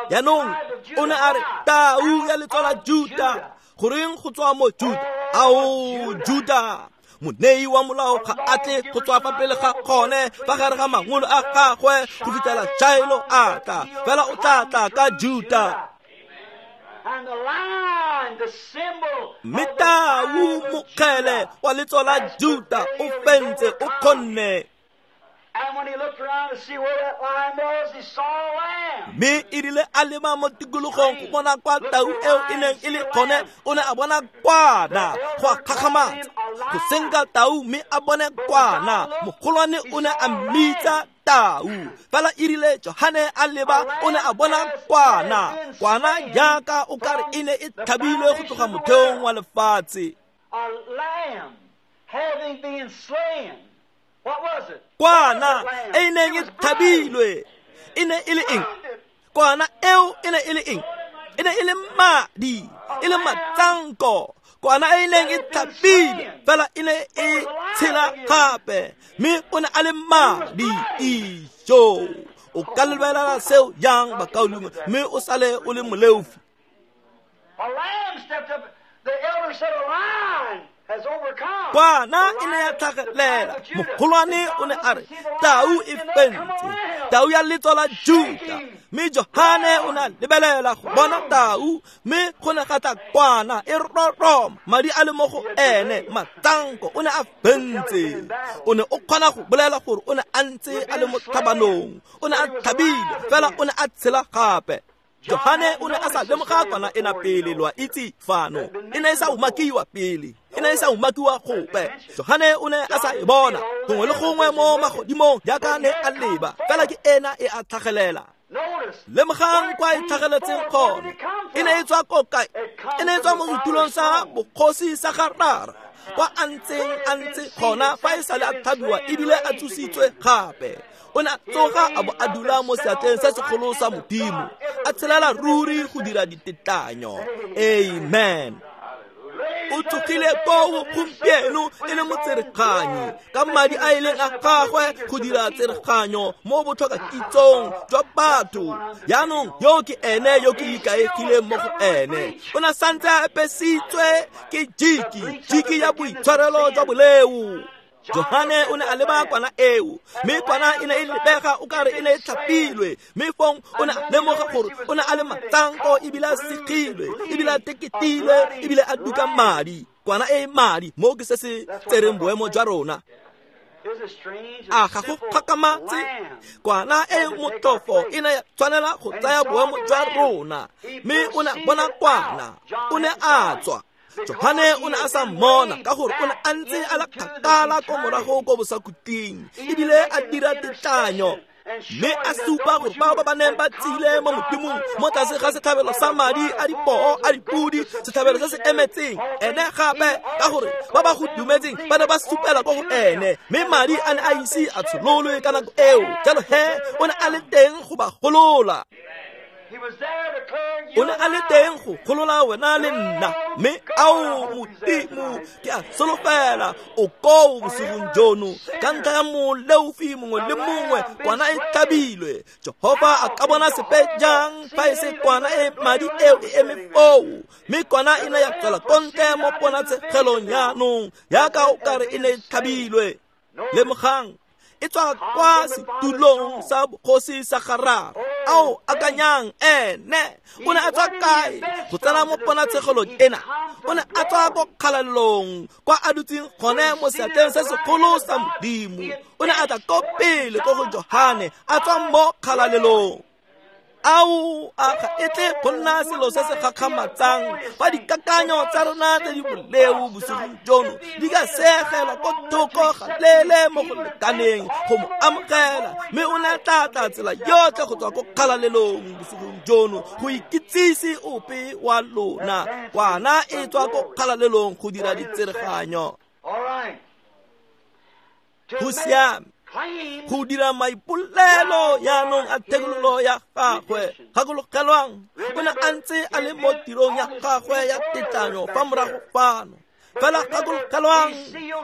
B: Jaanong o ne a re tau ya letso la Juta. Goreng go tswa mo Juta? Ao, Juta, monei wa molao ga a tle go tswa fa pele ga gone fa gare ga mangolo a gagwe go fitlhela Jairo a tla. Fela o tla tla ka Juta. Mme tau mokgele wa letso la Juta o fentse, o kgonne. Mme e rile a leba mo tikologong go bona kwa tau eo e neng e le gone, o ne a bona kwana. Go a gakgamatsa go senka tau mme a bone kwana. Mogolwane o ne a mmitsa tau. Fela e rile Johane a leba, o ne a bona kwana. Kwana jaaka o kare e ne e tlhabilwe go tloga motheong wa lefatshe. Kwana e neng e tlhabilwe e ne e le eng? Kwana eo e ne e le eng? E ne e le madi, e le matsanko. Kwana e neng e tlhabilwe fela e ne e tshela gape, mme o ne a le madi. Ijo, o ka lebelela seo jang, bakaulengwe, mme o sale o le moleofi? Kwana e ne ya tlhagelela. Mogolwane o ne a re tau e fentse, tau ya letso la Juta. Mme Johane o ne a lebelela go bona tau, mme go ne ga tla kwana e roroma, madi a le mo go ene, matsanko. O ne a fentse. O ne o kgona go bolela gore o ne a ntse a le mo tlhabanong, o ne a tlhabile, fela o ne a tshela gape. Johane o ne a sa lemoga kwana ena pele, lo a itse fano. E ne e sa umakiwa pele, e ne e sa umakiwa gope. Johane o ne a sa e bona gongwe le gongwe mo magodimong jaaka ne a leba, fela ke ena e a tlhagelela. Lemogang kwa e tlhageletseng gone. E ne e tswa ko kae? E ne e tswa mo setulong sa bogosi sa ga Rara, kwa a ntseng a ntse gona fa e sale a tlhabiwa ebile a tsositswe gape. O ne a tsoga a bo a dula mo seatleng se segolo sa Modimo, a tshelela ruri go dira ditetlanyo. Amen. O tsogile koo gompieno e le motsereganyi ka madi a e leng a gagwe go dira tsereganyo mo botlhokakitsong jwa batho. Jaanong yo ke ene yo ke ikaegileng mo go ene. O ne a santse a apesitswe ke jiki, jiki ya boitshwarelo jwa boleo. Johane o ne a leba kwana eo, mme kwana e ne e lebega o kare e ne e tlhapilwe. Mme fong o ne a lemoga gore o ne a le matsanko ebile a segilwe, ebile a teketilwe, ebile a duka madi. Kwana e madi, mo ke se se tsereng boemo jwa rona. A ga go kgakamatse? Kwana e motlhofo e ne ya tshwanela go tsaya boemo jwa rona. Mme o ne a bona kwana, o ne a tswa. Johane o ne a sa mmona ka gore o ne a ntse a le kgakala ko morago ko bosakuting, ebile a dira tetlanyo. Mme a supa gore bao ba ba neng ba tsile mo Modimong mo tlase ga setlhabelo sa madi a dipoo a dipodi, setlhabelo se se emetseng ene gape, ka gore ba ba go dumetseng ba ne ba supela ko go ene, mme madi a ne a ise a tshololwe ka nako eo. Jalo he o ne a le teng go ba golola. O ne a le teng go golola wena le nna. Mme ao Modimo, ke a solofela o koo bosigong jono ka ntlha ya moleofi mongwe le mongwe. Kwana e tlhabilwe. Jehofa a ka bona sepe jang fa e se kwana e madi eo e eme foo? Mme kwana e ne ya tswela ko ntle mo ponatshegelong jaanong jaaka o kare e ne e tlhabilwe. Lemogang, e tswa kwa setulong sa bogosi sa ga Rara. Ao akanyang ene o ne a tswa kae go tsena mo ponatshegelong ena? O ne a tswa ko kgalalelong kwa a dutseng gone mo seatleng se segolo sa Modimo. O ne a tla ko pele ko go Johane a tswa mo kgalalelong. Ao a ga e tle go nna selo se se gakgamatsang fa dikakanyo tsa rona tse di boleo bosigong jono di ka segelwa ko thoko ga lele mo go lekaneng go mo amogela, mme o ne a tla tla tsela yotlhe go tswa ko kgalalelong bosigong jono go ikitsise ope wa lona. Kwana e tswa ko kgalalelong go dira ditsereganyo. Go siame go dira maipolelo yaanong a thekololo ya gagwe. Gakologelwang, o ne a ntse a le mo tirong ya gagwe ya tetlanyo fa morago fano. Fela gakologelwang,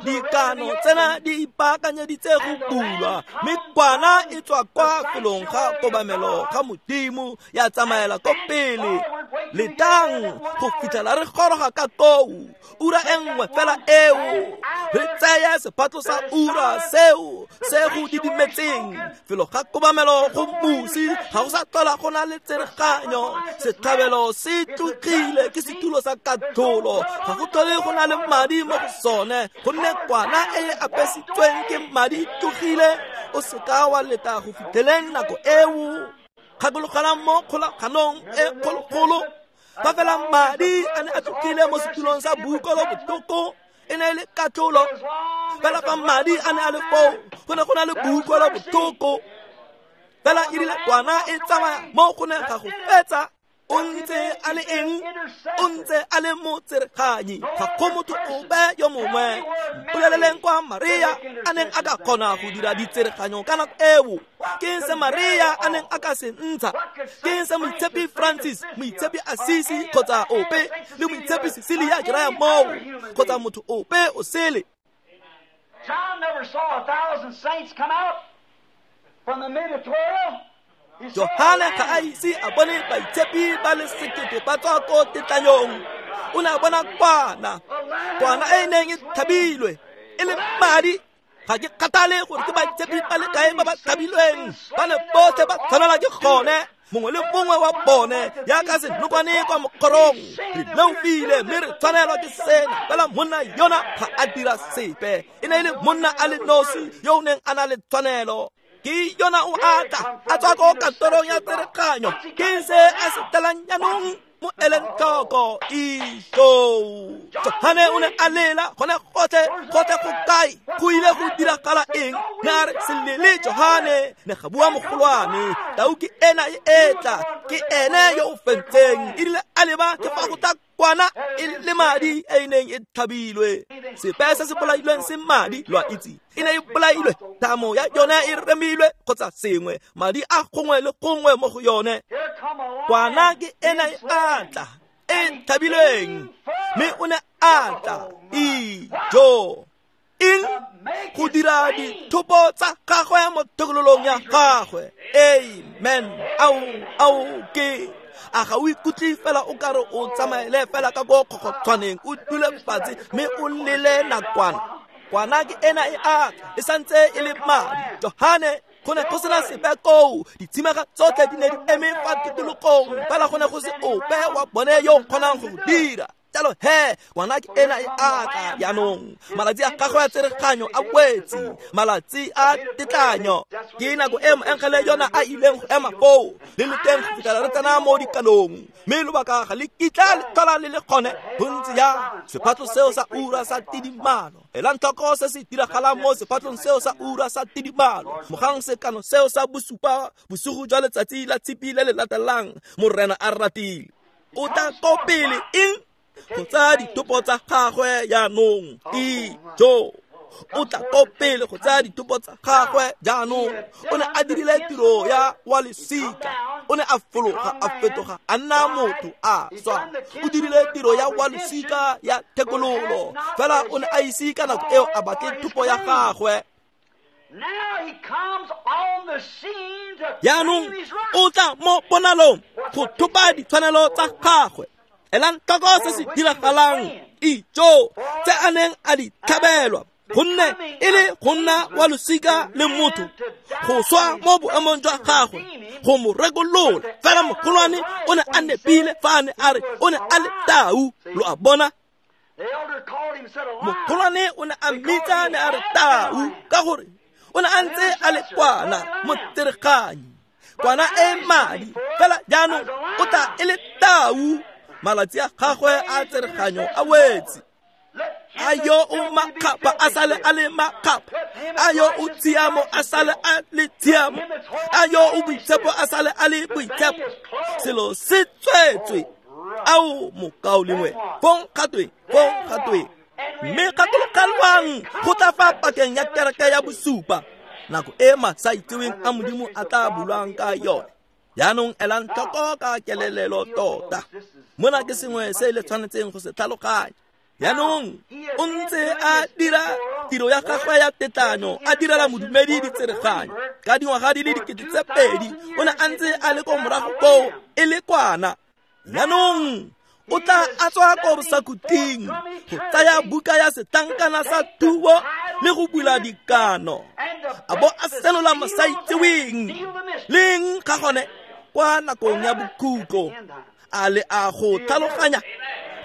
B: dikano tsena di ipaakanyeditse go bulwa, mme kwana e tswa kwa felong ga kobamelo ga Modimo ya tsamaela ko pele. Letang go fitlhela re goroga ka koo, ura e nngwe fela eo re tseye sephatlo sa ura seo se go didimetseng. Felo ga kobamelo go mosi ga go sa tlhola go na le tsereganyo. Setlhabelo se tlogile ke setulo sa katlholo, ga go tlhole go na le madi mo go sone, gonne kwana e e apesitsweng ke madi tlogile. O seka wa leta go fitlheleng nako eo. Gakologelang mo kgolaganong e kgologolo, fa fela madi a ne a tlogile mo setulong sa boukolo botlhoko, e ne e le katlholo. Fela fa madi a ne a le foo, go ne go na le boukolo botlhoko. Fela e rile kwana e tsamaya mo go ne ga go fetsa. O ntse a le eng? O ntse a le motsereganyi. Ga go motho ope yo mongwe. Mpoleleleng kwa Maria a neng a ka kgona go dira ditsereganyo ka nako eo. Ke se Maria a neng a ka se ntsha? Ke se Moitshepi Francis, Moitshepi Assisi kgotsa ope, le Moitshepi Cecilia ke raya moo, kgotsa motho ope o sele.
A: John never saw a thousand saints come out from the mid of twelve.
B: Johane ga a ise a bone baitshepi ba le sekete ba tswa ko tetlanyong. O ne a bona kwana, kwana e neng e thabilwe e le madi. Ga ke kgathale gore ke baitshepi ba le kae ba ba thabilweng, ba ne botlhe ba tshwanela ke gone, mongwe le mongwe wa bone yaka senokwane kwa mokgorong. Re leofile mme re tshwanelwa ke sena. Fela monna yona ga a dira sepe. E ne e le monna a le nosi yo o neng a na le tshwanelo. Ke yona o atla a tswa ko kantorong ya tsereganyo. Ke se a se tlelang jaanong mo eleng tlhoko. Ijo Johane o ne a lela gone gotlhe gotlhe go kae? Go ile go diragala eng? Ne a re selele Johane, ne ga bua mogolwane, tau ke ena e etla, ke ene yo o fentseng. E rile a leba ke fa go tla kwana e le madi e neng e tlhabilwe. Sepe se se bolailweng se madi, lo a itse, e ne e bolailwe, thamo ya yone e remilwe kgotsa sengwe, madi a gongwe le gongwe mo go yone. Kwana ke ena e atla e tlhabilweng, mme o ne a tla ijo eng go dira dithopo tsa gagwe mo thekololong ya gagwe. Amen. Ao ao ke a ga o ikutlwe fela o kare o tsamaele fela ka ko kgokgotshwaneng, o dule fatshe mme o lele nakwana. Kwana ke ena e atla e santse e le madi. Johane go ne go sena sepe koo, ditshimega tsotlhe di ne di eme fa tikologong, fela go ne go se ope wa bone yo o kgonang go go dira. Jalo he, ngwana ke ena e atla jaanong. Malatsi a gagwe a tsereganyo a wetse, malatsi a tetlanyo. Ke nako e moengele yona a ileng go ema foo, le le teng go fitlhela re tsena mo dikanong, mme lobaka ga le kitla le tlhola le le gone. Go ntse jang sephatlo seo sa ura sa tidimalo. Elang tlhoko se se diragalang mo sephatlong seo sa ura sa tidimalo. Mogang sekano seo sa bosupa bosigo jwa letsatsi la tshipi le le latelang, Morena a ratile. O tla ko pele eng? Go tsaya ditopo tsa gagwe jaanong. Ijo o tla ko pele go tsaya ditopo tsa gagwe jaanong. O ne a dirile tiro ya wa lesika, o ne a fologa a fetoga a nna motho a swa. O dirile tiro ya wa lesika ya thekololo, fela o ne a ise ka nako eo a batle thopo ya gagwe. Jaanong o tla mo ponalong go thopa ditshwanelo tsa gagwe. Elang tlhoko se se diragalang. Ijo tse a neng a di tlhabelwa Gonne e le go nna wa losika le motho go swa mo boemong jwa gagwe go mo rekolola. Fela mogolwane o ne a nepile fa a ne a re o ne a le tau. Lo a bona? Mogolwane o ne a mmitsa ne a re tau ka gore o ne a ntse a le kwana motsereganyi, kwana e madi. Fela jaanong o tla e le tau, malatsi a gagwe a tsereganyo a wetse. A yo o makgapha a sale a le makgapha, a yo o tshiamo a sale a le tshiamo, a yo o boitshepo a sale a le boitshepo. Selo se tswetswe. Ao mokaulengwe, fong gatwe, fong gatwe. Mme gakologelwang go tla fa pakeng ya kereke ya bosupa, nako e masaitseweng a Modimo a tla bulwang ka yone. Jaanong elang tlhoko ka kelelelo tota. Mona ke sengwe se le tshwanetseng go se tlhaloganya. Jaanong o ntse a dira tiro ya gagwe ya tetlanyo, a direla modumedi ditsereganyo ka dingwaga di le dikete tse pedi. O ne a ntse a le ko morago koo e le kwana. Jaanong o tla a tswa ko bosakhutleng go tsaya buka ya setlankana sa thuo le go bula dikano, a bo a senola masaitseweng leng ga gone kwa nakong ya bokhutlo. A le a go tlhaloganya?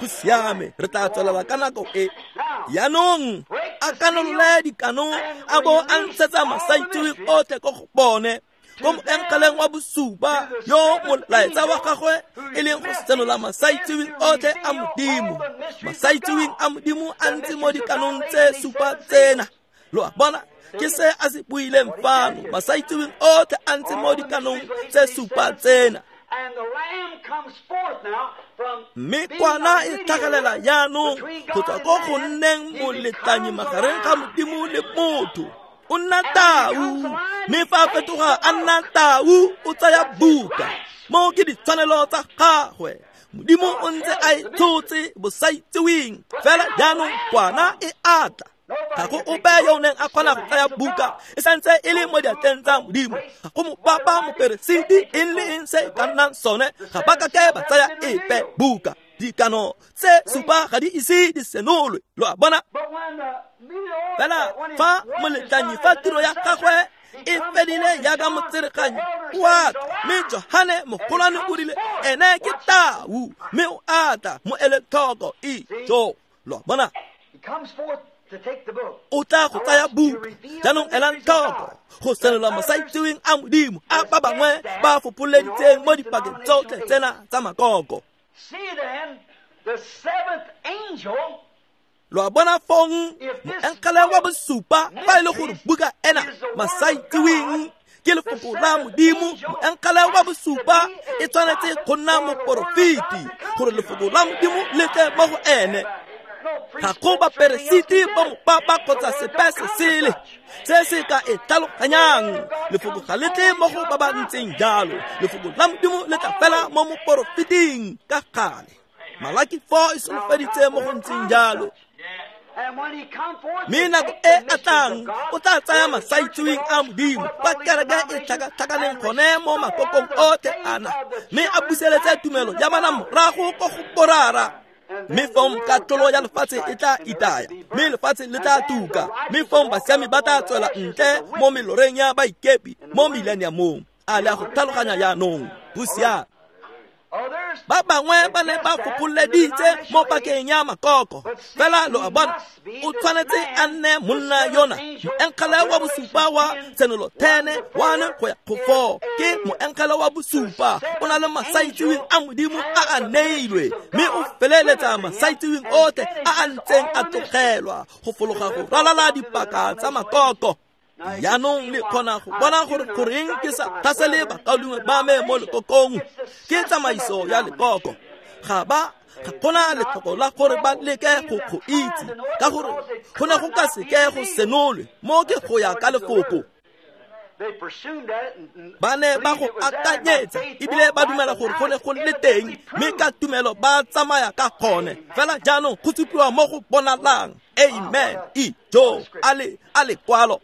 B: Go siame, re tla tswelela ka nako e. Jaanong a kanolole dikano a bo a ntshetsa masaitseweng otlhe ko go bone, ko moenkeleng wa bosupa yo molaetsa wa gagwe e leng go senola masaitseweng otlhe a Modimo. Masaitseweng a Modimo a ntse mo dikanong tse supa tsena. Lo a bona? Ke se a se buileng fano. Masaitseweng otlhe a ntse mo dikanong tse supa tsena. Mme kwana e tlhagelela jaanong go tswa ko go nneng moletlanyi magareng ga Modimo le motho. O nna tau, mme fa a fetoga a nna tau, o tsaya buka. Mo ke ditshwanelo tsa gagwe. Modimo o ntse a e tshotse bosaitseweng. Fela jaanong kwana e atla. Ga go ope yo o neng a kgona go tsaya buka, e santse e le mo diatleng tsa Modimo. Ga go mopapa, moperesiti, eng le eng se e ka nnang sone, ga ba ka ke ba tsaya epe buka. Dikano tse supa ga di ise di senolwe. Lo a bona? Fela fa moletlanyi, fa tiro ya gagwe e fedile jaaka motsereganyi, o a tla. Mme Johane mogolwane o rile ene ke tau, mme o atla mo ele tlhoko. Ijo, lo a bona? O tla go tsaya buka. Jaanong elang tlhoko go senola masaitseweng a Modimo a ba bangwe ba fopholeditseng mo dipakeng tsotlhe tsena tsa makoko. Lo a bona fong moenkele wa bosupa, fa e le gore buka ena masaitseweng ke lefoko la Modimo, moenkele wa bosupa e tshwanetse go nna moporofeti gore lefoko la Modimo le tle mo go ene. Ga go baperesiti ba mopapa kgotsa sepe se sele se se ka e tlhaloganyang. Lefoko ga le tle mo go ba ba ntseng jalo. Lefoko la Modimo le tla fela mo moporofeting ka gale. Malaki four e solofeditse mo go ntseng jalo. Mme nako e a tlang o tla tsaya masaitseweng a Modimo kwa kereke e tlhakatlhakaneng gone mo makokong otlhe ana, mme a buseletse tumelo ya bana morago ko go borara. Mme fong katlholo ya lefatshe e tla itaya, mme lefatshe le tla tuka, mme fong basiami ba tla tswela ntle mo meloreng ya baikepi mo millenniumong. A le a go tlhaloganya jaanong? Go siame. Ba bangwe ba ne ba fopholeditse mo pakeng ya makoko. Fela lo a bona, o tshwanetse a nne monna yona moenkele wa bosupa wa Tshenolo ten one go ya go four. Ke moenkele wa bosupa, o na le masaitseweng a Modimo a a neilwe, mme o feleletsa masaitseweng otlhe a a ntseng a tlogelwa go fologa go ralala dipaka tsa makoko. Jaanong le kgona go bona gore goreng ke sa tlhasele bakaulengwe ba me mo lekokong. Ke tsamaiso ya lekoko. Ga ba ga gona letlhoko la gore ba leke go go itse, ka gore go ne go ka seke go senolwe mo ke go ya ka lefoko. Ba ne ba go akanyetsa ebile ba dumela gore go ne go le teng, mme ka tumelo ba tsamaya ka gone. Fela jaanong go supiwa mo go bonalang. Amen. Ijo, a le a lekwalo.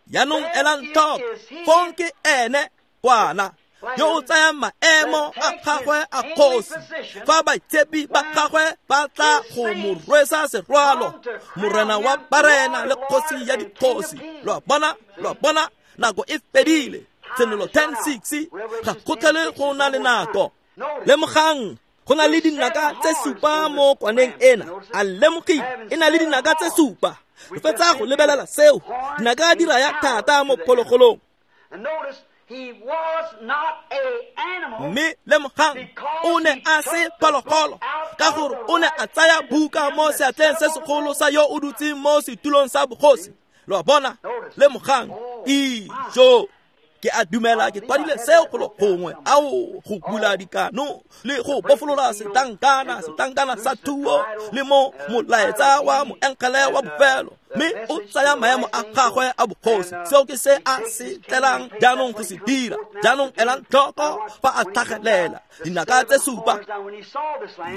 B: Jaanong elang tlhoko, fong ke ene kwana. yo o tsayang maemo a gagwe a kgosi fa baitshepi ba gagwe ba tla go mo rwesa serwalo, morena wa barena le kgosi ya dikgosi. Lo a bona, lo a bona, nako e fedile. Tshenolo ten six, ga go tlhole go na le nako. Lemogang, go na le dinaka tse supa mo kwaneng ena. A lemogile, e na le dinaka tse supa. Re fetsa go lebelela seo. Dinaka di raya thata mo phologolong. Mme lemogang, o ne a se phologolo ka gore o ne a tsaya buka mo seatleng se segolo sa yo o dutseng mo setulong sa bogosi. Lo a bona, lemogang, ijo. Ke a dumela ke kwadile seo golo gongwe, ao go bula dikano le go bofolola setankana, setankana sa thuo le mo molaetsa wa moengele wa bofelo, mme o tsaya maemo a gagwe a bogosi. Seo ke se a se tlelang jaanong go se dira. Jaanong elang tlhoko fa a tlhagelela dinaka tse supa.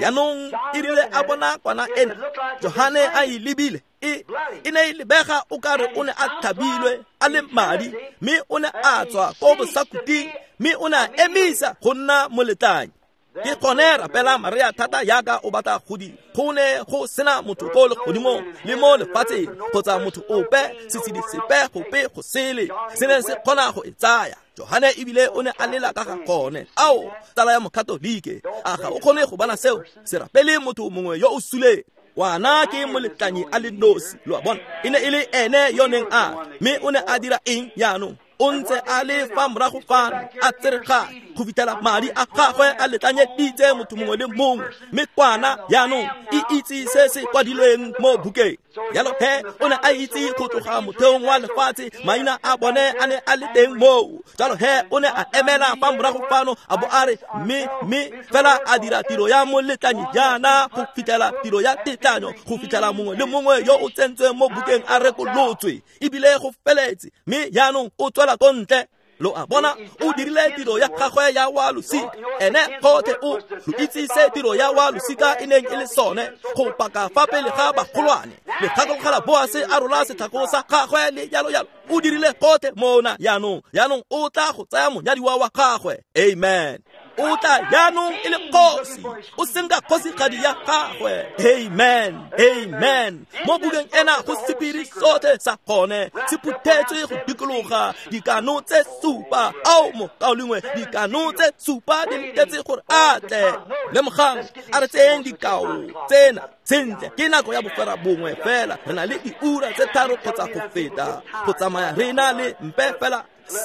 B: Jaanong e rile a bona kwana ena, Johane a e lebile, e e ne e lebega o kare o ne a thabilwe a le madi, mme o ne a tswa ko bosakuting, mme o ne a emisa go nna moletlanyi. Ke gone rapela Maria thata yaka o batla go dira. Go ne go sena motho ko legodimong le mo lefatsheng kgotsa motho ope, setshedi sepe gope go sele se ne se kgona go e tsaya. Johane ebile o ne a lela ka ga gone. Ao, tsala ya mokatolike, a ga o kgone go bona seo? Se rapele motho mongwe yo o suleng. Ngwana ke moletlanyi a le nosi. Lo a bona, e ne e le ene yo neng a, mme o ne a dira eng jaanong? O ntse a le fa morago fano a tseregane go fitlhela madi a gagwe a letlanyeditse motho mongwe le mongwe, mme kwana jaanong e itse se se kwadilweng mo bukeng. Jalo he o ne a itse go tloga motheong wa lefatshe maina a bone a ne a le teng moo. Jalo he o ne a emela fa morago fano a bo a re mme mme fela a dira tiro ya moletlanyi jaana go fitlhela tiro ya tetlanyo, go fitlhela mongwe le mongwe yo o tsentsweng mo bukeng a rekolotswe ebile go feletse, mme jaanong o tswela ko ntle. Lo a bona, o dirile tiro ya gagwe ya wa losika. Ene gotlhe o lo itse se tiro ya wa losika e neng e le sone, go paka fa pele ga bagolwane. Le gakologelwa Boase a rola setlhako sa gagwe le jalo jalo. O dirile gotlhe mona jaanong. Jaanong o tla go tsaya monyadiwa wa gagwe. Amen. O tla jaanong e le kgosi, o senka kgosigadi ya gagwe. Amen, amen. Mo bukeng ena go sephiri sotlhe sa gone se phuthetswe go dikologa dikano tse supa. Ao mokaulengwe, dikano tse supa di letetse gore a tle. Lemogang, a re tseyeng dikao tsena sentle. Ke nako ya bofera bongwe fela, re na le diura tse tharo kgotsa go feta go tsamaya re na le mpe fela.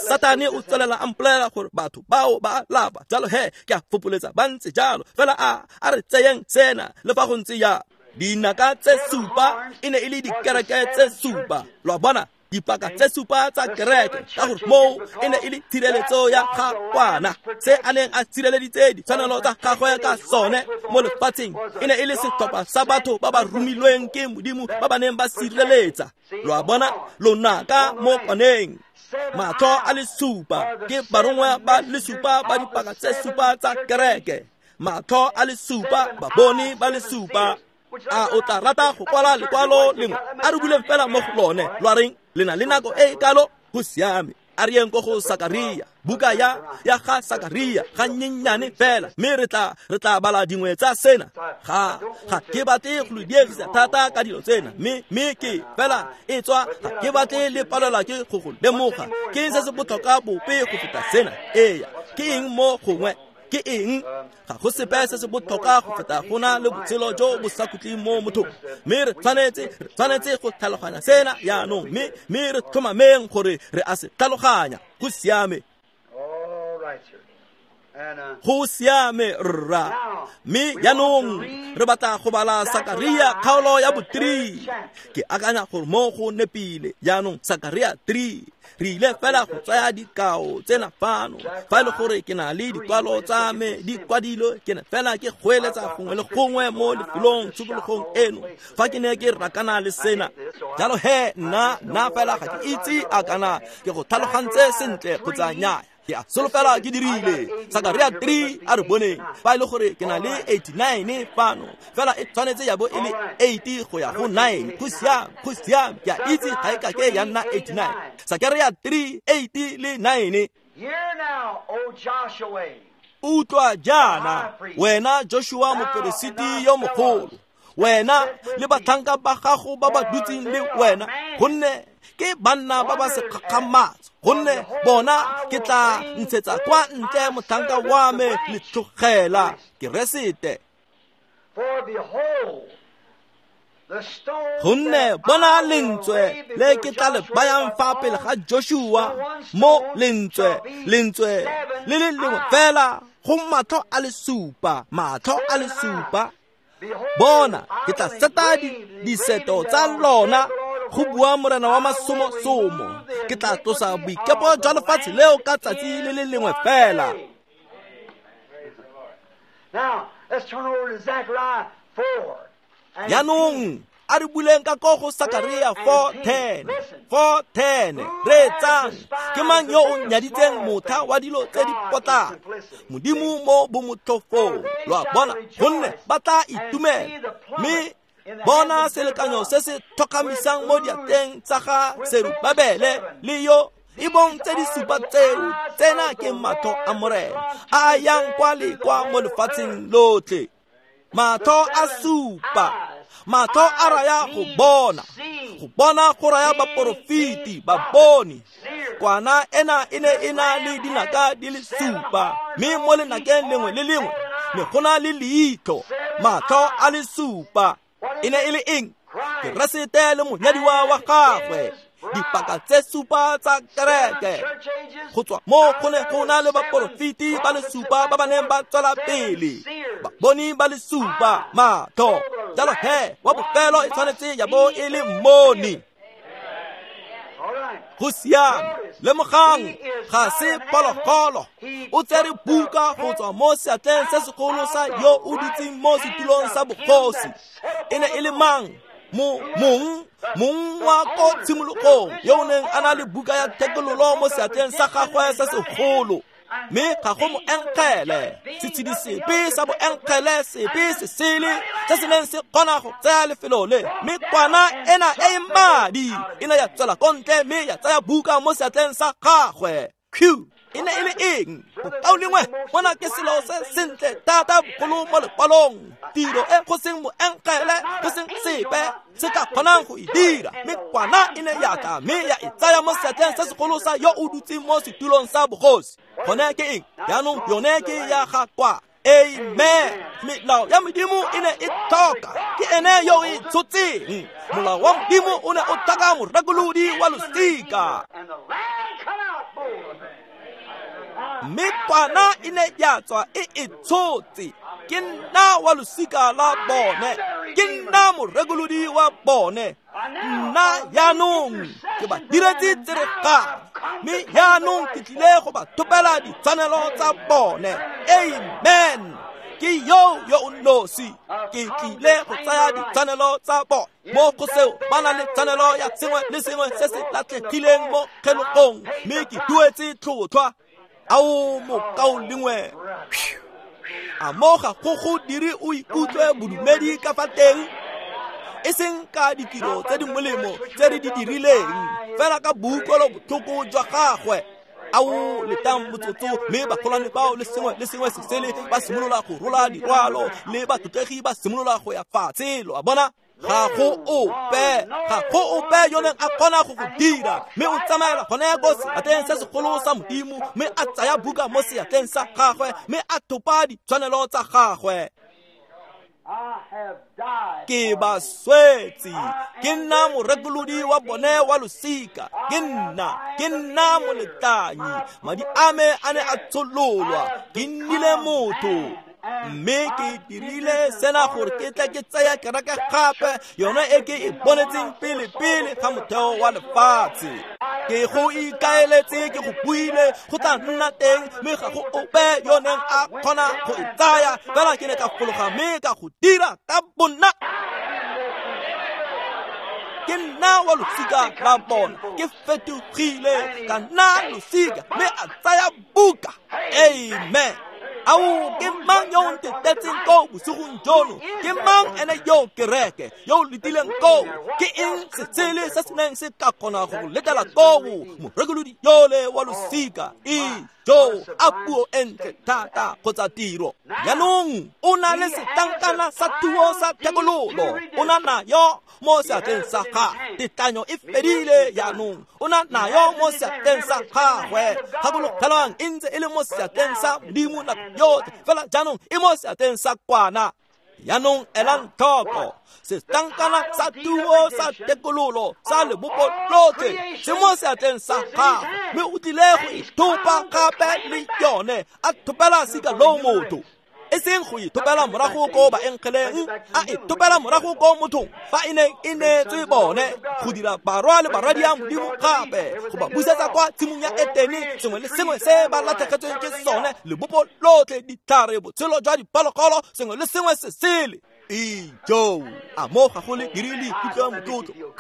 B: Satane o tswelela a mpolelela gore batho bao ba lapa. Jalo he ke a fopoletsa ba ntse jalo fela. A a re tseyeng sena le fa go ntse ya dinaka tse supa e ne e le dikereke tse supa. Lo a bona, dipaka tse supa tsa kereke, ka gore moo e ne e le tshireletso ya ga kwana. Se a neng a tshireleditse ditshwanelo tsa gagwe ka sone mo lefatsheng e ne e le setlhopha sa batho ba ba romilweng ke Modimo ba ba neng ba sireletsa. Lo a bona, lonaka mo kwaneng, matlho a le supa ke barongwa ba le supa ba dipaka tse supa tsa kereke. Matlho a le supa, baboni ba le supa. A o tla rata go kwala lekwalo lengwe? A re buleng fela mo go lone. Lo a reng? Le na le nako e e kalo? Go siame. A re yeng ko go Sakaria, buka ya ya ga Sakaria ga nnyenyane fela, mme re tla re tla bala dingwe tsa sena. Ga ga ke batle go lo diegisa thata ka dilo tsena, mme mme ke fela e tswa ga ke batle le palelwa ke go go lemoga. Ke eng se se botlhokwa bope go feta sena? Eya, ke eng mo gongwe? Ke eng? Ga go sepe se se botlhokwa go feta go na le botshelo jo bo sa khutleng mo mothong. Mme re tshwanetse re tshwanetse go tlhaloganya sena jaanong, mme mme re tlhomameng gore re a se tlhaloganya. Go siame. Go siame rra. Mme jaanong re batla go bala Sakaria kgaolo ya bo three. Ke akanya gore mo go nepile jaanong Sakaria three. Re ile fela go tsaya dikao tsena fano. Fa e le gore ke na le dikwalo tsa me di kwadilwe, ke ne fela ke goeletsa gongwe le gongwe mo lefelong tshokologong eno fa ke ne ke rakana le sena. Jalo he nna nna fela ga ke itse a kana ke go tlhalogantse sentle kgotsa nnyaa. Ke a solofela ke dirile. Sakaria three a re boneng. Fa e le gore ke na le eighty-nine fano, fela e tshwanetse ya bo e le eighty go ya go nine. Go siame, go siame. Ke a itse ga e ka ke ya nna eighty-nine. Sakaria three, eighty le nine. Utlwa jaana, wena Joshua moperesiti yo mogolo, wena le batlhanka ba gago ba ba dutseng le wena, gonne ke banna ba ba sekgakgamatso, gonne bona ke tla ntshetsa kwa ntle motlhanka wa me letlogela Keresete. Gonne bona lentswe le ke tla le bayang fa pele ga Joshua, mo lentswe lentswe le le lengwe fela go matlho a le supa, matlho a le supa. Bona ke tla seta diseto tsa lona, go bua Morena wa masomosomo, ke tla tlosa boikepo jwa lefatshe leo ka tsatsi le le lengwe fela. Jaanong a re buleng ka ko go Sakaria four ten, four ten, reetsang, ke mang yo o nyaditseng motha wa dilo tse di potlana? Modimo mo bomotlhofong, lo a bona, gonne ba tla itumela. Mme bona selekanyo se se tlhokamisang mo diatleng tsa ga Serubabele le yo e bong tse di supa tseo, tsena ke matlho a Morena a a yang kwa le kwa mo lefatsheng lotlhe. Matlho a supa, matlho a raya go bona, go bona go raya baporofiti, baboni. Kwana ena e ne e na le dinaka di le supa, mme mo lenakeng lengwe le lengwe ne go na le leitlho. Matlho a le supa e ne e le eng? Keresete le monyadiwa wa gagwe, dipaka tse supa tsa kereke. Go tswa mo go ne go na le baporofiti ba le supa ba ba neng ba tswela pele, baboni ba le supa, matlho. Jalo he, wa bofelo e tshwanetse ya bo e le mmoni. Go siame, lemogang, ga se phologolo. O tsere buka go tswa mo seatleng se segolo sa yo o dutseng mo setulong sa bogosi. E ne e le mang? Mo mong mong wa ko tshimologong yo o neng a na le buka ya thekololo mo seatleng sa gagwe se segolo. Mme ga go moengele, setshedi sepe sa boengele sepe se sele se se neng se kgona go tsaya lefelo le. Mme kwana ena e e madi e ne ya tswela ko ntle mme ya tsaya buka mo seatleng sa gagwe. Q e ne e le eng? Bokaulengwe, bona ke selo se sentle thata bogolo mo lekwalong, tiro e go seng moengele, go seng sepe se ka kgonang go e dira. Mme kwana e ne ya tla mme ya e tsaya mo seatleng se segolo sa yo o dutseng mo setulong sa bogosi. Gone ke eng? Jaanong yone ke ya ga kwa. Amen. Melao ya Modimo e ne e tlhoka, ke ene yo e tshotseng. Molao wa Modimo o ne o tlhoka morekolodi wa losika. Mme kwana e ne ya tswa e e tshotse. Ke nna wa losika la bone, ke nna morekolodi wa bone. Nna jaanong ke ba diretse tseregang, mme jaanong ke tlile go ba thopela ditshwanelo tsa bone. Amen. Ke yo yo o nosi, ke tlile go tsaya ditshwanelo tsa bone. Mo go seo ba na le tshwanelo ya sengwe le sengwe se se latlhegileng mo kgelogong, mme ke duetse tlhotlhwa. Ao mokaulengwe, a mo ga go go dire o ikutlwe bodumedi ka fa teng? E seng ka ditiro tse di molemo tse re di dirileng, fela ka boutlwelobotlhoko jwa gagwe. Ao letang motsotso, mme bagolwane bao le sengwe le sengwe se sele ba simolola go rola dirwalo, le batlotlegi ba simolola go ya fatshe. Lo a bona? Ga go ope, ga go ope yo neng a kgona go go dira. Mme o tsamaela gone ko seatleng se segolo sa Modimo, mme a tsaya buka mo seatleng sa gagwe, mme a thopa ditshwanelo tsa gagwe. Ke ba swetse, ke nna morekolodi wa bone wa losika, ke nna, ke nna moletlanyi. Madi a me a ne a tshololwa, ke nnile motho. Mme ke dirile sena gore ke tle ke tsaya kereke gape, yone e ke e bonetseng pele pele ga motheo wa lefatshe. Ke go ikaeletse, ke go buile, go tla nna teng, mme ga go ope yo neng a kgona go e tsaya. Fela ke ne ka fologa mme ka go dira ka bonna. Ke nna wa losika la bona, ke fetogile ka nna losika, mme a tsaya buka. Amen. Ao ke mang yo o ntetetseng koo bosigong jono? Ke mang ene yo kereke yo o letileng koo? Ke eng setshele se se neng se ka kgona go go letela koo? Morekolodi yole wa losika. Ijo, a puo e ntle thata kgotsa tiro. Jaanong o na le setlankana sa thuo sa thekololo. O na nayo mo seatleng sa gagwe. Tetlanyo e fedile jaanong. O na nayo mo seatleng sa gagwe. Gakologelwang e ntse e le mo seatleng sa Modimo nako yotlhe, fela jaanong e mo seatleng sa kwana. Jaanong elang tlhoko, setlankana sa thuo sa thekololo sa lebopo lotlhe se mo seatleng sa gagwe, mme o tlile go ithopa gape le yone, a thopela sika loo motho. E seng go ithopela morago ko baengeleng, a ithopela morago ko mothong fa e neng e neetswe bone go dira barwa le barwadi ya Modimo gape, go ba busetsa kwa tshimong ya Etene, sengwe le sengwe se ba latlhegetsweng ke sone, lebopo lotlhe, ditlhare, botshelo jwa diphologolo, sengwe le sengwe se sele. Ijo, a mo ga go le dirile ikutlwa motlotlo.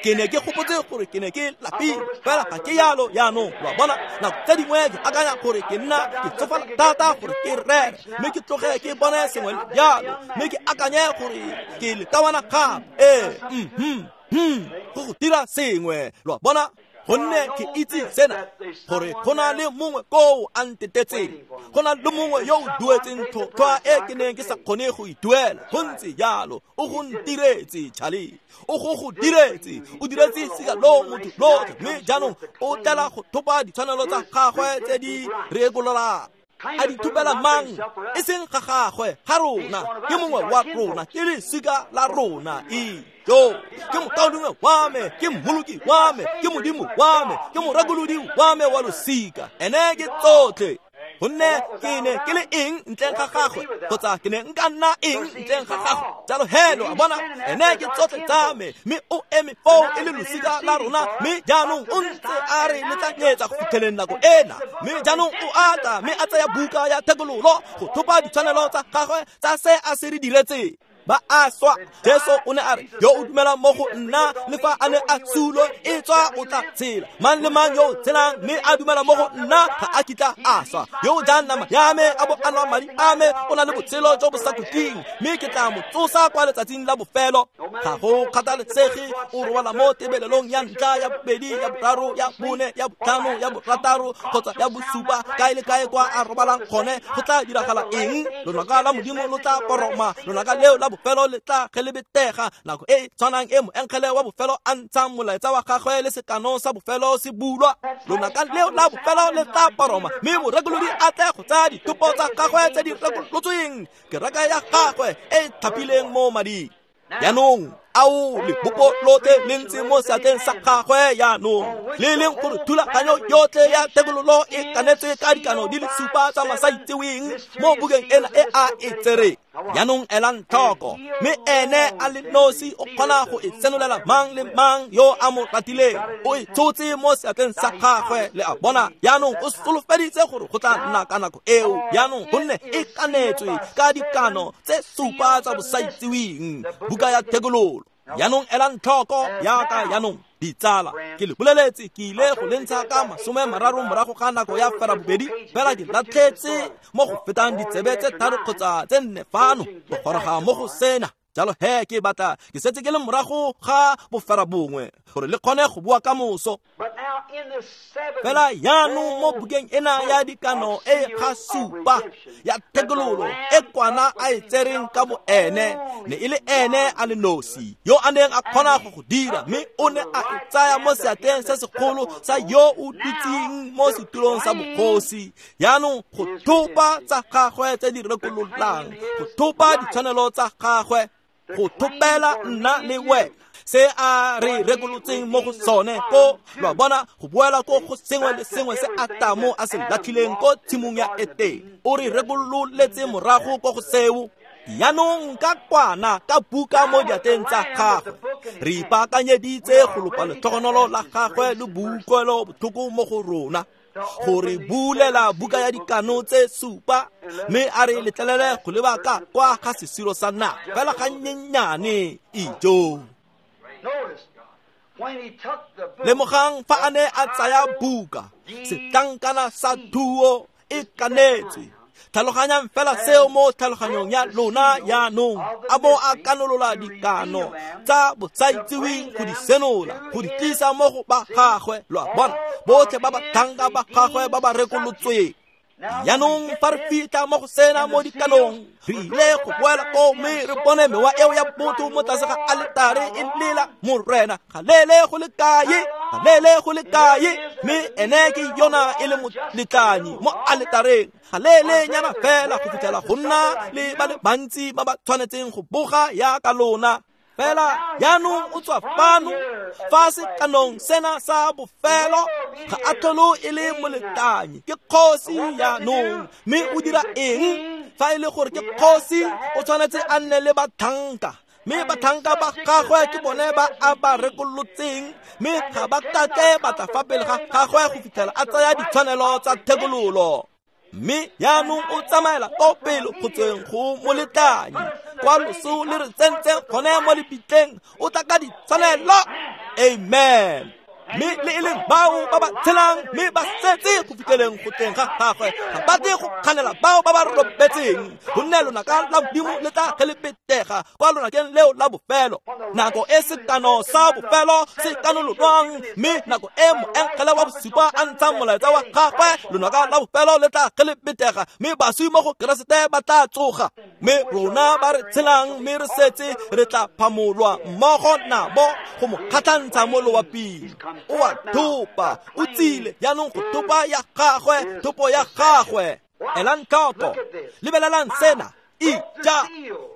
B: Ke ne ke gopotse gore ke ne ke lapile, fela ga ke yalo jaanong. Lo a bona, nako tse dingwe ke akanya gore ke nna ke tsofala thata gore ke rere, mme ke tloge ke bone sengwe jalo, mme ke akanye gore ke lekawana gape. Ee, mhm, hmm, go go dira sengwe. Lo a bona, gonne ke itse sena, gore go na le mongwe koo a ntetetseng, go na le mongwe yo o duetseng tlhotlhwa e ke neng ke sa kgone go e duela. Go ntse jalo, o go ntiretse, Charlie, o go go diretse, o diretse sika loo motho lotlhe, mme jaanong o tlela go thopa ditshwanelo tsa gagwe tse di rekololang. A di thopela mang? E seng ga gagwe, ga rona, ke mongwe wa rona, ke lesika la rona. Ijo, ke mokaulengwe wa me, ke mmoloki wa me, ke Modimo wa me, ke morekolodi wa me wa losika. Ene ke tsotlhe. Gonne ke ne ke le eng ntleng ga gagwe, kgotsa ke ne nka nna eng ntleng ga gagwe? Jalo he, lo a bona, ene ke tsotlhe tsa me, mme o eme foo e le losika la rona, mme jaanong o ntse a re letlanyetsa go fitlheleng nako ena. Mme jaanong o a tla, mme a tsaya buka ya thekololo go thopa ditshwanelo tsa gagwe tsa se a se re diretseng. Ba a swa. Jesu o ne a re, yo o dumelang mo go nna, le fa a ne a sule, e tswa o tla tshela. Mang le mang yo o tshelang mme a dumela mo go nna ga a kitla a swa. Yo o jang nama ya me a bo a nwa madi a me o na le botshelo jo bo sa khutleng, mme ke tla mo tsosa kwa letsatsing la bofelo. Ga go kgathalesege o robala mo tebelelong ya ntlha, ya bobedi, ya boraro, ya bone, ya botlhano, ya borataro kgotsa ya bosupa, kae le kae kwa a robalang gone, go tla diragala eng? Lonaka la Modimo lo tla poroma, lonaka leo la bofelo le tla gelebetega. Nako e tshwanang e moengele wa bofelo a ntshang molaetsa wa gagwe le sekano sa bofelo se bulwa, lonaka leo la bofelo le tla poroma, mme morekolodi a tle go tsaya dithopo tsa gagwe tse di rekolotsweng, kereke ya gagwe e tlhapileng mo mading. Jaanong ao lebopo lotlhe le ntse mo seatleng sa gagwe jaanong, le leng gore thulaganyo yotlhe ya thekololo e kanetswe ka dikano di le supa tsa masaitseweng mo bukeng ena e a e tsereng. Jaanong elang tlhoko, mme ene a le nosi o kgona go e senolela mang le mang yo a mo ratileng. O e tshotse mo seatleng sa gagwe, le a bona. Jaanong o solofeditse gore go tla nna ka nako eo. Jaanong gonne e kanetswe ka dikano tse supa tsa bosaitseweng, buka ya thekololo. Jaanong elang tlhoko yaka jaanong, ditsala, ke le boleletse ke ile go le ntsha ka masome mararo morago ga nako ya ferabobedi, fela ke latlhetse mo go fetang ditsebe tse tharo kgotsa tse nne fano go goroga mo go sena. Jalo he, ke batla ke setse ke le morago ga boferabongwe gore le kgone go bua ka moso. Fela jaanong mo bukeng ena ya dikano e ga supa ya thekololo e kwana a e tsereng ka bo ene, ne e le ene a le nosi yo a neng a kgona go go dira, mme o ne a e tsaya mo seatleng se segolo sa yo o dutseng mo setulong sa bogosi. Jaanong go thopa tsa gagwe tse di rekololang, go thopa ditshwanelo tsa gagwe, go thopela nna le wena se a re rekolotseng mo go sone ko, lo a bona, go boela ko go sengwe le sengwe se Atamo a se latlhileng ko tshimong ya Etene. O re rekololetse morago ko go seo. Jaanong ka kwana ka buka mo diatleng tsa gagwe, re ipaakanyeditse go lopa letlhogonolo la gagwe le boutlwelo botlhoko mo go rona, gore bulela buka ya dikano tse supa, mme a re letlelele go leba ka kwa ga sesiro sa naga fela ga nnyenyane. Ijo, lemogang fa a ne a tsaya buka, setlankana sa thuo e kanetswe Tlhaloganyang fela seo mo tlhaloganyong ya lona jaanong, a bo a kanolola dikano tsa bosaitsiweng go di senola, go di tlisa mo go ba gagwe, lo a bona, botlhe ba batlhanka ba gagwe ba ba rekolotsweng. Jaanong fa re fitlha mo go sena mo dikanong, re ile go boela koo mme re bone mewa eo ya botho mo tlase ga aletare e lela Morena ga lele go le kae, ga lele go le kae, mme ene ke yona e le moletlanyi mo aletareng, ga lele nyana fela go fitlhela go nna le ba le bantsi ba ba tshwanetseng go boga yaka lona. Fela jaanong o tswa fano fa sekanong sena sa bofelo, ga a tlhole e le moletlanyi, ke kgosi jaanong. Mme o dira eng? Fa e le gore ke kgosi, o tshwanetse a nne le batlhanka, mme batlhanka ba gagwe ke bone ba a ba rekolotseng, mme ga ba kake ba tla fa pele ga gagwe go fitlhela a tsaya ditshwanelo tsa thekololo. Mme jaanong o tsamaela ko pele go tsweng go moletlanyi, kwa loso le re tsentseng gone mo lebitleng, o tla ka ditshwanelo. Amen. Mme le e leng bao ba ba tshelang mme ba setse go fitlheleng go tleng ga gagwe, ga ba tle go kganela bao ba ba robetseng, gonne lonaka la Modimo le tla ge le petega kwa lonakeng leo la bofelo. Nako e sekano sa bofelo se kanololwang, mme nako e moengele wa bosupa a ntshang molaetsa wa gagwe, lonaka la bofelo le tla ge le petega, mme baswi mo go Keresete ba tla tsoga. Mme rona ba re tshelang mme re setse re tla phamolwa mmogo nabo go mo kgatlhantsha mo loaping. O a thopa, o tsile jaanong go thopa ya gagwe, thopo ya gagwe. Elang tlhoko, lebelelang sena. Ija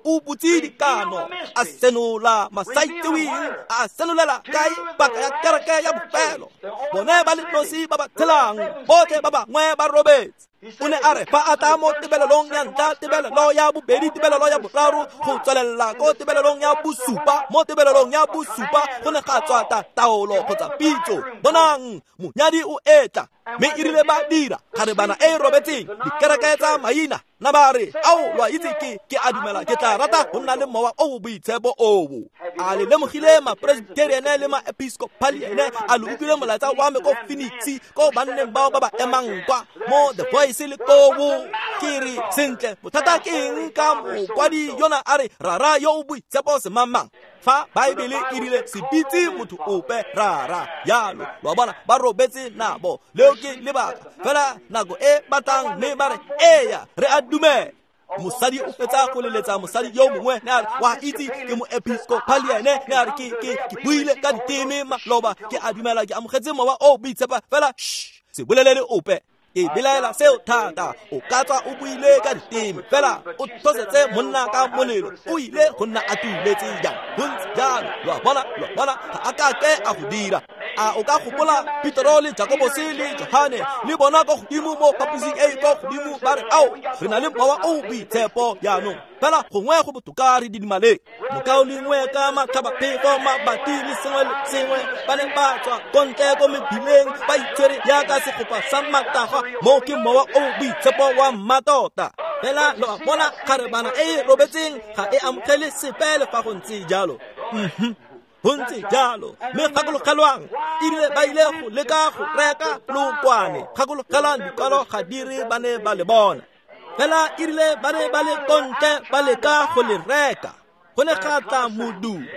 B: o butse dikano, a senola masaitseweng, a senolela kae paka ya kereke ya bofelo. Bone ba le nosi ba ba tshelang, botlhe ba bangwe ba robetse. O ne a re fa a tla mo tebelelong ya ntlha, tebelelo ya bobedi, tebelelo ya boraro, go tswelela ko tebelelong ya bosupa. Mo tebelelong ya bosupa go ne ga tswa ta taolo kgotsa pitso, bonang monyadi o etla. Mme e rile ba dira kgarebana e e robetseng, dikereke tsa maina na ba re, ao lo a itse ke ke a dumela ke tla rata go nna le mowa o o boitshepo oo. A le lemogile ma-Presbyterian le ma-Episcopalian? A le utlwile molaetsa wa me ko Phoenix, ko banneng bao ba ba emang kwa mo The Voice le koo? Ke re sentle, bothata ke eng ka mokwadi yona a re rara yo o boitshepo semangmang, fa Baebele e rile se bitse motho ope rara jalo? Lo a bona, ba robetse nabo. Leo ke lebaka fela nako e batlang mme ba re eya re a dumela. Mosadi o fetsa go leletsa mosadi yo mongwe, ne a re wa itse ke moepiscopalian, ne a re ke ke ke buile ka diteme maloba, ke a dumela ke amogetse mowa o boitshepo fela, shh, se bolelele ope. Ke belaela seo thata. O ka tswa o buile ka diteme fela o thosetse monna ka molelo, o ile go nna a tuletse jang? Gontse jalo. Lo a bona, lo a bona, ga a kake a go dira. A o ka gopola Petro le Jakobose le Johane le bona ko godimo mo phaposing e e ko godimo, ba re ao re na le mowa o boitshepo jaanong, fela gongwe go botoka re didimaleng. Mokaulengwe ka matlhabaphefo, mabati le sengwe le sengwe, ba ne ba tswa ko ntle ko mebileng ba itshwere jaaka segopa sa matagwa. Mo ke mowa o boitshepo wa mmatota. Fela lo a bona, kgarebana e e robetseng ga e amogele sepe le fa go ntse jalo. Mhm, go ntse jalo. Mme gakologelwang, erile ba ile go leka go reka lookwane. Gakologelwang, dikwalo ga di re ba ne ba le bona, fela erile ba ne ba le ko ntle ba leka go le reka, go ne ga tla modumo.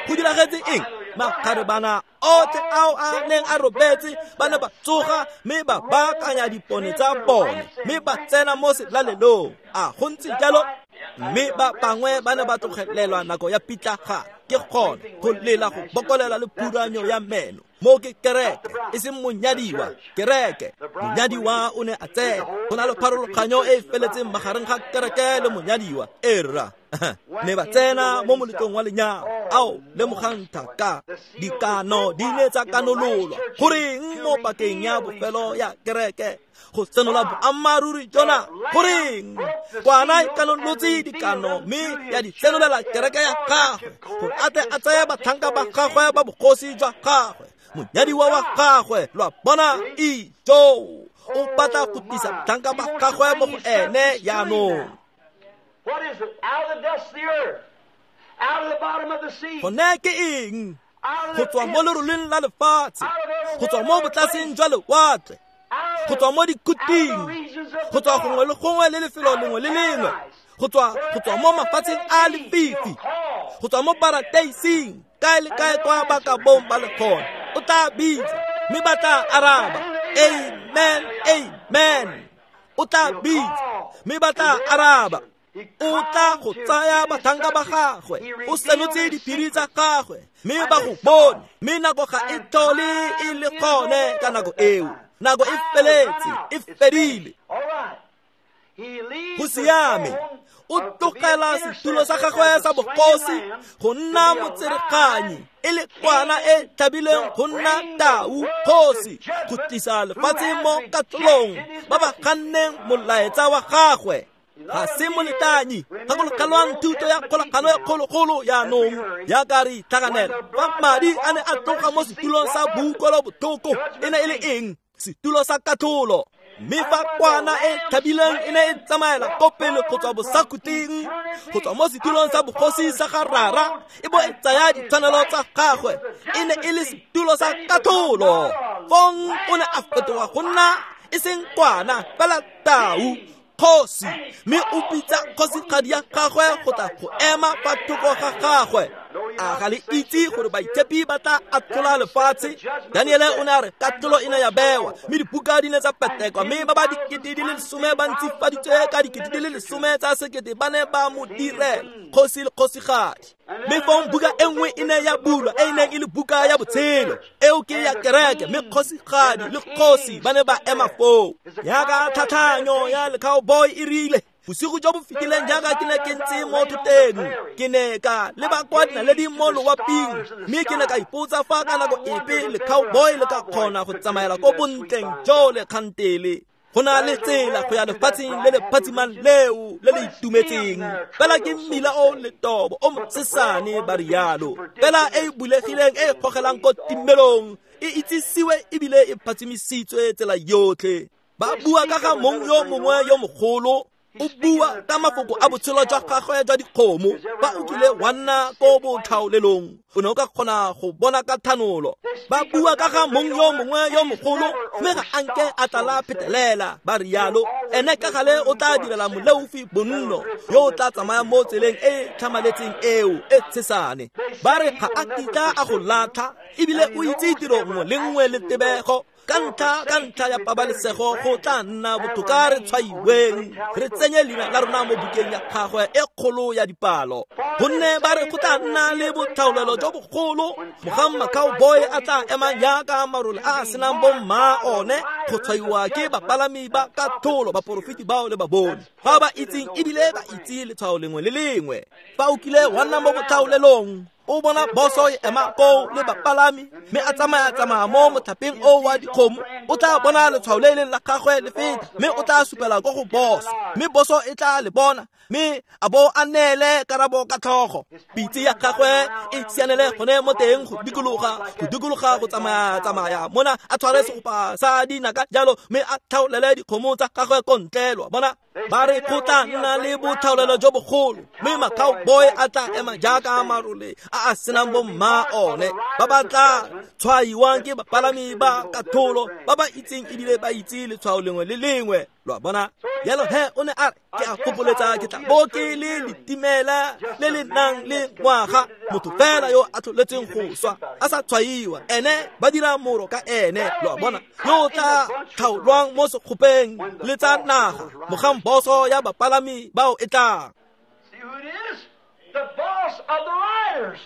B: Go diragetse eng? Makgarebana otlhe ao a neng a robetse ba ne ba tsoga mme ba baakanya dipone tsa bone, mme ba tsena mo selalelong. A go ntse jalo? Mme ba bangwe ba ne ba tlogelelwa nako ya pitlagano, ke gone go lela, go bokolela le phuranyo ya meno. Mo ke kereke, e seng monyadiwa, kereke. Monyadiwa o ne a tsena. Go na le pharologanyo e e feletseng magareng ga kereke le monyadiwa. Erra, ne ba tsena mo moletlong wa lenyalo. Ao lemogang thaka, dikano di ne tsa kanololwa. Goreng mo pakeng ya bofelo ya kereke go senola boammaaruri jona? Goreng kwana e kanolotse dikano mme ya di senolela kereke ya gagwe, gore a tle a tseye batlhanka ba gagwe ba bogosi jwa gagwe, monyadiwa wa gagwe. Lo a bona? Ijo o batla go tlisa batlhanka ba gagwe mo go ene jaanong.
A: What is it? Out of the dust of the earth, out of the bottom of the sea,
B: Gone ke eng? Go tswa mo leroleng la lefatshe, go tswa mo botlaseng jwa lewatle, go tswa mo dikhuting, go tswa gongwe le gongwe le lefelo lengwe le lengwe, go tswa go tswa mo mafatsheng a lefifi, go tswa mo parateising, kae le kae kwa ba ka bong ba le gone, o tla bitsa mme ba tla araba. Amen, amen. O tla bitsa mme ba tla araba. O tla go tsaya batlhanka ba gagwe, o senotse diphiri tsa gagwe, mme ba go bone, mme nako ga e tlhole e le gone ka nako eo. Nako e feletse, e fedile. Go siame. O tlogela setulo sa gagwe sa bogosi go nna motsereganyi, e le kwana e tlhabileng go nna tau kgosi, go tlisa lefatshe mo katlholong ba ba ganneng molaetsa wa gagwe. Ga se moletanyi, gakologelwang thuto ya kgolagano e kgologolo jaanong jaaka re itlhaganela. Fa madi a ne a tloga mo setulong sa boutlwelobotlhoko, e ne e le eng? Setulo sa katlholo. Mme fa kwana e tlhabileng e ne e tsamaela ko pele go tswa bosakhuting, go tswa mo setulong sa bogosi sa ga Rara, e bo e tsaya ditshwanelo tsa gagwe, e ne e le setulo sa katlholo. Fong o ne a fetoga go nna e seng kwana, fela tau kgosi, mme o bitsa kgosigadi ya gagwe go tla go ema fa thoko ga gagwe. A ga le itse gore baitshepi ba tla atlhola lefatshe? Daniele o ne a re katlholo e ne ya bewa, mme dibuka di ne tsa petekwa, mme ba ba dikete di le lesome ba ntsifaditswe ka dikete di le lesome tsa sekete ba ne ba mo direla kgosi le kgosigadi. Mme fong buka e nngwe e ne ya bulwa, e e neng e le buka ya botshelo, eo ke ya kereke, mme kgosigadi le kgosi ba ne ba ema foo. Jaaka tlhatlhanyo ya le-cowboy e rile, bosigo jo bo fetileng jaaka ke ne ke ntse mo thoteng, ke ne ka leba kwa dinaleding mo loaping, mme ke ne ka ipotsa fa ka nako epe le-cowboy le ka kgona go tsamaela ko bontleng jo le kgantele. Go na le tsela go ya lefatsheng le le phatsimang leo le le itumetseng, fela ke mmila o letobo o mosesane ba rialo, fela e e bulegileng e e gogelang ko timelong, e itsisiwe ebile e phatsimisitswe tsela yotlhe. Ba bua ka ga mong yo mongwe yo mogolo, o bua ka mafoko a botshelo jwa gagwe jwa dikgomo. Fa o kile wa nna ko botlhaolelong, o ne o ka kgona go bona ka thanolo. Ba bua ka ga mong yo mongwe yo mogolo, mme ga a nke a tlala phetelela, ba rialo. Ene ka gale o tla direla moleofi bonno yo o tla tsamaya mo tseleng e tlhamaletseng eo e tshesane. Ba re ga a kitla a go latlha, ebile o itse tiro nngwe le nngwe le tebego. Ka ntlha ka ntlha ya pabalesego go tla nna botoka re tshwaiweng, re tsenye leina la rona mo bukeng ya gagwe e kgolo ya dipalo. Gonne ba re go tla nna le botlhaolelo jo bogolo, mogang ma-cowboy a tla emang jaaka marole a a senang bomma one, go tshwaiwa ke bapalami ba katlholo, baporofeti bao le baboni ba ba itseng ebile ba itse letshwao lengwe le lengwe. Fa o kile wa nna mo botlhaolelong, o bona boso e ema koo le bapalami, mme a tsamaya-tsamaya mo motlhapeng o wa dikgomo, o tla bona letshwao le leng la gagwe le feta, mme o tla supela ko go boso, mme boso e tla le bona, mme a bo a neele karabo ka tlhogo. Pitse ya gagwe e sianele gone mo teng go dikologa, go dikologa go tsamaya-tsamaya mona, a tshware segopa sa dinaka jalo, mme a tlhaolele dikgomo tsa gagwe ko ntle. Lo a bona? Ba re go tla nna le botlhaolelo jo bogolo, mme ma-cowboy a tla ema jaaka marole a a senang bomma one, ba ba tla tshwaiwang ke bapalami ba katlholo ba ba itseng ebile ba itse letshwao lengwe le lengwe. Lo a bona? Jalo he o ne a re, ke a gopoletsa ke tla bo ke le letimela le le nang le ngwaga, motho fela yo a tlholetseng go swa a sa tshwaiwa, ene ba dira moro ka ene. Lo a bona? Yo o tla tlhaolwang mo sekgopeng le tsa naga, mogang boso ya bapalami bao e tlang.
A: See who it is? The boss of the riders.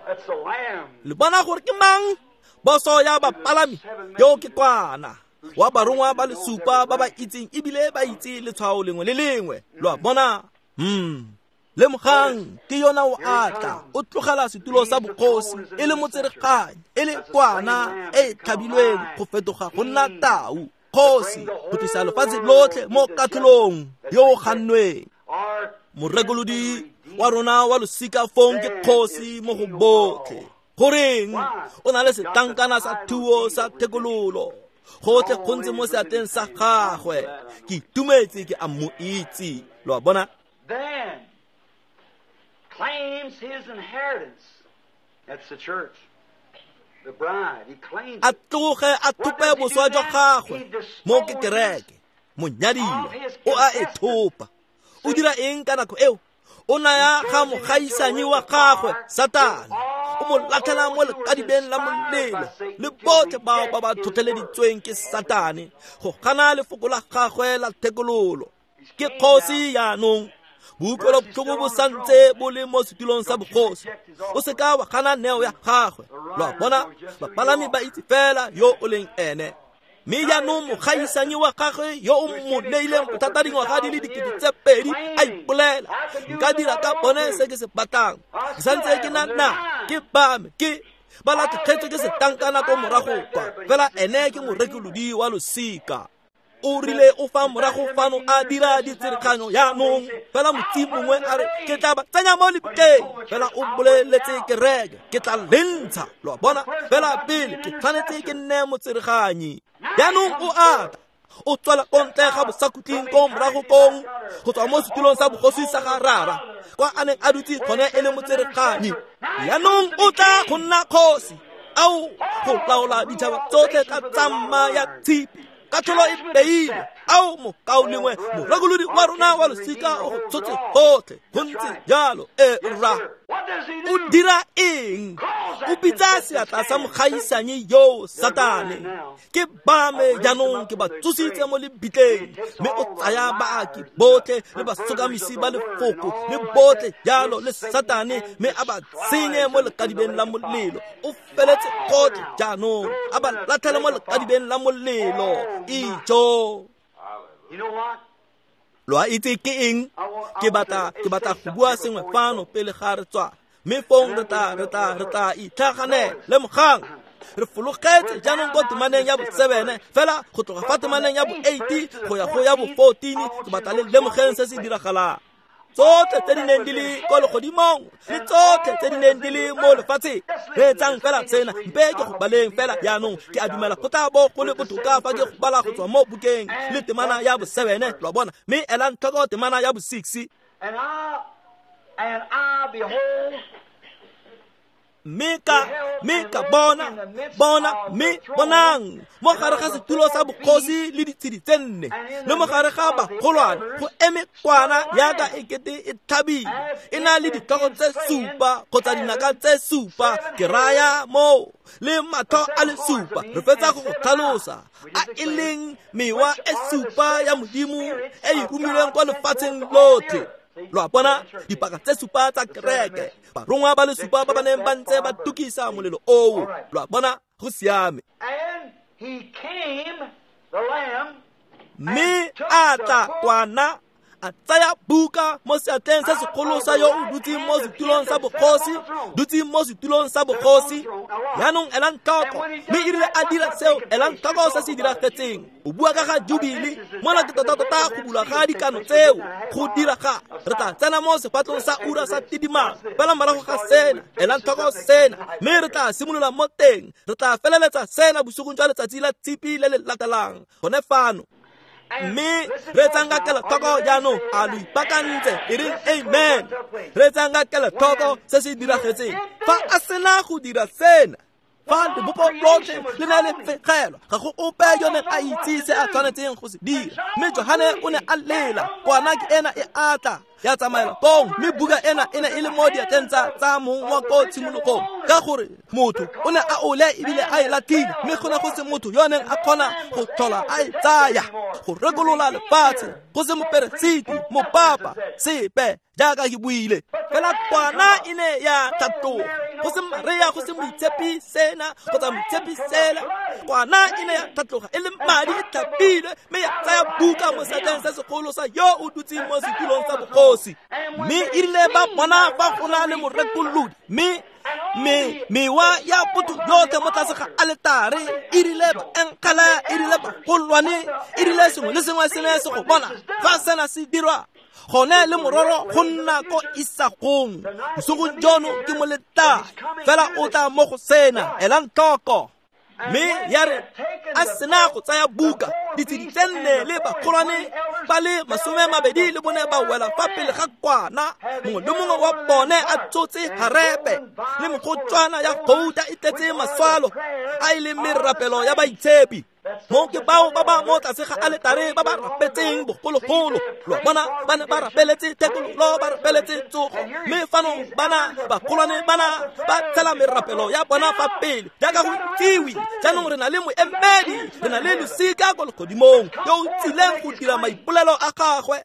A: That's the Lamb.
B: Le bona gore ke mang? Boso ya bapalami yo ke kwana wa barongwa ba le supa ba ba itseng ebile ba itse letshwao lengwe le lengwe. Lo a bona? Hmm. Lemogang ke yona o atla, o tlogela setulo sa bogosi e le motsereganyi, e le kwana e e tlhabilweng go fetoga go nna tau kgosi, go tlisa lefatshe lotlhe mo katlholong yo o gannweng. Morekolodi wa rona wa losika fong ke kgosi mo go botlhe. Goreng? O na le setlankana sa thuo sa thekololo, gotlhe go ntse mo seatleng sa gagwe. Ke itumetse ke a mo itse. Lo a bona?
A: Then claims his inheritance. That's the church.
B: A tloge a thope boswa jwa gagwe mo ke kereke, monyadiwa o a e thopa. O dira eng ka nako eo? O naya ga mogaisanyi wa gagwe Satane, o mo latlhela mo lekadibeng la molelo le botlhe bao ba ba tlhotlheleditsweng ke Satane go gana lefoko la gagwe la thekololo. Ke kgosi jaanong, boutlwelobotlhoko bo santse bo le mo setulong sa bogosi. O seka wa gana neo ya gagwe. Lo a bona, bapalami ba itse fela yo o leng ene. Mme jaanong mogaisanyi wa gagwe yo o mo neileng bothata dingwaga di le dikete tse pedi a ipolela, nka dira ka bone se ke se batlang, ke santse ke na na ke ba me ke ba latlhegetswe ke setankana ko morago kwa, fela ene ke morekolodi wa losika. O rile o fa morago fano a dira ditsereganyo jaanong, fela motsi mongwe a re ke tla ba tsenya mo lebitleng, fela o boleletse kereke ke tla lentsha. Lo a bona, fela pele ke tshwanetse ke nne motsereganyi. Jaanong o ata o tswela ko ntle ga bosakhutleng ko morago kong go tswa mo setulong sa bogosi sa ga Rara kwa a neng a dutse gone e le motsereganyi. Jaanong o tla go nna kgosi ao go laola ditšhaba tsotlhe ka tsamma ya tshipi. Katlholo e beilwe. Ao mokaulengwe, morekolodi wa rona wa losika o go tshotse gotlhe. Go ntse jalo, e rra. O dira eng? O bitsa seatla sa mogaisanyi yo Satane. Ke ba me jaanong ke ba tsositse mo lebitleng, mme o tsaya baaki botlhe le basokamisi ba lefoko le botlhe jalo le Satane, mme a ba tsenye mo lekadibeng la molelo. O feletse gotlhe jaanong, a ba latlhele mo lekadibeng la molelo. Ijo. Lo a itse ke eng? Ke batla ke batla go bua sengwe fano pele ga re tswa, mme fong re tla re tla re tla itlhaganela. Lemogang, re fologetse jaanong ko temaneng ya bosebene, fela go tloga fa temaneng ya bo eight go ya go ya bo fourteen. Ke batla le lemogeng se se diragalang. Tsotlhe tse di neng di le ko legodimong le tsotlhe tse di neng di le mo lefatsheng, reetsang fela sena, mpe ke go baleng fela jaanong. Ke a dumela go tla bo go le botoka fa ke go bala go tswa mo bukeng le temana ya bosebene, lo a bona, mme elang tlhoko temana ya bo six.
A: And I, and I behold,
B: Mme ka mme ka bona bona mme bonang mo gare ga setulo sa bogosi le ditshedi tse nne le mo gare ga bagolwane go eme kwana yaka ekete e tlhabile, e na le ditlhogo tse supa kgotsa dinaka tse supa, ke raya moo, le matlho a le supa. Re fetsa go go tlhalosa a e leng mewa e supa ya Modimo e e romilweng kwa lefatsheng lotlhe. Lo a bona, dipaka tse supa tsa kereke, barongwa ba le supa ba ba neng ba ntse ba tukisa molelo oo. Lo a bona, go siame.
A: And he came, the Lamb,
B: Mme a tla kwana a tsaya buka mo seatleng se segolo sa yo o dutseng mo setulong sa bogosi, dutseng mo setulong sa bogosi. Jaanong elang tlhoko, mme e rile a dira seo, elang tlhoko se se diragetseng. O bua ka ga jubile mona, ke tota-tota go bulwa ga dikano tseo go dira ga re tla tsena mo sefatlong sa ura sa tidimalo fela morago ga sena. Elang tlhoko sena, mme re tla simolola mo teng, re tla feleletsa sena bosigong jwa letsatsi la tshipi le le latelang gone fano. Mme reetsang ka kelotlhoko jaanong, a lo ipaakantse? E reng amen. Reetsang ka kelotlhoko se se diragetseng fa a sena go dira sena. Fa lebopo lotlhe le ne le fegelwa, ga go ope yo neng a itse se a tshwanetseng go se dira, mme Johane o ne a lela. Kwana ke ena e atla ya tsamaela kong, mme buka ena e ne e le mo diatleng tsa tsa mong wa ko tshimologong, ka gore motho o ne a ole ebile a e latlhile, mme go ne go se motho yo neng a kgona go tlhola a e tsaya go rekolola lefatshe, go se moperesiti, mopapa, sepe, jaaka ke buile. Fela kwana e ne ya tlhatloga, go se Maria, go se moitshepi sena kgotsa moitshepi sela. Kwana e ne ya tlhatloga e le madi, e tlhapilwe, mme ya tsaya buka mo seatleng se segolo sa yo o dutseng mo setulong sa bogosi. Mme e rile ba bona fa go na le morekolodi, mme me mewa ya botho yotlhe mo tlase ga aletare, e rile baenkgele, e rile bagolwane, e rile sengwe le sengwe se ne se go bona fa sena se dirwa gone, le mororo go nna ko isagong. Bosigong jono ke moletai fela o tla mo go sena. Elang tlhoko. Mme ya re a sena go tsaya buka, ditshedi tse nne le bagolwane ba le masome mabedi le bone ba wela fa pele ga kwana, mongwe le mongwe wa bone a tsotse harepe le mogotswana ya gouta e tletse maswalo a e leng merapelo ya baitshepi. Mo ke bao ba ba mo tlase ga aletare ba ba rapetseng bogologolo. Lo bona ba ne ba rapeletse thekololo, ba rapeletse tsogo, mme fano bana bagolwane bana ba tshela merapelo ya bona fa pele jaaka go itsiwe. Jaanong re na le moemedi, re na le losika ko legodimong yo o tsileng go dira maipolelo a gagwe.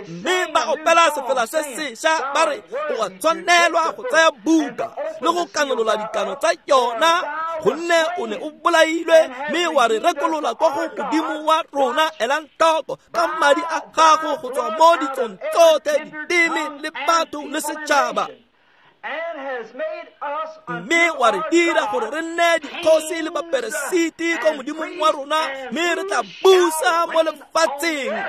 B: Mme ba opela sefela se sešwa ba re o a tshwanelwa go tsaya buka le go kanolola dikano tsa yona, gonne o ne o bolailwe mme wa re rekolola kwa go Modimo wa rona. Elang tlhoko ka madi a gago go tswa mo ditsong tsotlhe, diteme le batho le setšhaba, mme wa re dira gore re nne dikgosi le baperesiti ko Modimong wa rona, mme re tla busa mo lefatsheng.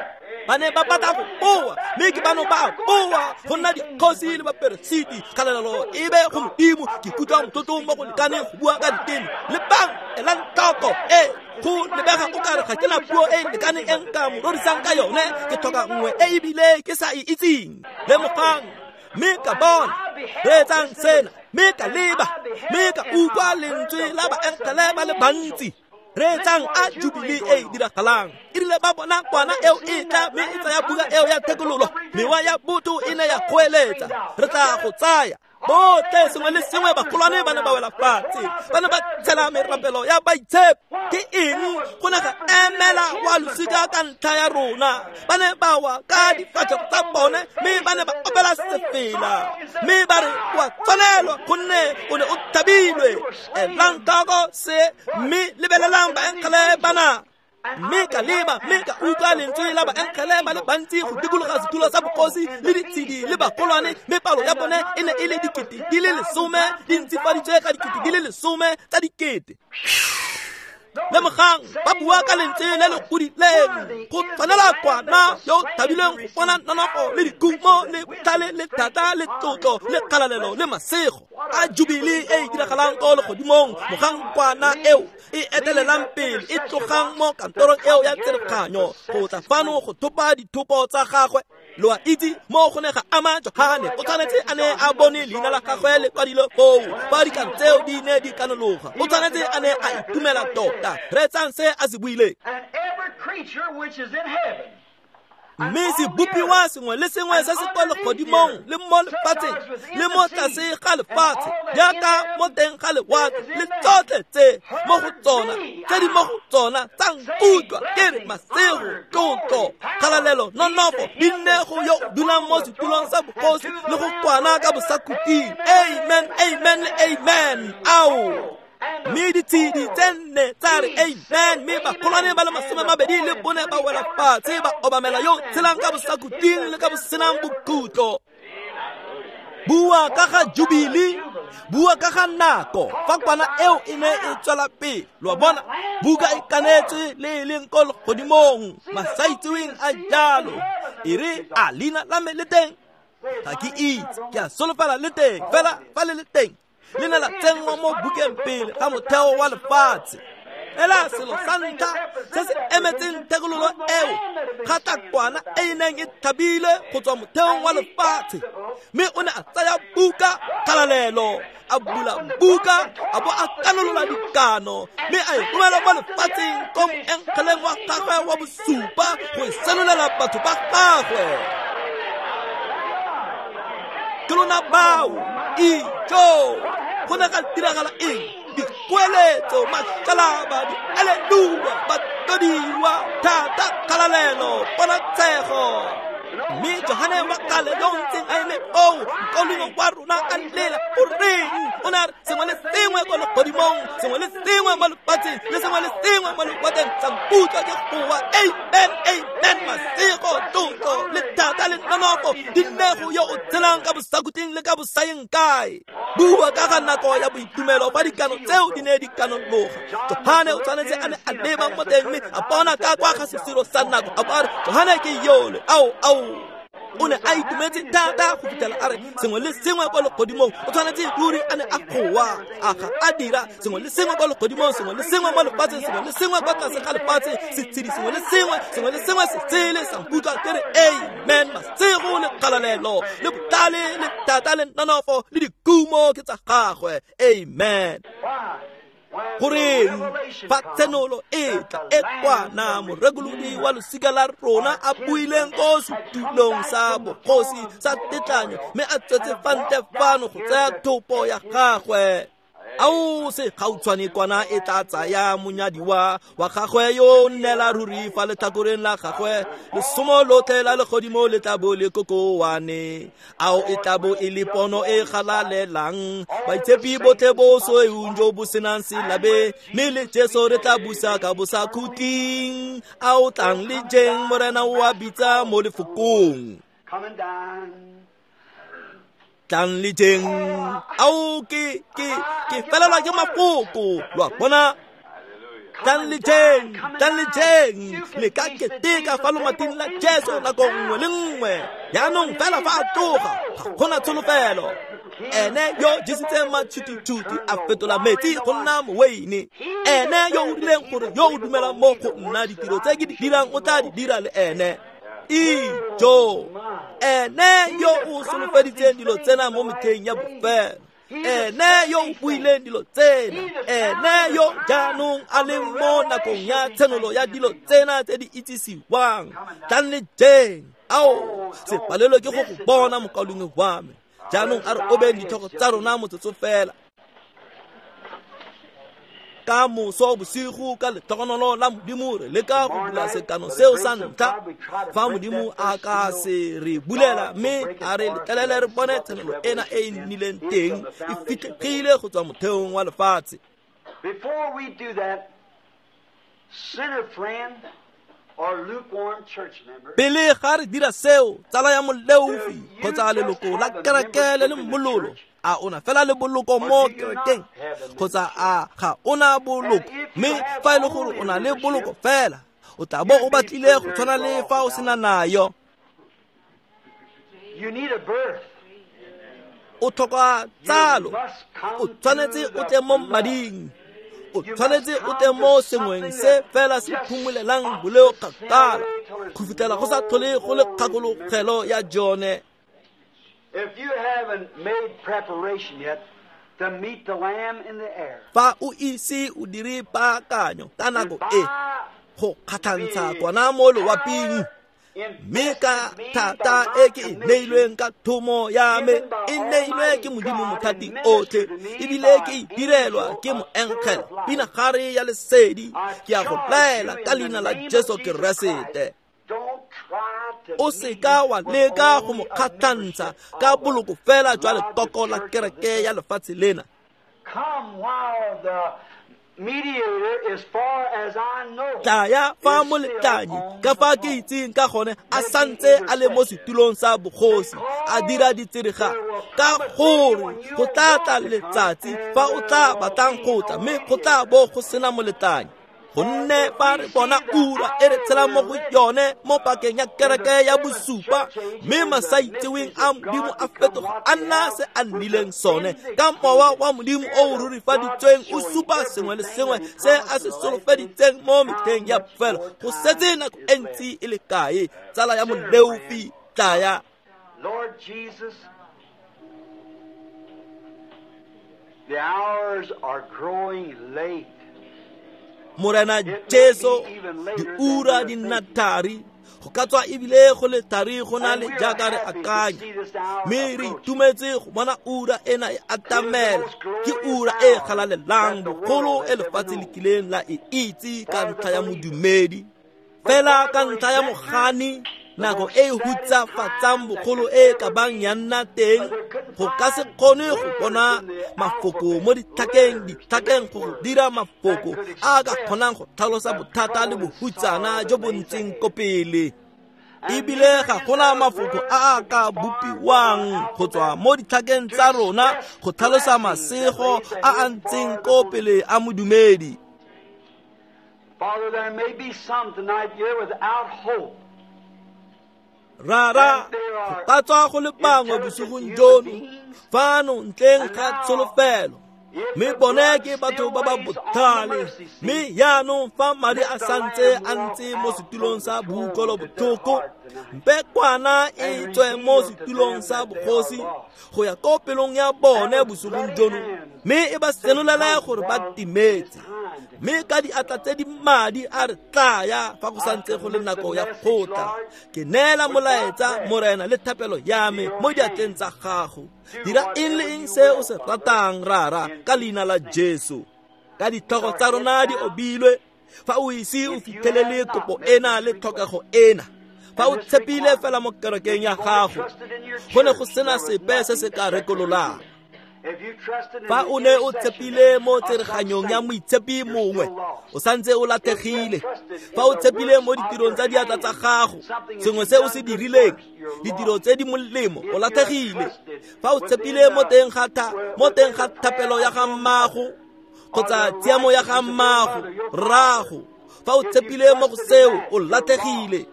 B: Ba ne ba batla go boa, mme ke bano ba boa go nna dikgosi le baperesiti. Kgalalelo e be go Modimo. Ke ikutlwa motlotlo mo go lekaneng go bua ka diteme. Lebang, elang tlhoko e go lebega o kare ga ke na puo e lekaneng e nka mo rorisang ka yone, ke tlhoka nngwe e ebile ke sa e itseng. Lemogang, mme ka bona, reetsang sena, mme ka leba, mme ka utlwa lentswe la baengele ba le bantsi. Reetsang a jubile e diragalang. E rile ba bona kwana eo e tla, mme e tsaya buka eo ya thekololo, mewa ya botho e ne ya goeletsa, re tla go tsaya. Botlhe sengwe le sengwe bagolwane ba ne ba wela fatshe, ba ne ba tshela merapelo ya baitshepi. Ke eng go ne ga emela wa losika ka ntlha ya rona? Ba ne ba wa ka difatlhego tsa bone, mme ba ne ba opela sefela, mme ba re wa tshwanelwa gonne o ne o thabilwe. Elang tlhoko se, mme lebelelang baengele bana. Mme ka leba, mme ka utlwa lentswe la baengele ba le bantsi go dikologa setulo sa bogosi le ditshedi le bagolwane, mme palo ya bone e ne e le dikete di le lesome di ntsifaditswe ka dikete di le lesome tsa dikete. Lemogang, ba bua ka lentswe le le godileng, go tshwanela kwana yo o thabileng go bona nonofo le dikhumo le botlhale le thata le tlotlo le kgalalelo le masego. A jubile e e diragalang ko legodimong mogang kwana eo e etelelang pele e tlogang mo kantorong eo ya tsereganyo go tla fano go thopa dithopo tsa gagwe. Lo a itse mo go ne ga ama Johane, o tshwanetse a ne a bone leina la gagwe le kwadilwe foo fa dikano tseo di ne di kanologa. O tshwanetse a ne a itumela tota. Reetsang se a se buileng. Mme sebopiwa sengwe le sengwe se se kwa legodimong le mo lefatsheng le mo tlase ga lefatshe jaaka mo teng ga lewatle le tsotlhe tse mo go tsona tse di mo go tsona tsa nkutlwa ke re masego, tlotlo, kgalalelo, nonofo di nne go yo o dulang mo setulong sa bogosi le go kwana ka bosakhutleng. Amen, amen le amen. Ao! Mme ditshedi tse nne tsa re amen, mme bagolwane ba le masome mabedi le bone ba wela fatshe ba obamela yo tshelang ka bosakhutleng le ka bosenang bokhutlo. Bua ka ga jubile, bua ka ga nako fa kwana eo e ne e tswela pele. Lo a bona, buka e kanetswe le e leng ko legodimong, masaitseweng a jalo. E re a leina la me le teng? Ga ke itse, ke a solofela le teng, fela fa le le teng le ne la tsenngwa mo bukeng pele ga motheo wa lefatshe. Fela selo sa ntlha se se emetseng thekololo eo ga tla kwana e e neng e thabile go tswa motheong wa lefatshe, mme o ne a tsaya buka kgalalelo, a bula buka, a bo a kanolola dikano, mme a e romela mo lefatsheng ko moengeleng wa gagwe wa bosupa go e senolela batho ba gagwe. Ke lona bao, ijo, go ne ga diragala eng? Dikgoeletso, makalaba, dialeluya, batlodiwa, thata, kgalalelo, ponatshego. Mme Johane wa kgale yo o ntseng a eme foo, mokaulengwe wa rona a lela, o reng? O ne a re sengwe le sengwe ko legodimong, sengwe le sengwe mo lefatsheng, le sengwe le sengwe mo lewatleng sa nkutlwa ke goa amen, amen. Masego, tlotlo le thata le nonofo di nne go yo o tshelang ka bosakhutleng le ka bosayeng kae. Bua ka ga nako ya boitumelo fa dikano tseo di ne di kanologa. Johane o tshwanetse a ne a leba mo teng mme a bona ka kwa ga sesiro sa nako, a bo a re Johane ke yole, ao ao. O ne a itumetse thata go fitlhela a re sengwe le sengwe kwa legodimong o tshwanetse ruri a ne a goa a ga a dira sengwe le sengwe kwa legodimong, sengwe le sengwe mo lefatsheng, sengwe le sengwe kwa tlase ga lefatshe, setshedi sengwe le sengwe, sengwe le sengwe se tsele sa nkutlwa ke re amen. Masego le kgalalelo le botlhale le thata le nonofo le dikumo ke tsa gagwe. Amen. Goreng fa tshenolo e tla e kwana morekolodi wa losika la rona a buileng ko setulong sa bogosi sa tetlanyo mme a tswetse fa ntle fano go tsaya thopo ya gagwe. Ao se gautshwane kwana e tla tsaya monyadiwa wa gagwe yo nnela ruri fa letlhakoreng la gagwe, lesomo lotlhe la legodimo le tla bo le kokoane. Ao e tla bo e le pono e galalelang, baitshepi botlhe bo soeung jo bo senang selabe, mme le Jesu re tla busa ka bosakhutleng. Ao tlang le jeng, Morena o a bitsa mo lefokong. Tlang le jeng. Ao ke ke ke felelwa ke mafoko, lo a bona. Tlang le jeng, tlang le jeng, le ka keteka fa lomating la Jesu nako nngwe le nngwe. Jaanong fela fa a tloga ga gona tsholofelo. Ene yo jesitseng matšhutitšhuti a fetola metsi go nna moweine, ene yo o rileng gore yo o dumelang mo go nna ditiro tse ke di dirang o tla di dira le ene. Ijo, ene yo o solofeditseng dilo tsena mo metlheng ya bofelo, ene yo o buileng dilo tsena, ene yo jaanong a leng mo nakong ya tshenolo ya dilo tsena tse di itsisiwang. Tlang le jeng. Ao se palelwe ke go go bona mokaulengwe wa me. Jaanong a re obeng ditlhogo tsa rona motsotso fela. Ka moso bosigo ka letlhogonolo la Modimo re leka go bula sekano seo sa ntlha. Fa Modimo a ka se re bulela mme a re letlelele re bone tshenolo ena e e nnileng teng e fitlhegile go tswa motheong wa lefatshe.
A: Before we do that, sinner friend or lukewarm church member,
B: pele ga re dira seo, tsala ya moleofi kgotsa leloko la kereke le le mololo, a ona fela le boloko mo kerekeng kgotsa a ga ona boloko? Mme fa e le gore o na le boloko fela, o tla bo o batlile go tshwana le fa o sena nayo.
A: You need a birth.
B: O tlhoka tsalo, o tshwanetse o tle mo mading, o tshwanetse o tle mo sengweng se fela se phumolelang boleo kgakala go fitlhela go sa tlhole go le kgakologelo ya jone.
A: If you haven't made preparation yet to meet the Lamb in the air,
B: fa o ise o dire paakanyo ka nako e go kgatlhantsha kwana mo loaping, mme ka thata e ke e neilweng ka thomo ya me e neilwe ke Modimo mothati otlhe, ebile ke e direlwa ke moengele pinagare ya lesedi, ke a go laela ka leina la Jesu Keresete. O seka wa leka go mo kgatlhantsha ka boloko fela jwa lekoko la kereke ya lefatshe lena.
A: Come while the mediator, as far as I know,
B: Tlaya fa moletlanyi ka fa ke itseng ka gone a santse a le mo setulong sa bogosi a dira ditsirega, ka gore go tla tla letsatsi fa o tla batlang go tla mme go tla bo go sena moletlanyi. Gonne fa re bona ura e re tshelang mo go yone mo pakeng ya kereke ya bosupa, mme masaitseweng a Modimo a fetoga a nna se a nnileng sone ka mowa wa Modimo o o rurifaditsweng o supa sengwe le sengwe se a se solofeditseng mo metlheng ya bofelo. Go setse nako e ntsi e le kae, tsala ya moleofi, tlaya.
A: Lord Jesus, the hours are growing late.
B: Morena Jesu, diura di nna thari, go ka tswa ebile go le thari go na le jaaka re akanya, mme re itumetse go bona ura ena e atamela. Ke ura e galalelang bogolo e lefatshe le kileng la e itse ka ntlha ya modumedi, fela ka ntlha ya mogani, nako e hutsafatsang bogolo e ka bang ya nna teng. Go ka se kgone go bona mafoko mo ditlhakeng, ditlhakeng go go dira mafoko a ka kgonang go tlhalosa bothata le bohutsana jo bo ntseng ko pele. Ebile ga gona mafoko a a ka bopiwang go tswa mo ditlhakeng tsa rona go tlhalosa masego a a ntseng ko pele a modumedi.
A: Father, there may be some tonight here without hope.
B: Rara, go ka tswa go le bangwe bosigong jono fano ntleng ga tsholofelo, mme bone ke batho ba ba botlhale. Mme jaanong fa madi a santse a ntse mo setulong sa boutlwelobotlhoko, mpe kwana e tswe mo setulong sa bogosi go ya ko pelong ya bone bosigong jono, mme e ba senolele gore ba timetse. Mme ka diatla tse di madi a re tlaya fa go santse go le nako ya kgotla. Ke neela molaetsa, Morena, le thapelo ya me mo diatleng tsa gago. Dira eng le eng se o se ratang, Rara, ka leina la Jesu. Ka ditlhogo tsa rona di obilwe, fa o ise o fitlhelele kopo ena le tlhokego ena, fa o tshepile fela mo kerekeng ya gago, go ne go sena sepe se se ka rekololang. Fa o ne o tshepile mo tsereganyong ya moitshepi mongwe, o santse o latlhegile. Fa o tshepile mo ditirong tsa diatla tsa gago, sengwe se o se dirileng, ditiro tse di molemo, o latlhegile. Fa o tshepile mo teng ga tha, mo teng ga thapelo ya ga mmago kgotsa tshiamo ya ga mmago, rrago, fa o tshepile mo go seo, o latlhegile.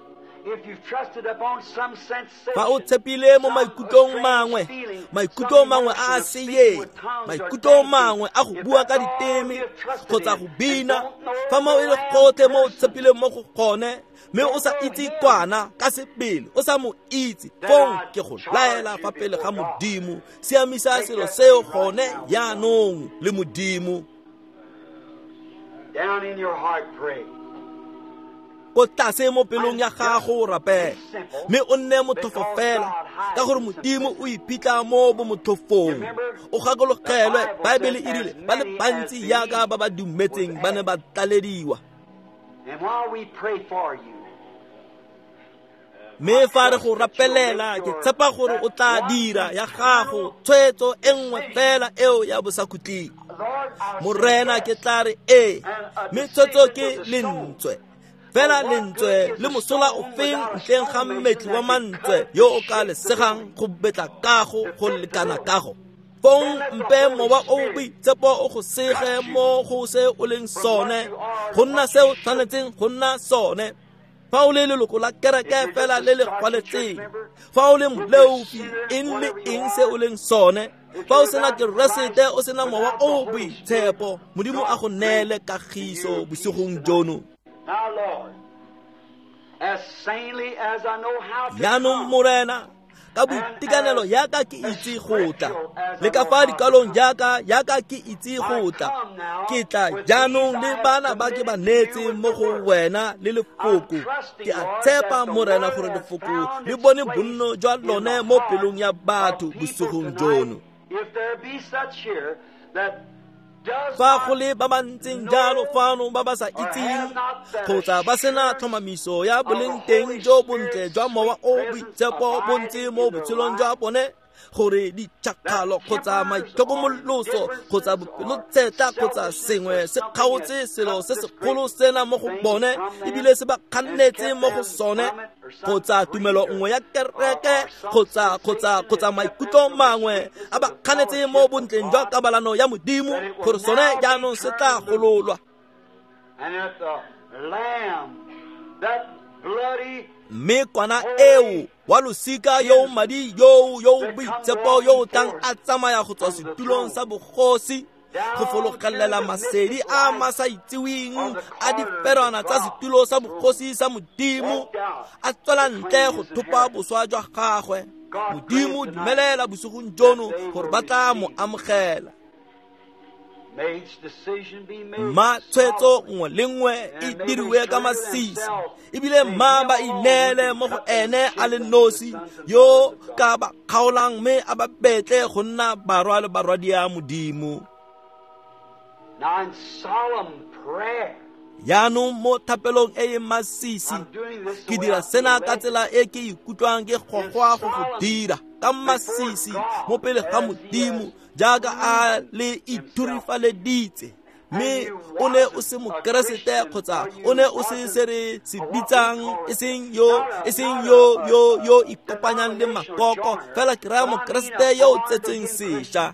B: Fa o tshepile mo maikutlong mangwe, maikutlo mangwe a a seyeng, maikutlo mangwe a go bua ka diteme kgotsa go bina, fa mo e le gotlhe mo o tshepileng mo go gone, mme o sa itse kwana ka sebele, o sa mo itse, fong ke go laela fa pele ga Modimo, siamisa selo seo gone jaanong le Modimo.
A: Down in your heart, pray.
B: Ko tlase mo pelong ya gago rapela, mme o nne motlhofo fela, ka gore Modimo o iphitlha mo bomotlhofong. O gakologelwe, Baebele e rile ba le bantsi jaaka ba ba dumetseng ba ne ba tlalediwa. Mme fa re go rapelela, ke tshepa gore o tla dira ya gago tshwetso e nngwe fela eo ya bosakhutleng. Morena, ke tla re ee, mme tshwetso ke lentswe. Fela lentswe le mosola ofeng ntleng ga mmetli wa mantswe yo o ka lesegang go betla kago go lekana kago. Fong mpe mowa o boitshepo o go sege mo go se o leng sone, go nna se o tshwanetseng go nna sone. Fa o le leloko la kereke fela le le gwaletseng, fa o le moleofi, eng le eng se o leng sone, fa o sena Keresete, o sena mowa o boitshepo, Modimo a go neele kagiso bosigong jono. Jaanong Morena, ka boitekanelo jaaka ke itse go tla, le ka fa dikwalong jaaka jaaka ke itse go tla, ke tla jaanong le bana ba ke ba neetseng mo go wena le lefoko. Ke a tshepa, Morena, gore lefoko le bone bonno jwa lone mo pelong ya batho bosigong jono. Fa go le ba ba ntseng jalo fano ba ba sa itseng kgotsa ba sena tlhomamiso ya boleng teng jo bontle jwa mowa o boitshepo bo ntse mo botshelong jwa bone, gore ditšhakgalo kgotsa maitlhokomoloso kgotsa bopelotshetla kgotsa sengwe se kgaotse selo se segolo sena mo go bone ebile se ba kgannetse mo go sone, kgotsa tumelo nngwe ya kereke kgotsa kgotsa kgotsa maikutlo mangwe a ba kganetse mo bontleng jwa kabalano ya Modimo, gore sone jaanong se tla gololwa. Mme kwana eo wa losika yo madi yo yo boitshepo yo o tlang a tsamaya go tswa setulong sa bogosi go fologelela masedi a masa itseweng a diferwana tsa setulo sa bogosi sa Modimo, a tswela ntle go thopa boswa jwa gagwe. Modimo dumelela bosigong jono gore ba tla mo amogela. Mma tshwetso nngwe le nngwe e diriwe ka masisi, ebile mma ba ineele mo go ene a le nosi yo ka ba kgaolang mme a ba betle go nna barwa le barwadia Modimo. Jaanong mo thapelong e e masisi, ke dira sena ka tsela e ke ikutlwang ke gogwa go go dira ka masisi mo pele ga Modimo jaaka a le ithurifaleditse. Mme o ne o se mokeresete kgotsa o ne o se se re se bitsang, e seng yo e seng yo yo yo ikopanyang le makoko, fela ke raya mokeresete yo o tsetseng sešwa.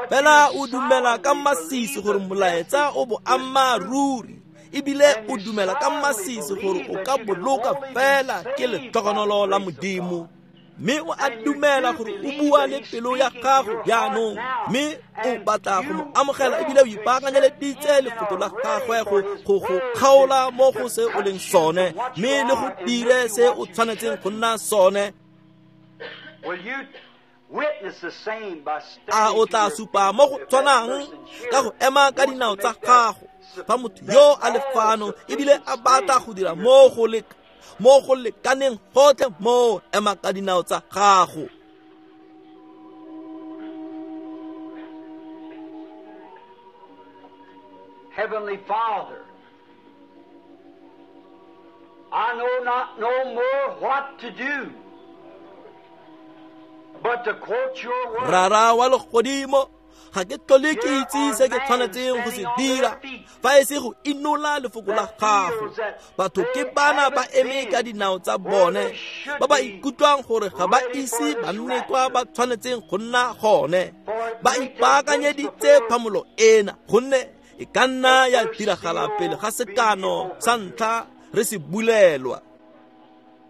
B: Fela o dumela ka masisi gore molaetsa o boammaaruri, Ebile o dumela ka masisi gore o ka boloka fela ke letlhogonolo la Modimo. Mme o a dumela gore o bua le pelo ya gago jaanong, mme o batla go mo amogela ebile o ipaakanyeleditse lefoko la gagwe go go go kgaola mo go se o leng sone, mme le go dire se o tshwanetseng go nna sone. A o tla supa mo go tshwanang ka go ema ka dinao tsa gago fa motho yo a le fano ebile a batla go dira mo go le mo go lekaneng gotlhe mo ema ka dinao tsa gago.
A: Heavenly Father, I know not no more what to do, but to quote your word.
B: Rara wa legodimo, ga ke tlhole ke itse se ke tshwanetseng go se dira fa e se go inola lefoko la gago. Batho ke bana ba eme ka dinao tsa bone ba ba ikutlwang gore ga ba ise ba nne kwa ba tshwanetseng go nna gone. Ba ipaakanyeditse phamolo ena gonne e ka nna ya diragala pele ga sekano sa ntlha re se bulelwa.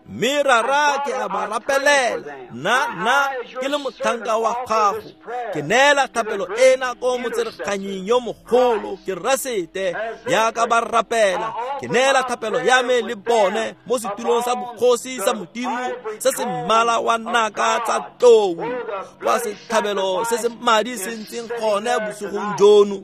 B: Mme rara ke a ba rapelela, nna nna ke le motlhanka wa gago, ke neela thapelo ena ko motsereganying yo mogolo Keresete yaka ba rapela. Ke neela thapelo ya me le bone mo setulong sa bogosi sa Modimo se se mmala wa naka tsa tlou, kwa setlhabelo se se madi se ntseng gone bosigong jono.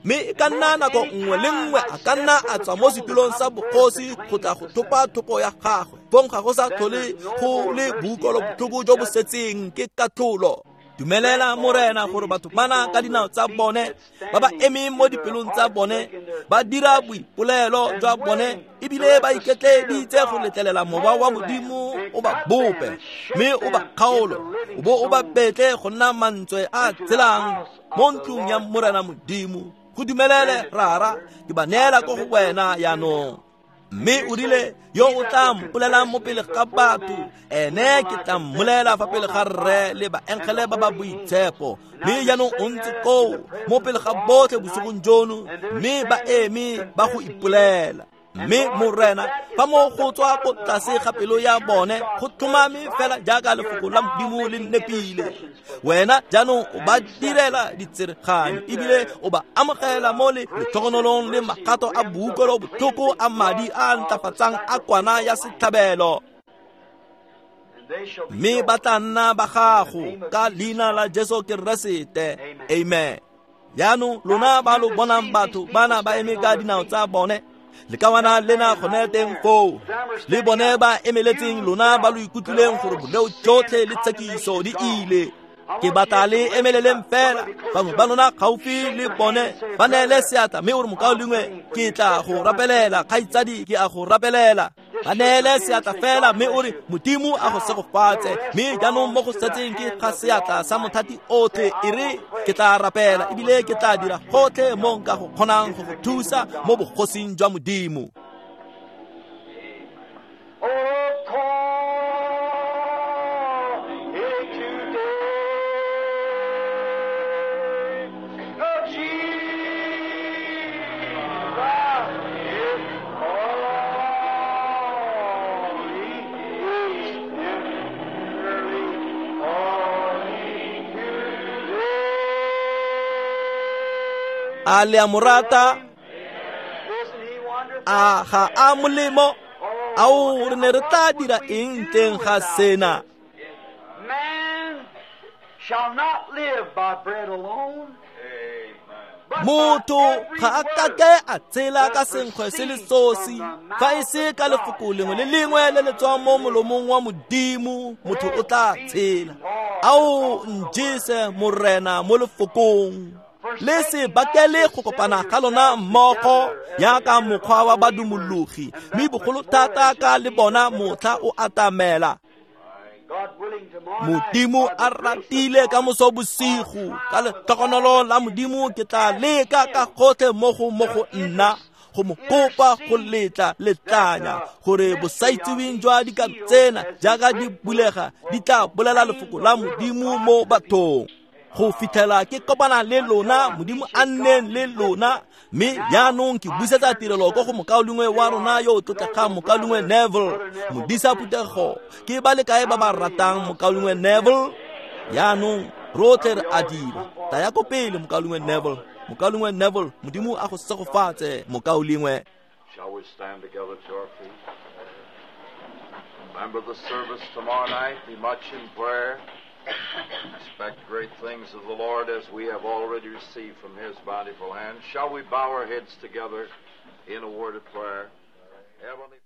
B: Mme e ka nna nako nngwe le nngwe a ka nna a tswa mo setulong sa bogosi go tla go thopa thopo ya gagwe. Fong ga go sa tlhole go le boutlwelobotlhoko jo bo setseng ke katlholo. Dumelela Morena gore batho bana ka dinao tsa bone ba ba emeng mo dipelong tsa bone ba dira boipolelo jwa bone ebile ba iketleeditse go letlelela mowa wa Modimo o ba bope mme o ba kgaolo o bo o ba betle go nna mantswe a tshelang mo ntlong ya Morena Modimo. Go dumelele rara, ke ba neela ko go wena jaanong. Mme o rile yo o tla mpolelang mo pele ga batho, ene ke tla mmolela fa pele ga rre le baengele ba ba boitshepo. Mme jaanong o ntse koo mo pele ga botlhe bosigong jono, mme ba eme ba go ipolela. Mme Morena, fa mo go tswa ko tlase ga pelo ya bone go tlhomame fela jaaka lefoko la Modimo le nepile. Wena jaanong o ba direla ditsereganyo ebile o ba amogela mo le letlhogonolong le magato a boutlwelobotlhoko a madi a ntlafatsang a kwana ya setlhabelo. Mme ba tla nna ba gago ka leina la Jesu Keresete. Amen. Jaanong lona ba lo bonang batho bana ba eme ka dinao tsa bone, lekawana lena gone teng foo le bone ba emeletseng lona ba lo ikutlwileng gore boleo jotlhe le tshekiso di ile. Ke batla le emeleleng fela bangwe ba lona gaufi le bone ba neele seatla mme o re mokaulengwe ke tla go rapelela, kgaitsadi ke a go rapelela. Ba neele seatla fela mme o re Modimo a go segofatse. Mme jaanong mo go setseng ke ga seatla sa mothati otlhe, e re ke tla rapela ebile ke tla dira gotlhe mo nka go kgonang go go thusa mo bogosing jwa Modimo. A le a mo rata? A ga a molemo? Ao re ne re tla dira eng teng ga sena? Motho ga a kake a tshela ka senkgwe se le sosi, fa e se ka lefoko lengwe le lengwe le le tswang mo molomong wa Modimo, motho o tla tshela. Ao njese Morena mo lefokong. Le se bakele go kopana ga lona mmogo yaka mokgwa wa badumologi, mme bogolo thata ka le bona motlha o atamela. Modimo a ratile ka moso bosigo, ka letlhogonolo la Modimo ke tla leka ka gotlhe mo go mo go nna go mo kopa go letla letlanya gore bosaitseweng jwa dika tsena jaaka di bulega di tla bolela lefoko la Modimo mo bathong. Go fitlhela ke kopana le lona, Modimo a nneng le lona. Mme jaanong ke busetsa tirelo ko go mokaulengwe wa rona yo o tlotlegang, mokaulengwe Neville, modisa phuthego. Ke ba le kae ba ba ratang mokaulengwe Neville? Jaanong rotlhe re a dira. Taya ko pele, mokaulengwe Neville. Mokaulengwe Neville, Modimo a go segofatse, mokaulengwe.
C: Shall we stand together to our feet? Remember the service tomorrow night. Be much in prayer. Expect great things of the Lord as we have already received from His bountiful hand. Shall we bow our heads together in a word of prayer? Heavenly